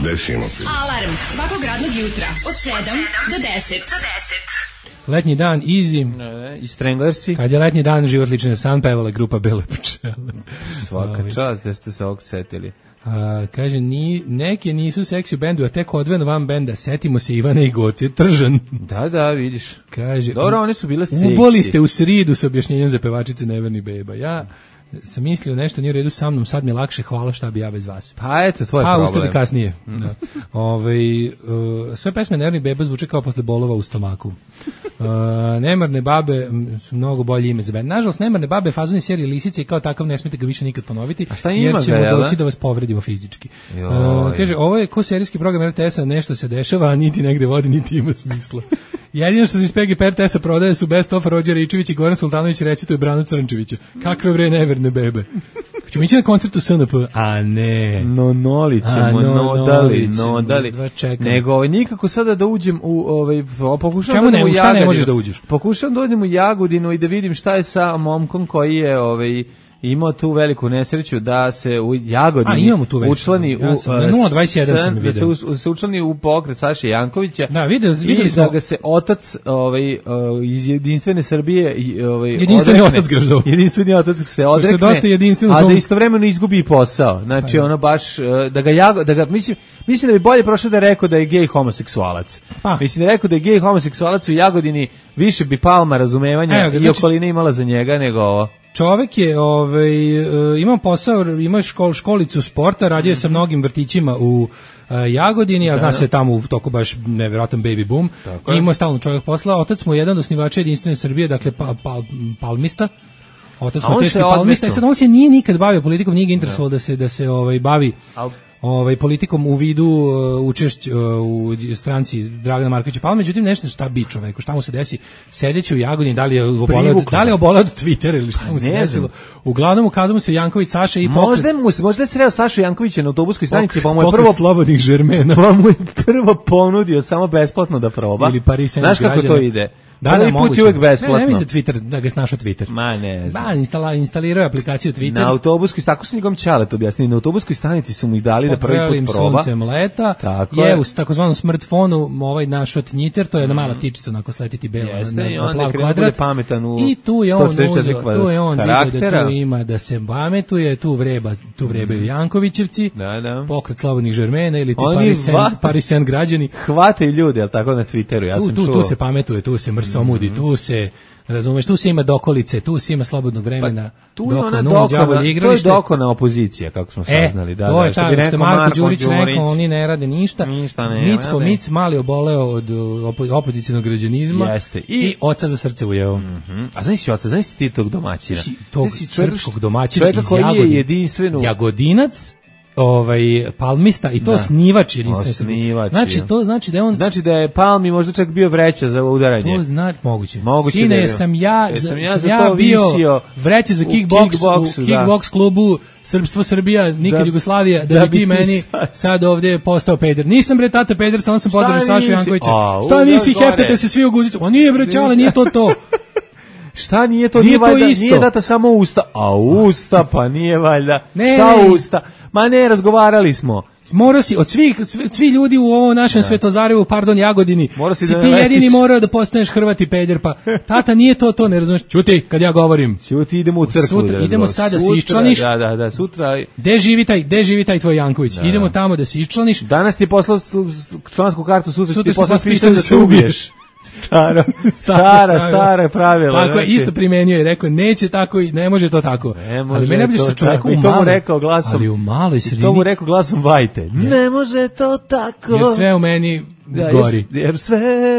Desimo se. Alarm svakog radnog jutra od sedam do deset. Letnji dan, easy. Ne, i Stranglersi. Kad je letnji dan, život liči na san, pevala grupa Bele pčele. Svaka čast, da ste se ovog setili. A, kaže, ni, neke nisu seksi u bendu, a tek odvojeno van benda, setimo se Ivane i Goce, Tržan. Da, da, vidiš. Kaže, dobro, one su bile seksi. Uboli ste u sridu sa objašnjenjem za pevačice Neverni beba. Ja sam mislio nešto nije u redu sa mnom, sad mi je lakše, hvala, šta bi ja bez vas. Pa eto, tvoj A, problem. A, ustavi kasnije. Mm. Da. Ove, uh, sve pesme Neverni beba zvuče kao posle bolova u stomaku. Uh, Nemarne babe su mnogo bolje ime za bend. Nažalost, Nemarne babe fazoni serije Lisice i kao takav ne smete ga više nikad ponoviti. A šta ima jer ćemo ga, doći da vas povredimo fizički. Uh, kaže, ovo je ko serijski program er te esa, nešto se dešava, a niti negde vodi, niti ima smisla. Jedino što se iz P G P er te esa prodaje su Best of Rođer Ričević i Goran Sultanović recituje Branu Crnčevića. Kakve bre Neverne bebe. Ćemo ići na koncertu S N P, a ne. No, noli ćemo, no, nodali, nodali. Nego, ovaj, nikako sada da uđem u, ovaj, pokušam Čemu da ne, u šta ne možeš da uđeš? Pokušam da uđem u Jagodinu i da vidim šta je sa momkom koji je, ovaj, imao tu veliku nesreću da se u Jagodini A, učlani ja sam, u na nula dvadeset jedan sam da se, u, se učlani u pokret Saše Jankovića. Da, videli, videli i smo da ga se otac ovaj iz Jedinstvene Srbije ovaj jedinstveni odrekne, otac Gržov. Jedinstveni otac se odrekne. Dosta jedinstveno, a da istovremeno izgubi posao. Znači pa, ono baš da ga Jago, da ga mislim mislim da bi bolje prošlo da je rekao da je gej homoseksualac. Pa. Mislim da je rekao da je gej homoseksualac u Jagodini, više bi Palma razumevanja Evo, i znači, okoline imala za njega nego ovo. Čovek je, ovaj, imao posao, imao škol, školicu sporta, radio je sa mnogim vrtićima u uh, Jagodini, a zna se tamo u toku baš nevjerojatan baby boom. I imao je stalno čovjek posla. Otac mu je jedan od osnivača Jedinstvene Srbije, dakle pa, pa, palmista. Otac mu teški palmista. I sad on se nije nikad bavio politikom, nije ga interesovalo da se, da se ovaj, bavi ovaj politikom u vidu uh, učešć uh, u stranci Dragana Markovića Palme, međutim nešto šta bi čoveku, šta mu se desi sedeći u Jagodini, da li je oboleo, da li je oboleo od Twittera ili šta mu se desilo. Uglavnom ukazao mu se Janković Saša i pokret. Možda mu možda je sreo Sašu Jankovića na autobuskoj stanici, pa mu je prvo slobodnih žermena. Pa mu je prvo ponudio samo besplatno da proba. Ili Paris Znaš kako to ide? Da, da, put je uvek besplatno. Ne, ne mislim Twitter, da ga snašao Twitter. Ma ne znam. Da, instala, instalirao aplikaciju Twitter. Na autobuskoj, tako su njegom Ćalet objasnili, na autobuskoj stanici su mu ih dali da prvi put proba. Suncem leta, tako je u takozvanom smartfonu ovaj našao Tnjiter, to je jedna mala ptičica onako sletiti bela Jeste, na, i na on plav kvadrat. Pametan u I tu je on uzeo, tu je on vidio da tu ima da se pametuje, tu vreba, tu vrebaju mm. Jankovićevci, da, da. Pokret slobodnih žermena ili ti Parisen, Parisen građani. Hvataju ljudi, al tako na Twitteru, ja tu, sam tu, čuo. Tu se pametuje, tu se mrsomudi, mm. tu se razumeš, tu se ima dokolice, tu se ima slobodnog vremena, pa, tu je ona dokona, to je dokona opozicija, kako smo saznali. E, da, to da, je ta, što, što Marko Đurić rekao, oni ne rade ništa. ništa ne, Micko, ne. Mic mali oboleo od opo, opozicijnog građanizma. Jeste. I, i oca za srce ujeo. Mm -hmm. A znaš si oca, znaš ti tog domaćina? Tog srpskog domaćina iz koji je jedinstveno. Jagodinac, ovaj palmista i to Da. snivač jedinstvene Osnivač, Znači ja. to znači da je on Znači da je Palmi možda čak bio vreća za udaranje. To znači moguće. Moguće Sine, da je- sam ja, Jesam sam ja ja, za to bio visio vreće za u kickboks, kickboksu, u da. kickboks klubu Srpstvo Srbija, nikad Da- Jugoslavija, da, da bi bi ti ti meni sad- sad ovdje postao peder. Nisam bre tata peder, samo sam Šta podržao Sašu nisi? Jankovića. A, Šta u, nisi, da, gore. heftate se svi u guzicu. O nije bre čale, nije to to. Šta nije to? Nije Nije, to valjda, isto. nije data samo usta. A usta, pa nije valjda. Ne, Šta ne. usta? Ma ne, razgovarali smo. Morao si, od svih, svi, svi ljudi u ovom našem Svetozarevu, pardon, Jagodini, Morao si si da ti naletiš. jedini morao da postaneš Hrvat i peder, pa tata nije to, to ne razumeš. Čuti, kad ja govorim. Ćuti, idemo u crkvu. Sutra- da idemo razgovaramo. sad da se Sutra, iščlaniš. Da, da, da, sutra. Gde živi taj, gde živi taj tvoj Janković? Da. Idemo tamo da se iščlaniš. Danas ti je poslao s- s- člansku kartu, sutra, Sutra ti je ću ti poslao poslati pištolj da se ubiješ. Staro, stara, stara pravila. Tako je, znači. isto primenio i rekao, neće tako i ne može to tako. Ne može ali mene najbolje to što čovjeku tako. u I to mu maloj, rekao glasom. ali u maloj I to mu sredini, rekao glasom Vajte. Ne može to tako. jer sve u meni Da, gori. Jer, jer sve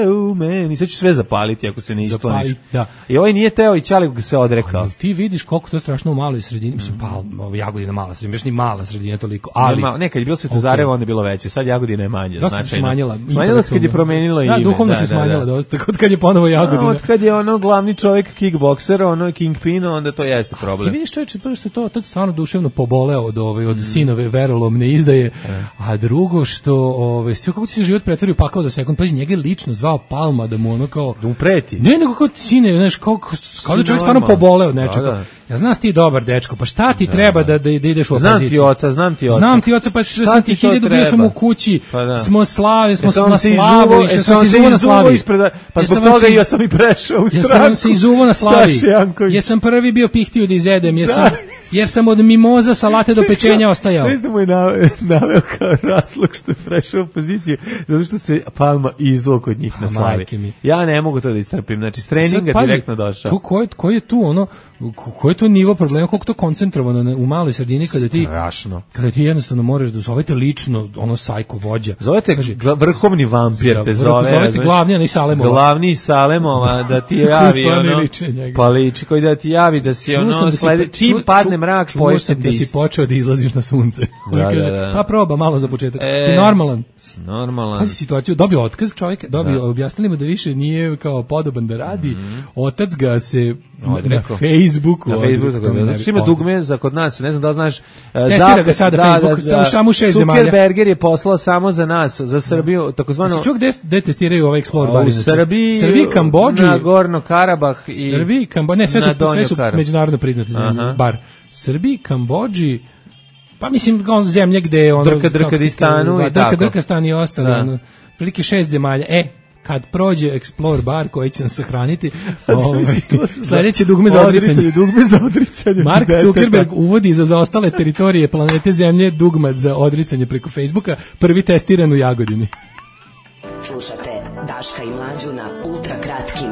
u meni. Sad ću sve zapaliti ako se ne iskloniš. Zapali, da. I ovaj nije teo i Ćali ga se odrekao. Ali ti vidiš koliko to je strašno u maloj sredini, mislim, pa, ovo Jagodina mala sredina, baš ni mala sredina toliko, ali... Nema, ne, kad je bilo Svetozarevo, onda je bilo veće. Sad Jagodina je manje. Dosta se značajno. smanjila. Smanjila se kad je promenila da, ime. duhovno se smanjila dosta, kod kad je ponovo Jagodina. A, od kad je ono glavni čovjek kickbokser, ono Kingpin, onda to jeste Ti problem. vidiš čovječe, prvo što je to, to je stvarno duševno poboleo od, ove, od sinove verolomne izdaje, a drugo što, ove, stio, kako ti se život pretvorio pakao za sekund, pazi, njega je lično zvao Palma da mu ono kao... Da mu preti. Ne, nego kao sine, znaš, kao, kao da čovjek stvarno normalno. poboleo od nečega. Da, da. Ja znam ti dobar dečko, pa šta ti treba da, da, da ideš u Znam opoziciju? ti oca, znam ti oca. Znam ti oca, pa Šta što sam ti ti to hiljadu, bio treba? sam u kući, Pa da. smo slave, smo Jesam na se slavi, izuvo- išao jesam sam se se izuvo na izuvo slavi. ispred, pa Jesam zbog vam toga se ja iz- sam i prešao u stranku. Jesam vam se izuvo na slavi. Saše Janković. Jesam prvi bio pihtio da izedem, jesam, jer sam od mimoza salate do pečenja ostajao. Znaš da mu je naveo, naveo kao razlog što je prešao u opoziciju, zato što se Palma izuo kod njih na slavi. majke mi. Ja ne mogu to da istrpim, znači s treninga Sad, pazi, direktno došao. ko- Ko je, ko je tu ono, ko- ko je to nivo problema, koliko to koncentrovano na- u maloj sredini kada ti, Strašno. kada ti jednostavno moraš da zovete lično ono sajko vođa. Zovete gla- vrhovni vampir, Za- te vrh- zove. zovete razumeš? glavni, a ne Salemova. Glavni iz Salemova, da ti javi Stvarno ono, liči na njega. pa liči, koji da ti javi da si Čuo sam ono, da si slede, po- čim čuo- padne čuo- mrak, čuo poješ sam se da ti si isto. počeo da izlaziš na sunce. On Da, kaže, da, da. pa proba malo za početak. E, Si ti normalan? Si normalan. Pazi situaciju, dobio otkaz čovjek, dobio, Da. objasnili mu da više nije kao podoban da radi, otac ga se na, na Odrekao. Facebooku Na odrekao. Facebooku, zato što ima Od- dugme za kod nas, ne znam da li znaš. e, Testira zapad- ga sada Facebook, samo- samo šest zemalja. Zuckerberger je poslao samo za nas, za Srbiju, takozvano Jesi čuo gde, gde testiraju ovaj Explore bar? u inače? Srbiji, Srbiji, Kambodži, na Gorno Karabah i Srbiji, Kambodži, ne, sve su, na Donjo sve su Karabah. međunarodno priznate zemlje, Aha. bar. Srbiji, Kambodži, pa mislim kao zemlje gde je ono... Drka, kako ti Drkadistanu kažu, i Drka, tako. Drkastan i ostali, Da. ono, prilike šest zemalja. E, kad prođe Explore bar koji će nas sahraniti, ovaj, sledeće dugme za odricanje. Dugme za odricanje. Mark deteta. Zuckerberg uvodi za zaostale teritorije planete Zemlje dugmat za odricanje preko Facebooka, prvi testiran u Jagodini. Slušate Daška i Mlađu na ultra kratkim,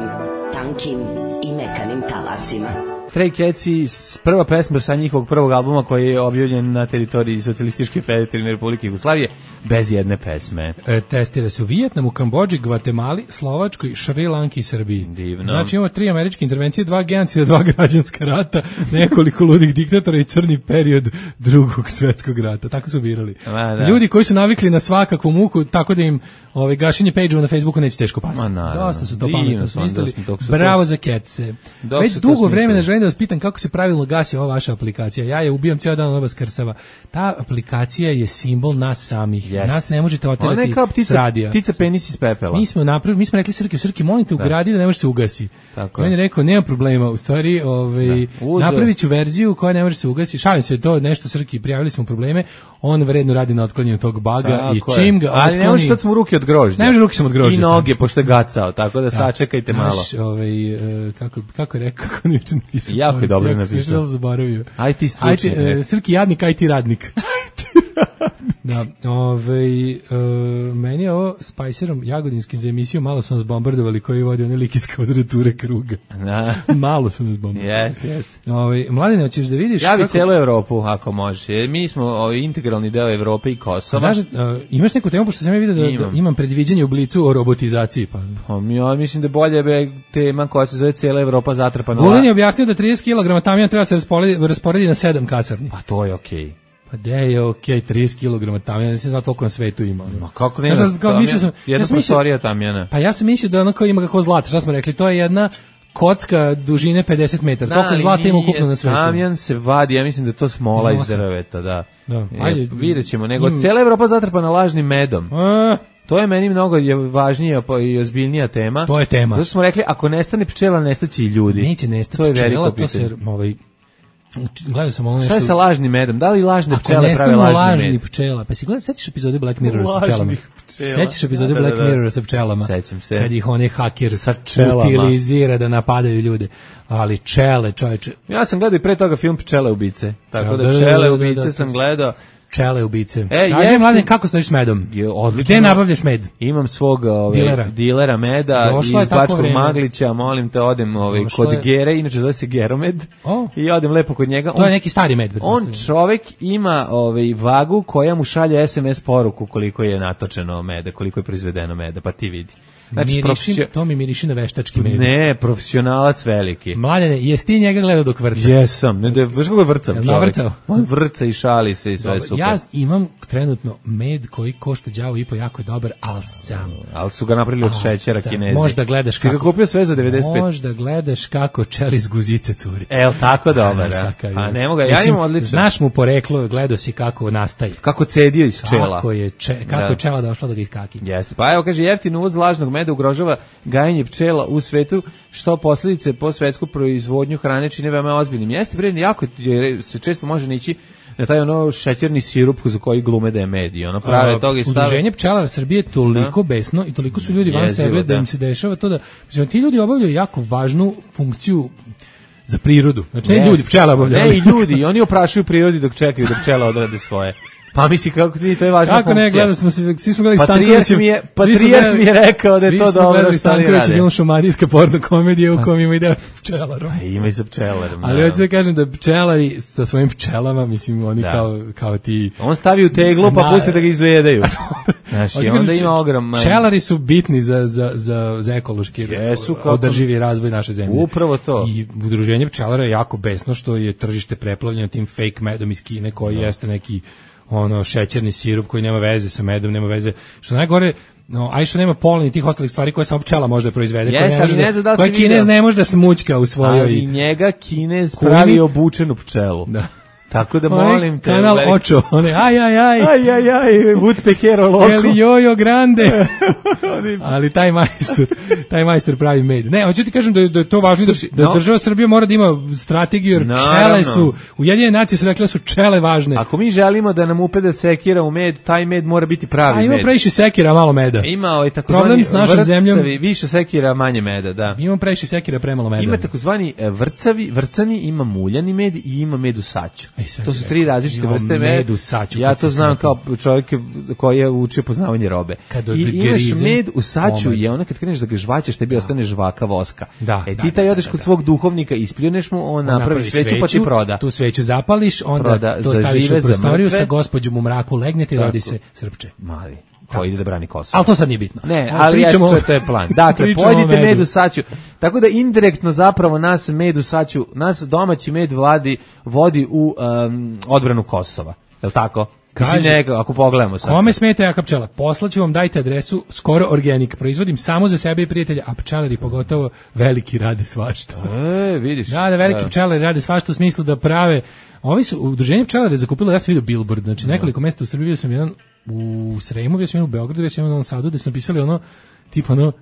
tankim i mekanim talasima. Stray Cats, prva pesma sa njihovog prvog albuma koji je objavljen na teritoriji Socijalističke federativne Republike Jugoslavije bez jedne pesme. E, testira se u Vijetnamu, Kambodži, Gvatemali, Slovačkoj, Šri Lanki i Srbiji. Divno. Znači imamo tri američke intervencije, dva genocida, dva građanska rata, nekoliko ludih diktatora i crni period drugog svetskog rata. Tako su birali. A, da. Ljudi koji su navikli na svakakvu muku, tako da im ovaj, gašenje page-ova na Facebooku neće teško pasti. Ma, naravno. Dosta su to Divno pametno su oni, smislili. dosta- dok su to- Bravo za Ketse. Dok Već su to dugo smislili. vremena želim da vas pitam kako se pravilno gasi ova vaša aplikacija. Ja je ubijam cijel dan, ona vas krsava. Ta aplikacija je simbol nas samih. Jeste. Nas ne možete Ona oterati je kao s ptica, radija. ptica penis iz pepela. Mi smo napravili, mi smo rekli Srki, Srki, molim te ugradi da ne može se ugasi. Tako I on je je. rekao, nema problema, u stvari, ovaj, Da. Uzeo- napravit ću verziju koja ne može se ugasi. Šalim se, to nešto Srki, prijavili smo probleme, on vredno radi na otklanjanju tog baga Tako i je. čim ga Ali ne može, sad smo ruke od grožđa. Ne može, ruke sam od grožđa I sad. noge, pošto je gacao, tako da sačekajte malo. Naš, ovaj, e, kako, kako je rekao, kako niče napisao. Jako je dobro napisao. napisao. Zaboravio. Aj ti stručnjak, Ajde, ne. e, Srki jadnik, aj ti radnik. Da, ovaj, e, meni je ovo Spicerom Jagodinskim za emisiju malo su nas bombardovali koji vodi one lik iz kvadrature kruga. Da. Malo su nas bombardovali. Jeste, jeste. Ovaj, Mladine, hoćeš da vidiš Javi kako... celu Evropu, ako možeš. Jer mi smo ovaj, integralni deo Evrope i Kosova. Znaš, uh, imaš neku temu, pošto sam ja vidio da, da Imam. imam predviđanje u Blicu o robotizaciji, pa... Pa, ja mislim da je bolje be tema koja se zove cijela Evropa zatrpana. Vulin je objasnio da trideset kilograma tamijana treba se rasporedi, rasporedi na sedam kasarni. Pa to je okej. gde je okej, okay, trideset kilograma tamjana, ne znam znao toliko na svetu ima. Ma kako ne, ja sam, kao, mislio sam, jedna ja sam prostorija tamjana. Pa ja sam mislio da ono kao ima kako zlata, šta smo rekli, to je jedna kocka dužine pedeset metara, da, toliko zlata ima ukupno na svetu. Tamjan se vadi, ja mislim da je to smola iz drveta, da. da. Ajde, vidjet ćemo, nego im... cijela Evropa zatrpana lažnim medom. A, to je meni mnogo važnija i ozbiljnija tema. To je tema. Zato smo rekli, ako nestane pčela, nestaće i ljudi. Neće nestati to pčela, to se, ovaj, gledao sam ono nešto... Šta je sa lažnim medom? Da li lažne pčele prave lažni med? Ako nestanu lažni pčela, pa si gledao, sećaš epizode Black Mirror sa pčelama? Sećaš epizode da, Black da, da. Mirror sa pčelama? Sećam se. Kad ih onaj haker utilizira da napadaju ljude. Ali čele, čovječe. Ja sam gledao i pre toga film Pčele ubice. Tako da Pčele ubice da, da, sam gledao. Pčele ubice. E, Kaži, Mladen, kako stojiš s medom? Je, odlično. Gde nabavljaš med? Imam svog ove, dilera. dilera meda došlo iz Bačkog Maglića, molim te, odem ove, kod je... Gere, inače zove se Geromed, oh. i odem lepo kod njega. To on, je neki stari med. On čovek ima ove, vagu koja mu šalje es em es poruku koliko je natočeno meda, koliko je proizvedeno meda, pa ti vidi. Znači, mirišin, profesio... to mi miriši na veštački med. Ne, profesionalac veliki. Mladene, jesi ti njega gledao dok vrca? Jesam, ne, da, znaš kako je vrcav čovjek? Navrcao? On vrca i šali se i sve dobar, super. Ja imam trenutno med koji košta đavo i po, jako je dobar, ali sam. Ali su ga napravili od šećera da, Kinezi. Možda gledaš kako... Ti ga kupio sve za devedeset pet. Možda gledaš kako čeli iz guzice curi. El, tako dobar, a? A ne mogu, ja imam odlično. Znaš mu poreklo, gledao si kako nastaje. Kako cedio iz čela. Kako je, če, kako da. je čela došla da ga iskaki. Jeste, pa evo kaže, jeftin uvoz lažnog meda ugrožava gajenje pčela u svetu, što posljedice po svetsku proizvodnju hrane čine veoma ozbiljnim. Jeste, bre, jako se često može nići na taj ono šećerni sirup za koji glume da je med i ono prave toga i stave. Udruženje pčelara Srbije je toliko da. besno i toliko su ljudi van Jezivo, sebe da. da im se dešava to da, znači, ti ljudi obavljaju jako važnu funkciju za prirodu. Znači ne yes. ljudi, pčela obavljaju. Ne, i ljudi, i oni oprašuju prirodi dok čekaju da pčela odrade svoje. Pa misli kako ti to je važna kako funkcija. Ne, gledali smo se, svi smo gledali Stanković mi je, Patrijarh mi je rekao da je to dobro što oni rade. Film šumadijska porno komedija u kom ima ide pčelarom. Pa ima i za pčelarom. Ali hoću da kažem da pčelari sa svojim pčelama, mislim oni da. kao, kao ti... On stavi u teglu pa pusti da ga izvedaju. Znaš, i onda ima ogroman... Pčelari su bitni za, za, za, za ekološki Jesu, održivi razvoj naše zemlje. Upravo to. I udruženje pčelara je jako besno što je tržište preplavljeno tim fake medom iz Kine koji da. jeste neki ono šećerni sirup koji nema veze sa medom, nema veze. Što najgore, no, aj što nema polen i tih ostalih stvari koje samo pčela može da proizvede, yes, koje, ne može da, koje Kinez ne može da smućka u svojoj... Ali njega Kinez pravi obučenu pčelu. Da. Tako da molim te... Kanal like... Očo, one aj, aj, aj. Aj, aj, aj, Woodpeckero loko. Eli jojo grande. Ali taj majstor, taj majstor pravi med. Ne, hoću ti kažem da je, da je to važno, da, da no. država Srbija mora da ima strategiju, jer pčele su, Ujedinjene nacije su rekle da su pčele važne. Ako mi želimo da nam upede sekira u med, taj med mora biti pravi med. A ima med. previše sekira, malo meda. Ima ovaj takozvani vrcavi, više sekira, manje meda, da. Ima previše sekira, premalo meda. Ima takozvani vrcavi, vrcani, ima muljani med i ima med u saću. To su tri različite vrste meda. Saću, ja to znam kao čovjek koji je učio poznavanje robe. I imaš med u saću, je ono kad kreneš da ga žvaćeš, tebi ostane žvaka voska. Da, e ti da, taj da, odeš da, kod da. svog duhovnika, ispljuneš mu, on, on napravi, napravi sveću, sveću pa ti proda. Tu sveću zapališ, onda proda, to staviš u prostoriju, za sa gospođom u mraku legnete i rodi se srpče. Mali. Ko ide da brani Kosovo. Ali to sad nije bitno. Ne, ali ja što to je plan. Dakle, pojedite med u saću. Tako da indirektno zapravo nas med u saću, nas domaći med vladi vodi u um, odbranu Kosova. Je li tako? Kaže, njega, ako pogledamo sad. Kome smeta jaka pčela? Poslaću vam, dajte adresu Skoro Organik. Proizvodim samo za sebe i prijatelja, a pčelari pogotovo veliki rade svašta. E, vidiš. Da, da, veliki da. pčelari rade svašta u smislu da prave. Ovi su, udruženje pčelara zakupilo, ja sam vidio billboard, znači nekoliko mesta u Srbiji, vidio sam jedan u Sremu, vidio sam jedan u Beogradu, vidio sam jedan u Novom Sadu, gde su napisali ono, tipa ono,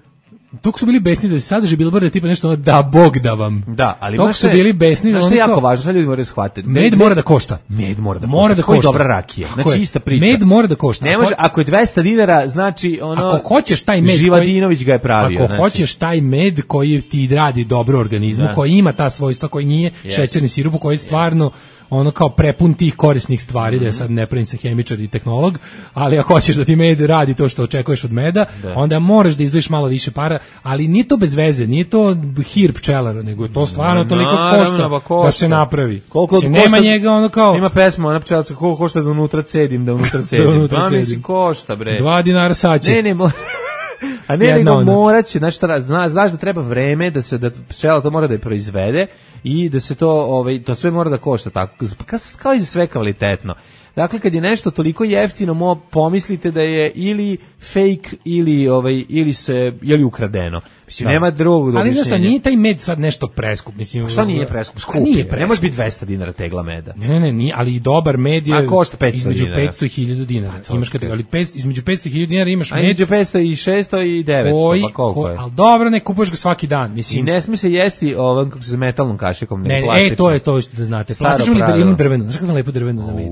Toko su bili besni da se sadrži bilborde tipa nešto ono, da Bog da vam. Da, ali Toko su bili besni da ono. Što je jako važno, sad ljudi moraju shvatiti. Med, med mora da košta. Med mora da mora košta. Da košta. Dobra rakija. Znači ista priča. Med mora da košta. Ne može, ako je dvesta dinara, znači ono. Ako hoćeš taj med, Živadinović koji, ga je pravio. Ako znači. hoćeš taj med koji ti radi dobro organizmu, da. Koji ima ta svojstva, koji nije yes. šećerni sirup, koji je stvarno ono kao prepun tih korisnih stvari, mm-hmm. da sad ne pravim se hemičar i tehnolog, ali ako hoćeš da ti med radi to što očekuješ od meda, da. Onda moraš da izdvojiš malo više para, ali nije to bez veze, nije to hir pčelara, nego je to stvarno toliko košta, no, košta da se napravi. Koliko se nema njega ono kao... Ima pesma, ona pčelaca, koliko košta da unutra cedim, da unutra cedim. da unutra cedim. Mislim, košta, bre. Dva dinara saće. Ne, ne, mora... A ne, nego moraće, znači, znaš da treba vreme da se, da pčela to mora da je proizvede i da se to, ovaj, to sve mora da košta tako, kao i za sve kvalitetno. Dakle, kad je nešto toliko jeftino, mo pomislite da je ili fake ili ovaj ili se ili ukradeno. Mislim, da. Nema drugog objašnjenja. Ali znaš šta, nije taj med sad nešto preskup. Mislim, šta nije preskup? Skup nije je. preskup. Ne može biti dvesta dinara tegla meda. Ne, ne, ne, nije, ali i dobar med je košta petsto između dinara. petsto i hiljadu dinara. Imaš kad, ali petsto, između petsto i hiljadu dinara imaš a med. između petsto i šesto i devetsto, koji, pa koliko ko, je? Ali dobro, ne kupuješ ga svaki dan. Mislim. I ne sme se jesti ovom, kako se za metalnom kašikom, ne, ne e, to je to što da znate. Plastično li imam drveno? Znaš kako imam lepo drveno za med?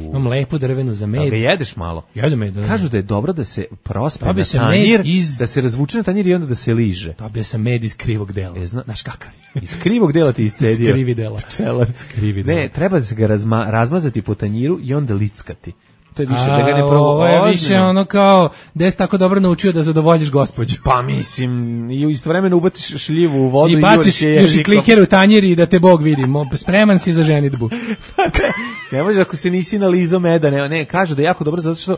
Imam lepo drveno za med. Da ga jedeš malo? Jedem med. Da. Kažu da je dobro da se prospe na se tanjir, iz... da se razvuče na tanjir i onda da se liže. Dobio sam med iz krivog dela. E, zna... Znaš kakav? Iz krivog dela ti iscedio. Iz krivi dela. Pčelar. Krivi dela. Ne, treba da se ga razma, razmazati po tanjiru i onda lickati. To je više A, da ga ne provo. Ovo je više ono kao, gde si tako dobro naučio da zadovoljiš gospođu. Pa mislim, i istovremeno ubaciš šljivu u vodu i i baciš još i kliker u tanjir i da te Bog vidi. Spreman si za ženidbu. Ne može ako se nisi nalizao meda. Ne, ne, kažu da je jako dobro zato što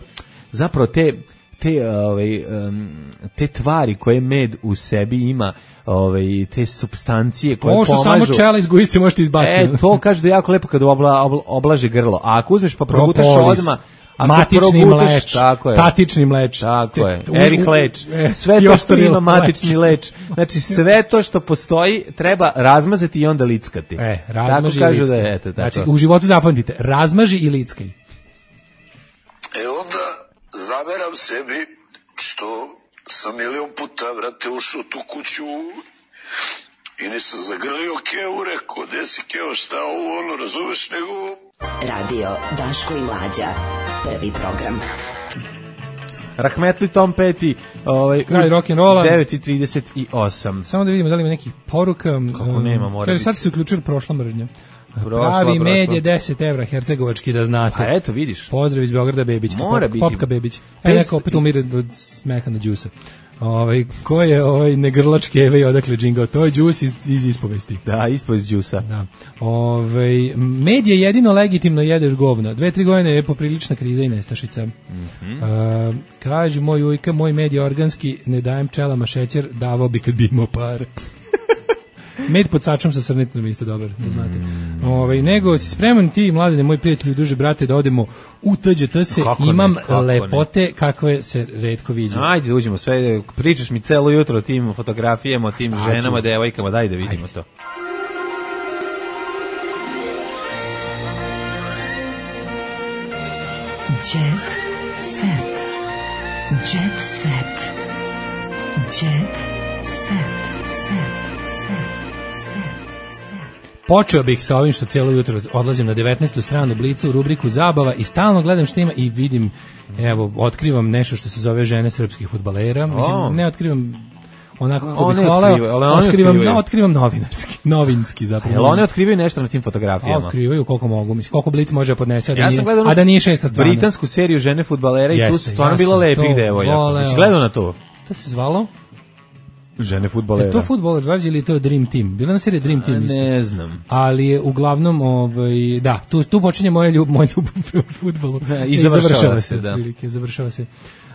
zapravo te te ovaj um, te tvari koje med u sebi ima, ovaj te supstancije koje pomažu. Ovo što pomažu, samo čela izguji se možete izbaciti. E, to kaže da je jako lepo kad obla, obla, oblaže grlo. A ako uzmeš pa progutaš odmah, matični mleč, tako je. Tatični mleč. Tako je. Erik leč. Sve to što ima matični leč. Znači sve to što postoji treba razmazati i onda lickati. E, razmaži tako i kažu da lickaj. je, eto, tako. Znači, u životu zapamtite, razmaži i lickaj. E onda zameram sebi što sam milion puta, vrate, ušao tu kuću i nisam zagrlio Keo, rekao, gde si Keo, šta ovo, ono, razumeš, nego... Radio Daško i Mlađa, prvi program. Rahmetli Tom Petty, ovaj, kraj rock'n'rolla, devet i trideset osam. Samo da vidimo da li ima nekih poruka. Kako nema, mora Kaže, biti. sad se uključila prošla mržnja. Prošla, pravi prošla. med je deset evra, hercegovački, da znate. A eto, vidiš. Pozdrav iz Beograda, Bebićka. Mora Pop, biti. Popka Bebić. E, neko opet umire od smeha na džusa. Ovaj, ko je ovaj negrlač keve i odakle džingao? To je džus iz, iz ispovesti. Da, ispovest džusa. Da. Ovaj, med je jedino legitimno jedeš govna. Dve, tri godine je poprilična kriza i nestašica. Mm-hmm. Uh, kaže moj ujka, moj med je organski, ne dajem pčelama šećer, davao bi kad bi imao par. Med pod sačom sa srnetinom isto dobar, da znate. Mm. Ovaj, nego si spreman ti, mladene, moj prijatelj, duže brate, da odemo u T Đ T se, kako imam ne, kako lepote ne. Kakve se retko viđe. Ajde, da uđemo sve, pričaš mi celo jutro o tim fotografijama, o tim Šta ženama, ću? devojkama, daj da vidimo Ajde. to. Jet set. Jet set. Jet set. Počeo bih sa ovim što cijelo jutro odlazim na devetnaestu stranu Blica u rubriku Zabava i stalno gledam što ima i vidim, evo, otkrivam nešto što se zove žene srpskih fudbalera. Mislim, oh. ne otkrivam onako kako one bih voleo, otkrivam, otkrivaju. no, otkrivam novinarski, novinski zapravo. Jel one otkrivaju nešto na tim fotografijama? A, otkrivaju koliko mogu, mislim, koliko Blic može podnese, a da, ja nije, gledao a da nije šesta strana. Britansku seriju žene fudbalera i tu su stvarno ja bilo lepih devojaka. Jesi gledao na to? To se zvalo? Žene fudbalera. Je to Footballers Wives ili to Dream Team? Bila na serija Dream Team isto. Ne znam. Ali je uglavnom, ovaj, da, tu, tu počinje moja ljub, moj ljubav prema fudbalu. Da, i završava, završava se, da. Prilike, završava se.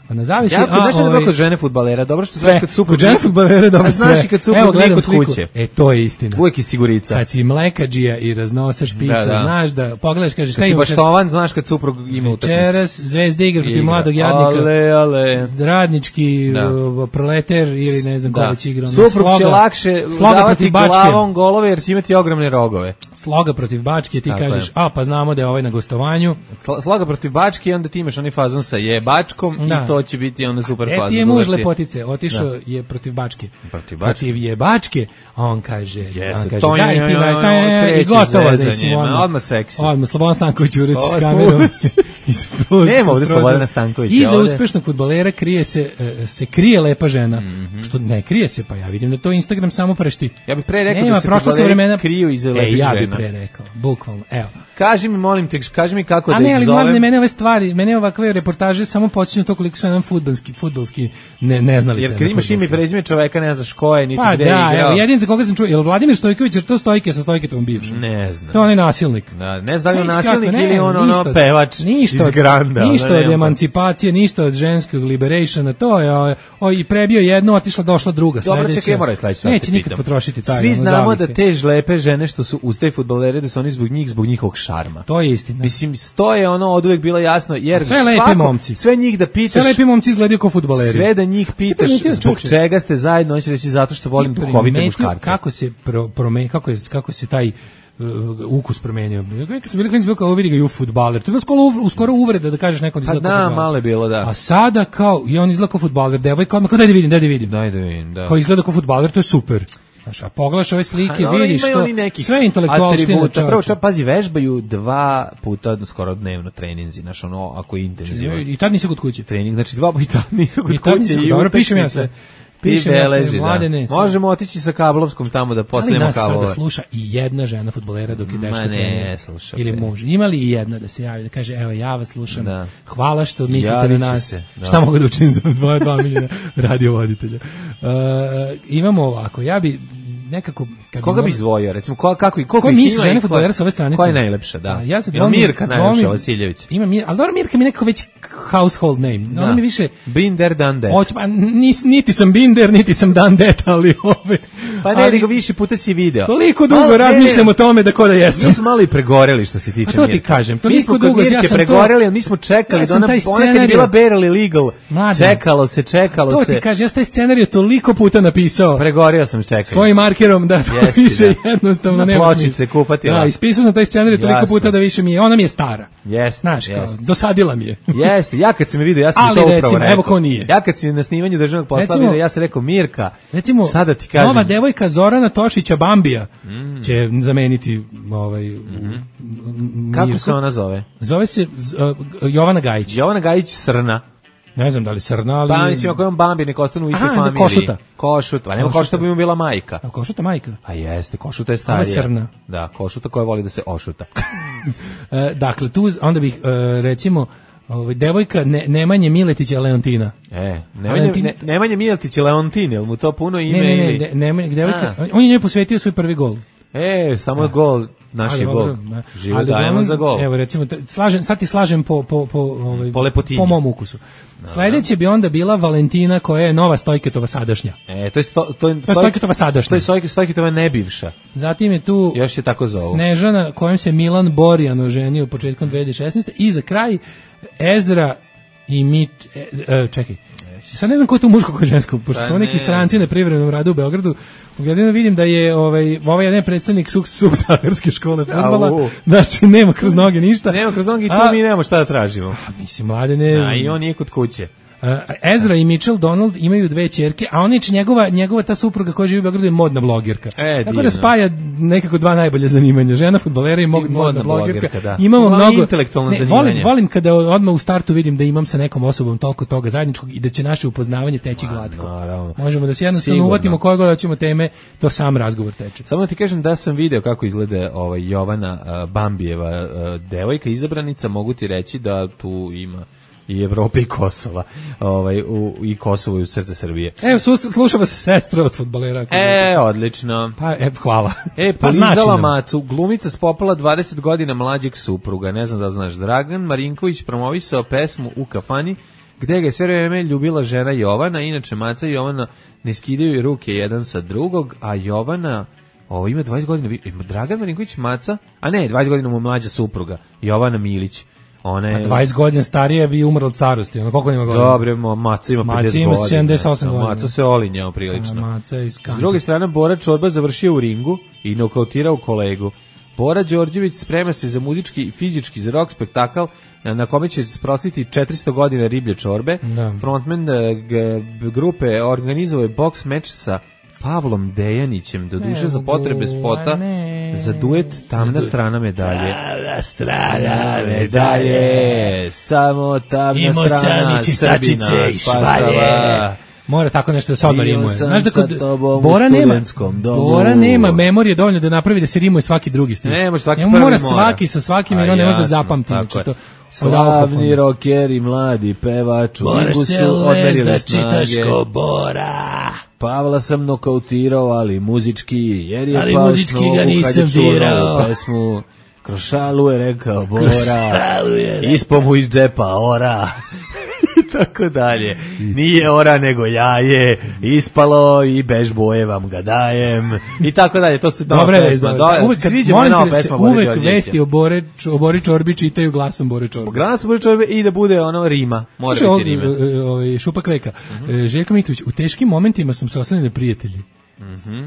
A na zavisi, ja, a, znaš šta je ovaj, dobro kod žene fudbalera? Dobro što sve, znaš kad suprug... Kod žene fudbalera dobro sve. Znaš i kad suprug lik od kuće. E, to je istina. Uvijek je sigurica. Kad si mlekađija i raznosaš pizza, da, da. znaš da pogledaš, kažeš šta imaš. Kad si baštovan, znaš kad suprug ima utakmicu. Večeras Zvezda igra protiv mladog jadnika. Ale, ale. Radnički da. proleter ili ne znam ko već igra. Suprug sloga, će lakše davati glavom golove jer će imati ogromne rogove. Sloga protiv Bačke, ti tako kažeš, je. a pa znamo da je ovaj na gostovanju. Sloga protiv Bačke i onda ti imaš onaj fazon sa jebačkom da. i to će biti onda super fazon. E ti je muž lepotice, otišao je protiv Bačke. Protiv Bačke. Protiv jebačke, a on kaže, yes, on kaže, to daj ti daš, i gotovo da si odmah. Odmah seksi. Odmah, Slobodan Stanković ureći s kamerom. Nema ovdje Slobodana Stankovića. Iza uspešnog fudbalera krije se, se krije lepa žena. Što ne krije se, pa ja vidim da to Instagram samo prešti. Ja bih pre rekao da se fudbaleri kriju iza lepih žena. E, ja bih pre rekao, bukvalno, evo. Kaži mi, molim te, kaži mi kako A da ne, ih ali zovem. mladine, mene ove stvari, mene ovakve reportaže samo podsjećaju to koliko su jedan fudbalski, fudbalski ne, neznalice. Jer kad imaš ime i prezime čoveka, ne znaš ko je, niti pa, gde da, je igrao. Pa da, jedin za koga sam čuo, je li Vladimir Stojković, jer to Stojke sa Stojketovom bivšom? Ne znam. To on je nasilnik. Da, ne znam da li je nasilnik kako, ne, ili on ono pevač ništa, ništa iz Granda, od, ništa da, od emancipacije, ništa od ženskog liberationa, to je o, o, i prebio jednu, otišla, došla druga, sledeća. Dobro, čekaj, mora sledeća. Neće nikad potrošiti taj. Svi znamo da te žlepe žene što su uz te fudbalere, da su oni zbog njih, zbog njihovog šarma. To je istina. Mislim, to je ono oduvek bilo jasno, jer sve lepe svako, momci. Sve njih da pitaš. Sve lepi momci izgledaju kao fudbaleri. Sve da njih pitaš zbog čega ste zajedno, on će reći zato što volim duhovite muškarce. Kako se pro, prome, kako je kako se taj uh, ukus promenio. Kad su bili klinci, bilo kao vidi ga i u fudbaler. To je bilo skoro, skoro uvreda da kažeš nekom da izgleda pa kao fudbaler. Malo je bilo, da. A sada kao, i on izgleda kao fudbaler, devojka, odmah kao daj da vidim, daj da vidim. Daj da vidim, da. Kao izgleda kao fudbaler, to je super. Znaš, a pogledaš ove slike, a, vidiš što sve intelektualštine. Prvo, ča, pazi, vežbaju dva puta skoro dnevno treninzi, znaš, ono, ako je intenzivno. I tad nisi kod kuće. Trening, znači dva puta nisu kod I tad kuće. Nisi, dobro, pišem ja sve. Pišem ja sve, mladene. Da. Možemo otići sa kablovskom tamo da postavimo kablove. Ali nas sada sluša i jedna žena fudbalera dok je dečko trenira. Ili može. Ima li i jedna da se javi, da kaže, evo, ja vas slušam, da. Hvala što mislite Javići na nas. Se, da. Šta mogu da učinim za dva, dva milijuna radiovoditelja. Uh, imamo ovako, ja bi nekako kad koga bi izdvojio recimo ko, kako i koliko ko misli žene fudbalera sa ove stranice koja je najlepša da a, ja se ima Mirka najlepša Vasiljević ima Mir al dobro Mirka mi nekako već household name no, ona mi više Binder Dande hoć pa nis, niti sam Binder niti sam Dande ali ove pa ne nego više puta si video toliko dugo malo, razmišljam o tome da ko da jesam mi smo malo i pregoreli što se tiče Mirka to ti kažem toliko dugo ja sam pregoreli a mi smo čekali da ona ona kad je bila barely legal čekalo se čekalo se to ti kažem ja taj scenarijo toliko puta napisao pregorio sam čekao svojim markerom da više da. Jednostavno nema pločice kupati. Da, ispisao sam taj scenarij toliko puta da više mi je, ona mi je stara. Jeste. Znaš, kao, dosadila mi je. Jeste, ja kad sam je vidio, ja sam ali to upravo recimo, rekao. Evo ko nije. Ja kad sam na snimanju državnog posla vidio, ja sam rekao, Mirka, recimo, sada ti kažem. Nova devojka Zorana Tošića Bambija mm. će zameniti ovaj, mm-hmm. Kako se ona zove? Zove se uh, Jovana Gajić. Jovana Gajić Srna. Ne znam da li Srna, ali... Pa mislim, ako je on Bambi, nek ostanu u istoj familiji. Košuta. Košuta, a nema Košuta bi mu bila majka. A Košuta majka? A jeste, Košuta je starija. Ovo je Srna. Da, Košuta koja voli da se ošuta. e, dakle, tu onda bih, e, recimo, ovaj, devojka ne, Nemanje Miletića Leontina. E, Nemanje, Leontin... ne, Nemanje Miletića Leontin, je li mu to puno ime? Ne, ne, ne, ili... ne Nemanje, devojka, a. on je njoj posvetio svoj prvi gol. E, samo da. Gol, naš je Bog. Živo dajemo za gol. Evo, recimo, slažem, sad ti slažem po, po, po, ovaj, po lepotini. Po mom ukusu. No, sledeće bi onda bila Valentina koja je nova Stojketova sadašnja. E, to je, sto, to je, to je Stojketova sadašnja. To je Stojk, Stojketova nebivša. Zatim je tu još je tako zovu. Snežana kojom se Milan Borjan oženio početkom dve hiljade šesnaeste. I za kraj Ezra i Mit... E, e, čekaj. Sad ne znam ko je tu muško, ko je žensko, pošto su neki stranci na privremenom radu u Beogradu. Ugledino vidim da je ovaj ovaj jedan predstavnik Subsaharske škole fudbala, znači nema kroz noge ništa. Nema kroz noge i tu a, mi nemamo šta da tražimo. A, mislim, mladene... A i on je kod kuće. Uh, Ezra i Mitchell Donald imaju dve ćerke, a ona je njegova, njegova ta supruga koja živi u Beogradu je modna blogerka. E, tako da spaja nekako dva najbolje zanimanja, žena fudbalera i, I modna, modna blogerka. blogerka da. Imamo mnogo intelektualno ne, volim, volim kada odmah u startu vidim da imam sa nekom osobom toliko toga zajedničkog i da će naše upoznavanje teći Ma, glatko. Naravno. Možemo da se jednostavno Sigurno. uvatimo koje god hoćemo teme, to sam razgovor teče. Samo da ti kažem da sam video kako izgleda ovaj Jovana uh, Bambijeva uh, devojka izabranica, mogu ti reći da tu ima i Evrope i Kosova, ovaj u i Kosovo i u srce Srbije. Evo slušamo se sestra od fudbalera. E, odlično. Pa e, hvala. E, polizala macu, glumica spopala dvadeset godina mlađeg supruga, ne znam da znaš, Dragan Marinković promovisao pesmu u kafani, gde ga je sve vreme ljubila žena Jovana, inače maca i Jovana ne skidaju ruke jedan sa drugog, a Jovana ovo ima dvadeset godina, ima Dragan Marinković maca, a ne, dvadeset godina mu mlađa supruga, Jovana Milić. Ona je... A dvadeset godina starija bi umrla od starosti. Ona koliko ima godina? Dobre, maca ima pedeset godina. Maca ima sedamdeset osam godina. Maca se olinjao prilično. A, maca je S druge strane, Bora Čorba završio u ringu i nokautirao kolegu. Bora Đorđević sprema se za muzički i fizički za rock spektakl na kome će sprostiti četiristo godina riblje čorbe. Da. Frontman g- grupe organizovao je boks meč sa Pavlom Dejanićem, do duše za potrebe spota ne. za duet Tamna strana medalje. Tamna strana medalje, samo tamna Imo strana Srbina spasava. Mora tako nešto da se odmah rimuje. Znaš da kod Bora nema, Bora nema memorije dovoljno da napravi da se rimuje svaki drugi stil. Ne, može svaki prvi mora. Mora svaki sa svakim jer on ne može da zapamti. To slavni rokeri, mladi pevač, moraš se uvez da čitaš ko Bora. Pavla sam nokautirao, ali muzički, jer je ali muzički ga nisam dirao. Pesmu, kroz šalu je rekao Bora, ispo mu iz džepa ora. Tako dalje. Nije ora nego jaje, ispalo i bež boje vam ga dajem. I tako dalje. To su dobre pesma. Uvek se uvek vesti o Bore, o Bori Čorbi čitaju glasom Bore Čorbe. Glasom Bore Čorbe i da bude ono rima. Može biti rima. Ovaj Šupa Kveka. Željko Mitrović, u teškim momentima sam se oslonio na prijatelji. Mhm.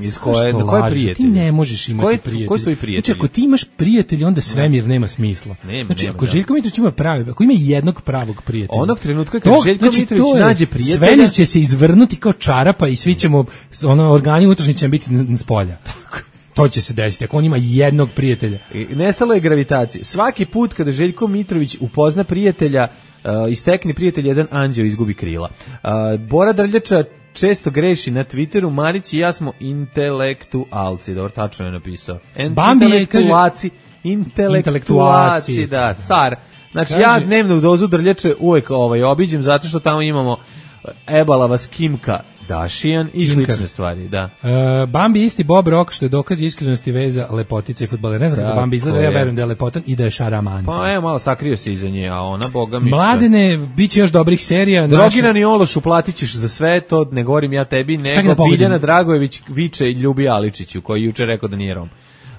Iz koje, na koje prijatelje? Ti ne možeš imati koji, prijatelje. Koji su i prijatelji? Znači, ako ti imaš prijatelje, onda svemir nema smisla. Nema, znači, nema, ako da. Željko Mitrović ima pravi, ako ima jednog pravog prijatelja. Onog trenutka kad to, Željko znači, Mitrović nađe prijatelja, svemir će se izvrnuti kao čarapa i svi ćemo, ono, organi unutrašnji će biti na spolja. To će se desiti, ako on ima jednog prijatelja. I nestalo je gravitacije. Svaki put kada Željko Mitrović upozna prijatelja, uh, istekne prijatelj, jedan anđeo izgubi krila. Uh, Bora Drljača često greši na Twitteru, Marić i ja smo intelektualci, dobro, tačno je napisao. Bambi je, kaže, intelektualci, da, car. Znači, kaže, ja dnevnu dozu Drljače uvek ovaj, obiđem zato što tamo imamo Ebalava Skimka, Dašijan i slične stvari, da. Uh, Bambi isti Bob Rock, što je dokaz iskrenosti veza lepotice i fudbalera. Ne znam kako Bambi izgleda, ja verujem da je lepotan i da je šaraman. Pa evo, malo sakrio se iza nje, a ona, boga mi... Mladene, bit će još dobrih serija. Drogirani naša... Ološ, uplatit ćeš za sve, to ne govorim ja tebi, nego da Biljana Dragojević viče Ljubi Aličiću, koji juče rekao da nije Rom.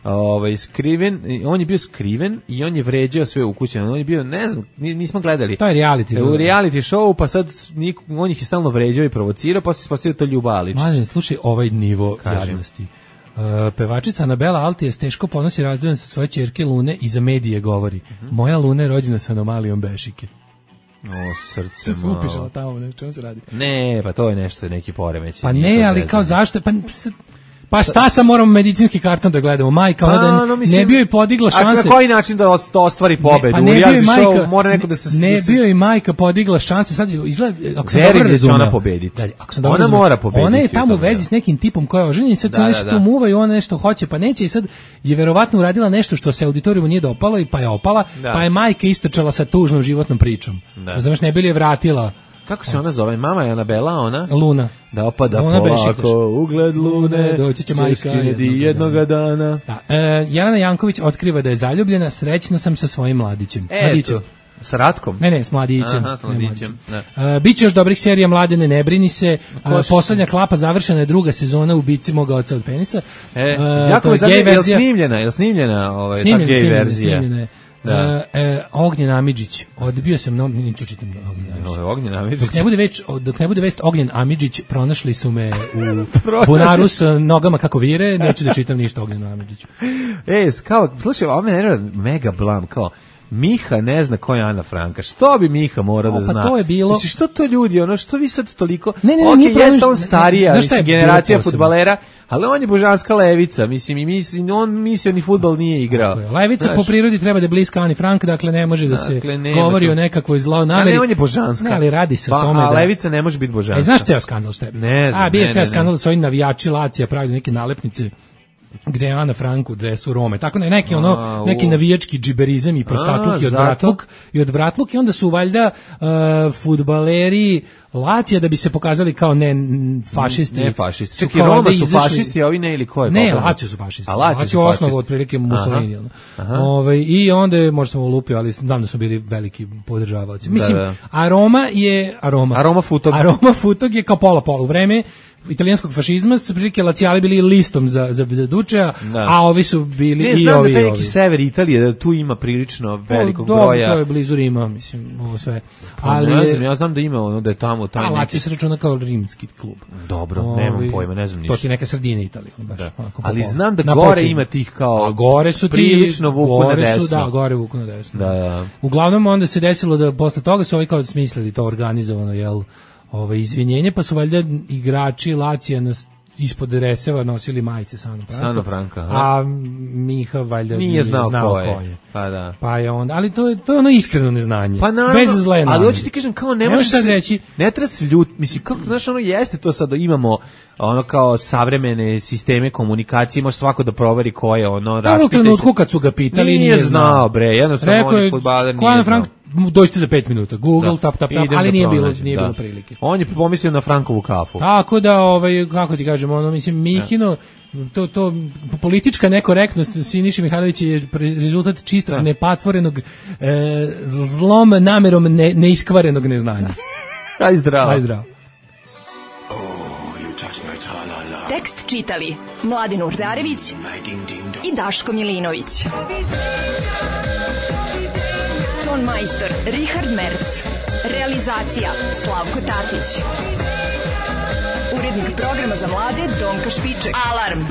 Ovaj skriven, on je bio skriven i on je vređao sve ukućane. On je bio, ne znam, nismo gledali. To je reality. U reality show, pa sad on ih je stalno vređao i provocirao, pa se ispostavio to Ljuba Aličić. Mlađe, slušaj ovaj nivo jadnosti. Uh, pevačica Anabela Altije teško ponosi razdovan sa svoje ćerke Lune i za medije govori. Uh-huh. Moja Luna je rođena sa anomalijom bešike. O, srce malo. Skupiš, ali tamo, ne, čemu se radi? Ne, pa to je nešto, neki poremećaj. Pa ne, ali kao zašto? Pa... Pa šta sam moramo medicinski karton da gledamo? Majka, ona da no, mislim, ne bio i podigla šanse. A na koji način da ostvari pobedu? Ne, pa ne bio i majka, mora neko da se... Ne bio i majka podigla šanse. Sad izgleda, ako sam dobro razumeo, ona pobediti. Da, ako sam dobro ona razumeo, mora pobediti. Ona je tamo u vezi s nekim tipom koja je oženjena i sad da, nešto da, da. tu muva i ona nešto hoće, pa neće i sad je verovatno uradila nešto što se auditorijumu nije dopalo i pa je opala, da. pa je majka istrčala sa tužnom životnom pričom. Da. Znaš, ne bi li je vratila. Kako se ona zove? Mama je Anabela, ona? Luna. Da opada ona polako, ugled Lune, doći će majka jednoga dana. Da. E, Jelena Janković otkriva da je zaljubljena, srećna sam sa svojim mladićem. E, mladićem. S Ratkom? Ne, ne, s mladićem. Aha, s mladićem. E, biće još dobrih serija, Mladene, ne brini se. E, poslednja klapa, završena je druga sezona Ubici moga oca od penisa. E, e, jako me zanima, je li snimljena, je li snimljena ovaj, snimljena, ta gej snimljena, verzija? Snimljena je. Da. E, e, Ognjen Amidžić, odbio sam no, niču čitam Ognjen Amidžić. Ognjen Amidžić. Dok ne bude već, dok ne bude vest Ognjen Amidžić, pronašli su me u bunaru s nogama kako vire, neću da čitam ništa Ognjenu Amidžiću. Ej, kao, slušaj, ovo me nervira mega blam, kao Miha ne zna ko je Ana Franka. Što bi Miha morao da pa zna? To je bilo. Mislim, što to ljudi, ono što vi sad toliko... Ne, ne, okay, nije jeste on starija, mislim, je generacija fudbalera, ali on je božanska levica, mislim, i mislim, on mislio ni fudbal nije igrao. Okay. Levica znaš, po prirodi treba da je bliska Ani Frank, dakle ne može da se dakle, govori to o nekakvoj zloj nameri. A ne, on je božanska. Ne, ali radi se pa, o tome a da... levica ne može biti božanska. E, znaš ceo skandal što je? Ne znam, A, bio je ceo ne, skandal s ovim navijači Lacija pravili neke nalepnice gde je Ana Frank u dresu Rome. Tako ne, neki ono a, neki navijački džiberizam i prostakluk i odvratluk i odvratluk i onda su valjda uh, fudbaleri Lacija da bi se pokazali kao ne fašisti. Ne fašisti. Čekaj, Roma su izašli... fašisti, a ovi ne ili ko je? Ne, Lacio su fašisti. A Lacio su osnovu otprilike Mussolini. Ovaj i onda je možda smo lupio, ali znam da su bili veliki podržavaoci. Mislim, da, da. a Roma je a Roma. A Roma Futog. A Roma Futog je kao pola pola u vreme italijanskog fašizma su prilike Lacijali bili listom za za, za Dučea, a ovi su bili ne, i znam ovi. Ne, znam da neki sever Italije da tu ima prilično velikog o, broja. To je blizu Rima, mislim, ovo sve. Pa, ali ne znam, ja znam da ima ono da je tamo taj neki. Lazio se računa kao rimski klub. Dobro, ovi, nemam pojma, ne znam ništa. To ti neka sredina Italije, baš. Da. Onako, ali znam da na gore početku. Ima tih kao. A gore su ti prilično vuku na desno. Su, da, gore vuku na desno. Da, da. Uglavnom onda se desilo da posle toga su ovi kao smislili to organizovano, jel, ovaj izvinjenje, pa su valjda igrači Lacija nas ispod dreseva nosili majice sa Anom Frankom. Sano Franka, aha. A Miha valjda nije, nije znao, znao ko, je. ko je. Pa da. Pa je on, ali to je to je ono iskreno neznanje. Pa naravno, bez zle namere. Ali hoću ti kažem kao ne možeš sad reći, ne treba se ljut, mislim kako znaš ono jeste to sad da imamo ono kao savremene sisteme komunikacije, može svako da proveri ko je ono raspite. U trenutku kad su ga pitali nije, nije znao bre, jednostavno on je fudbaler nije Frank, dođite za pet minuta. Google da. tap tap tap, ali da nije bilo nije da. bilo prilike. On je pomislio na Frankovu kafu. Tako da ovaj kako ti kažemo, ono mislim Mihino to, to politička nekorektnost Siniše Mihajlovića je rezultat čistog da. nepatvorenog e, zlom namerom ne, neiskvarenog neznanja. Aj zdravo. Aj zdravo. Tekst čitali Mladin Urdarević i Daško Milinović. Ton majstor Richard Merc. Realizacija Slavko Tatić. Urednik programa za mlade Donka Špiček. Alarm!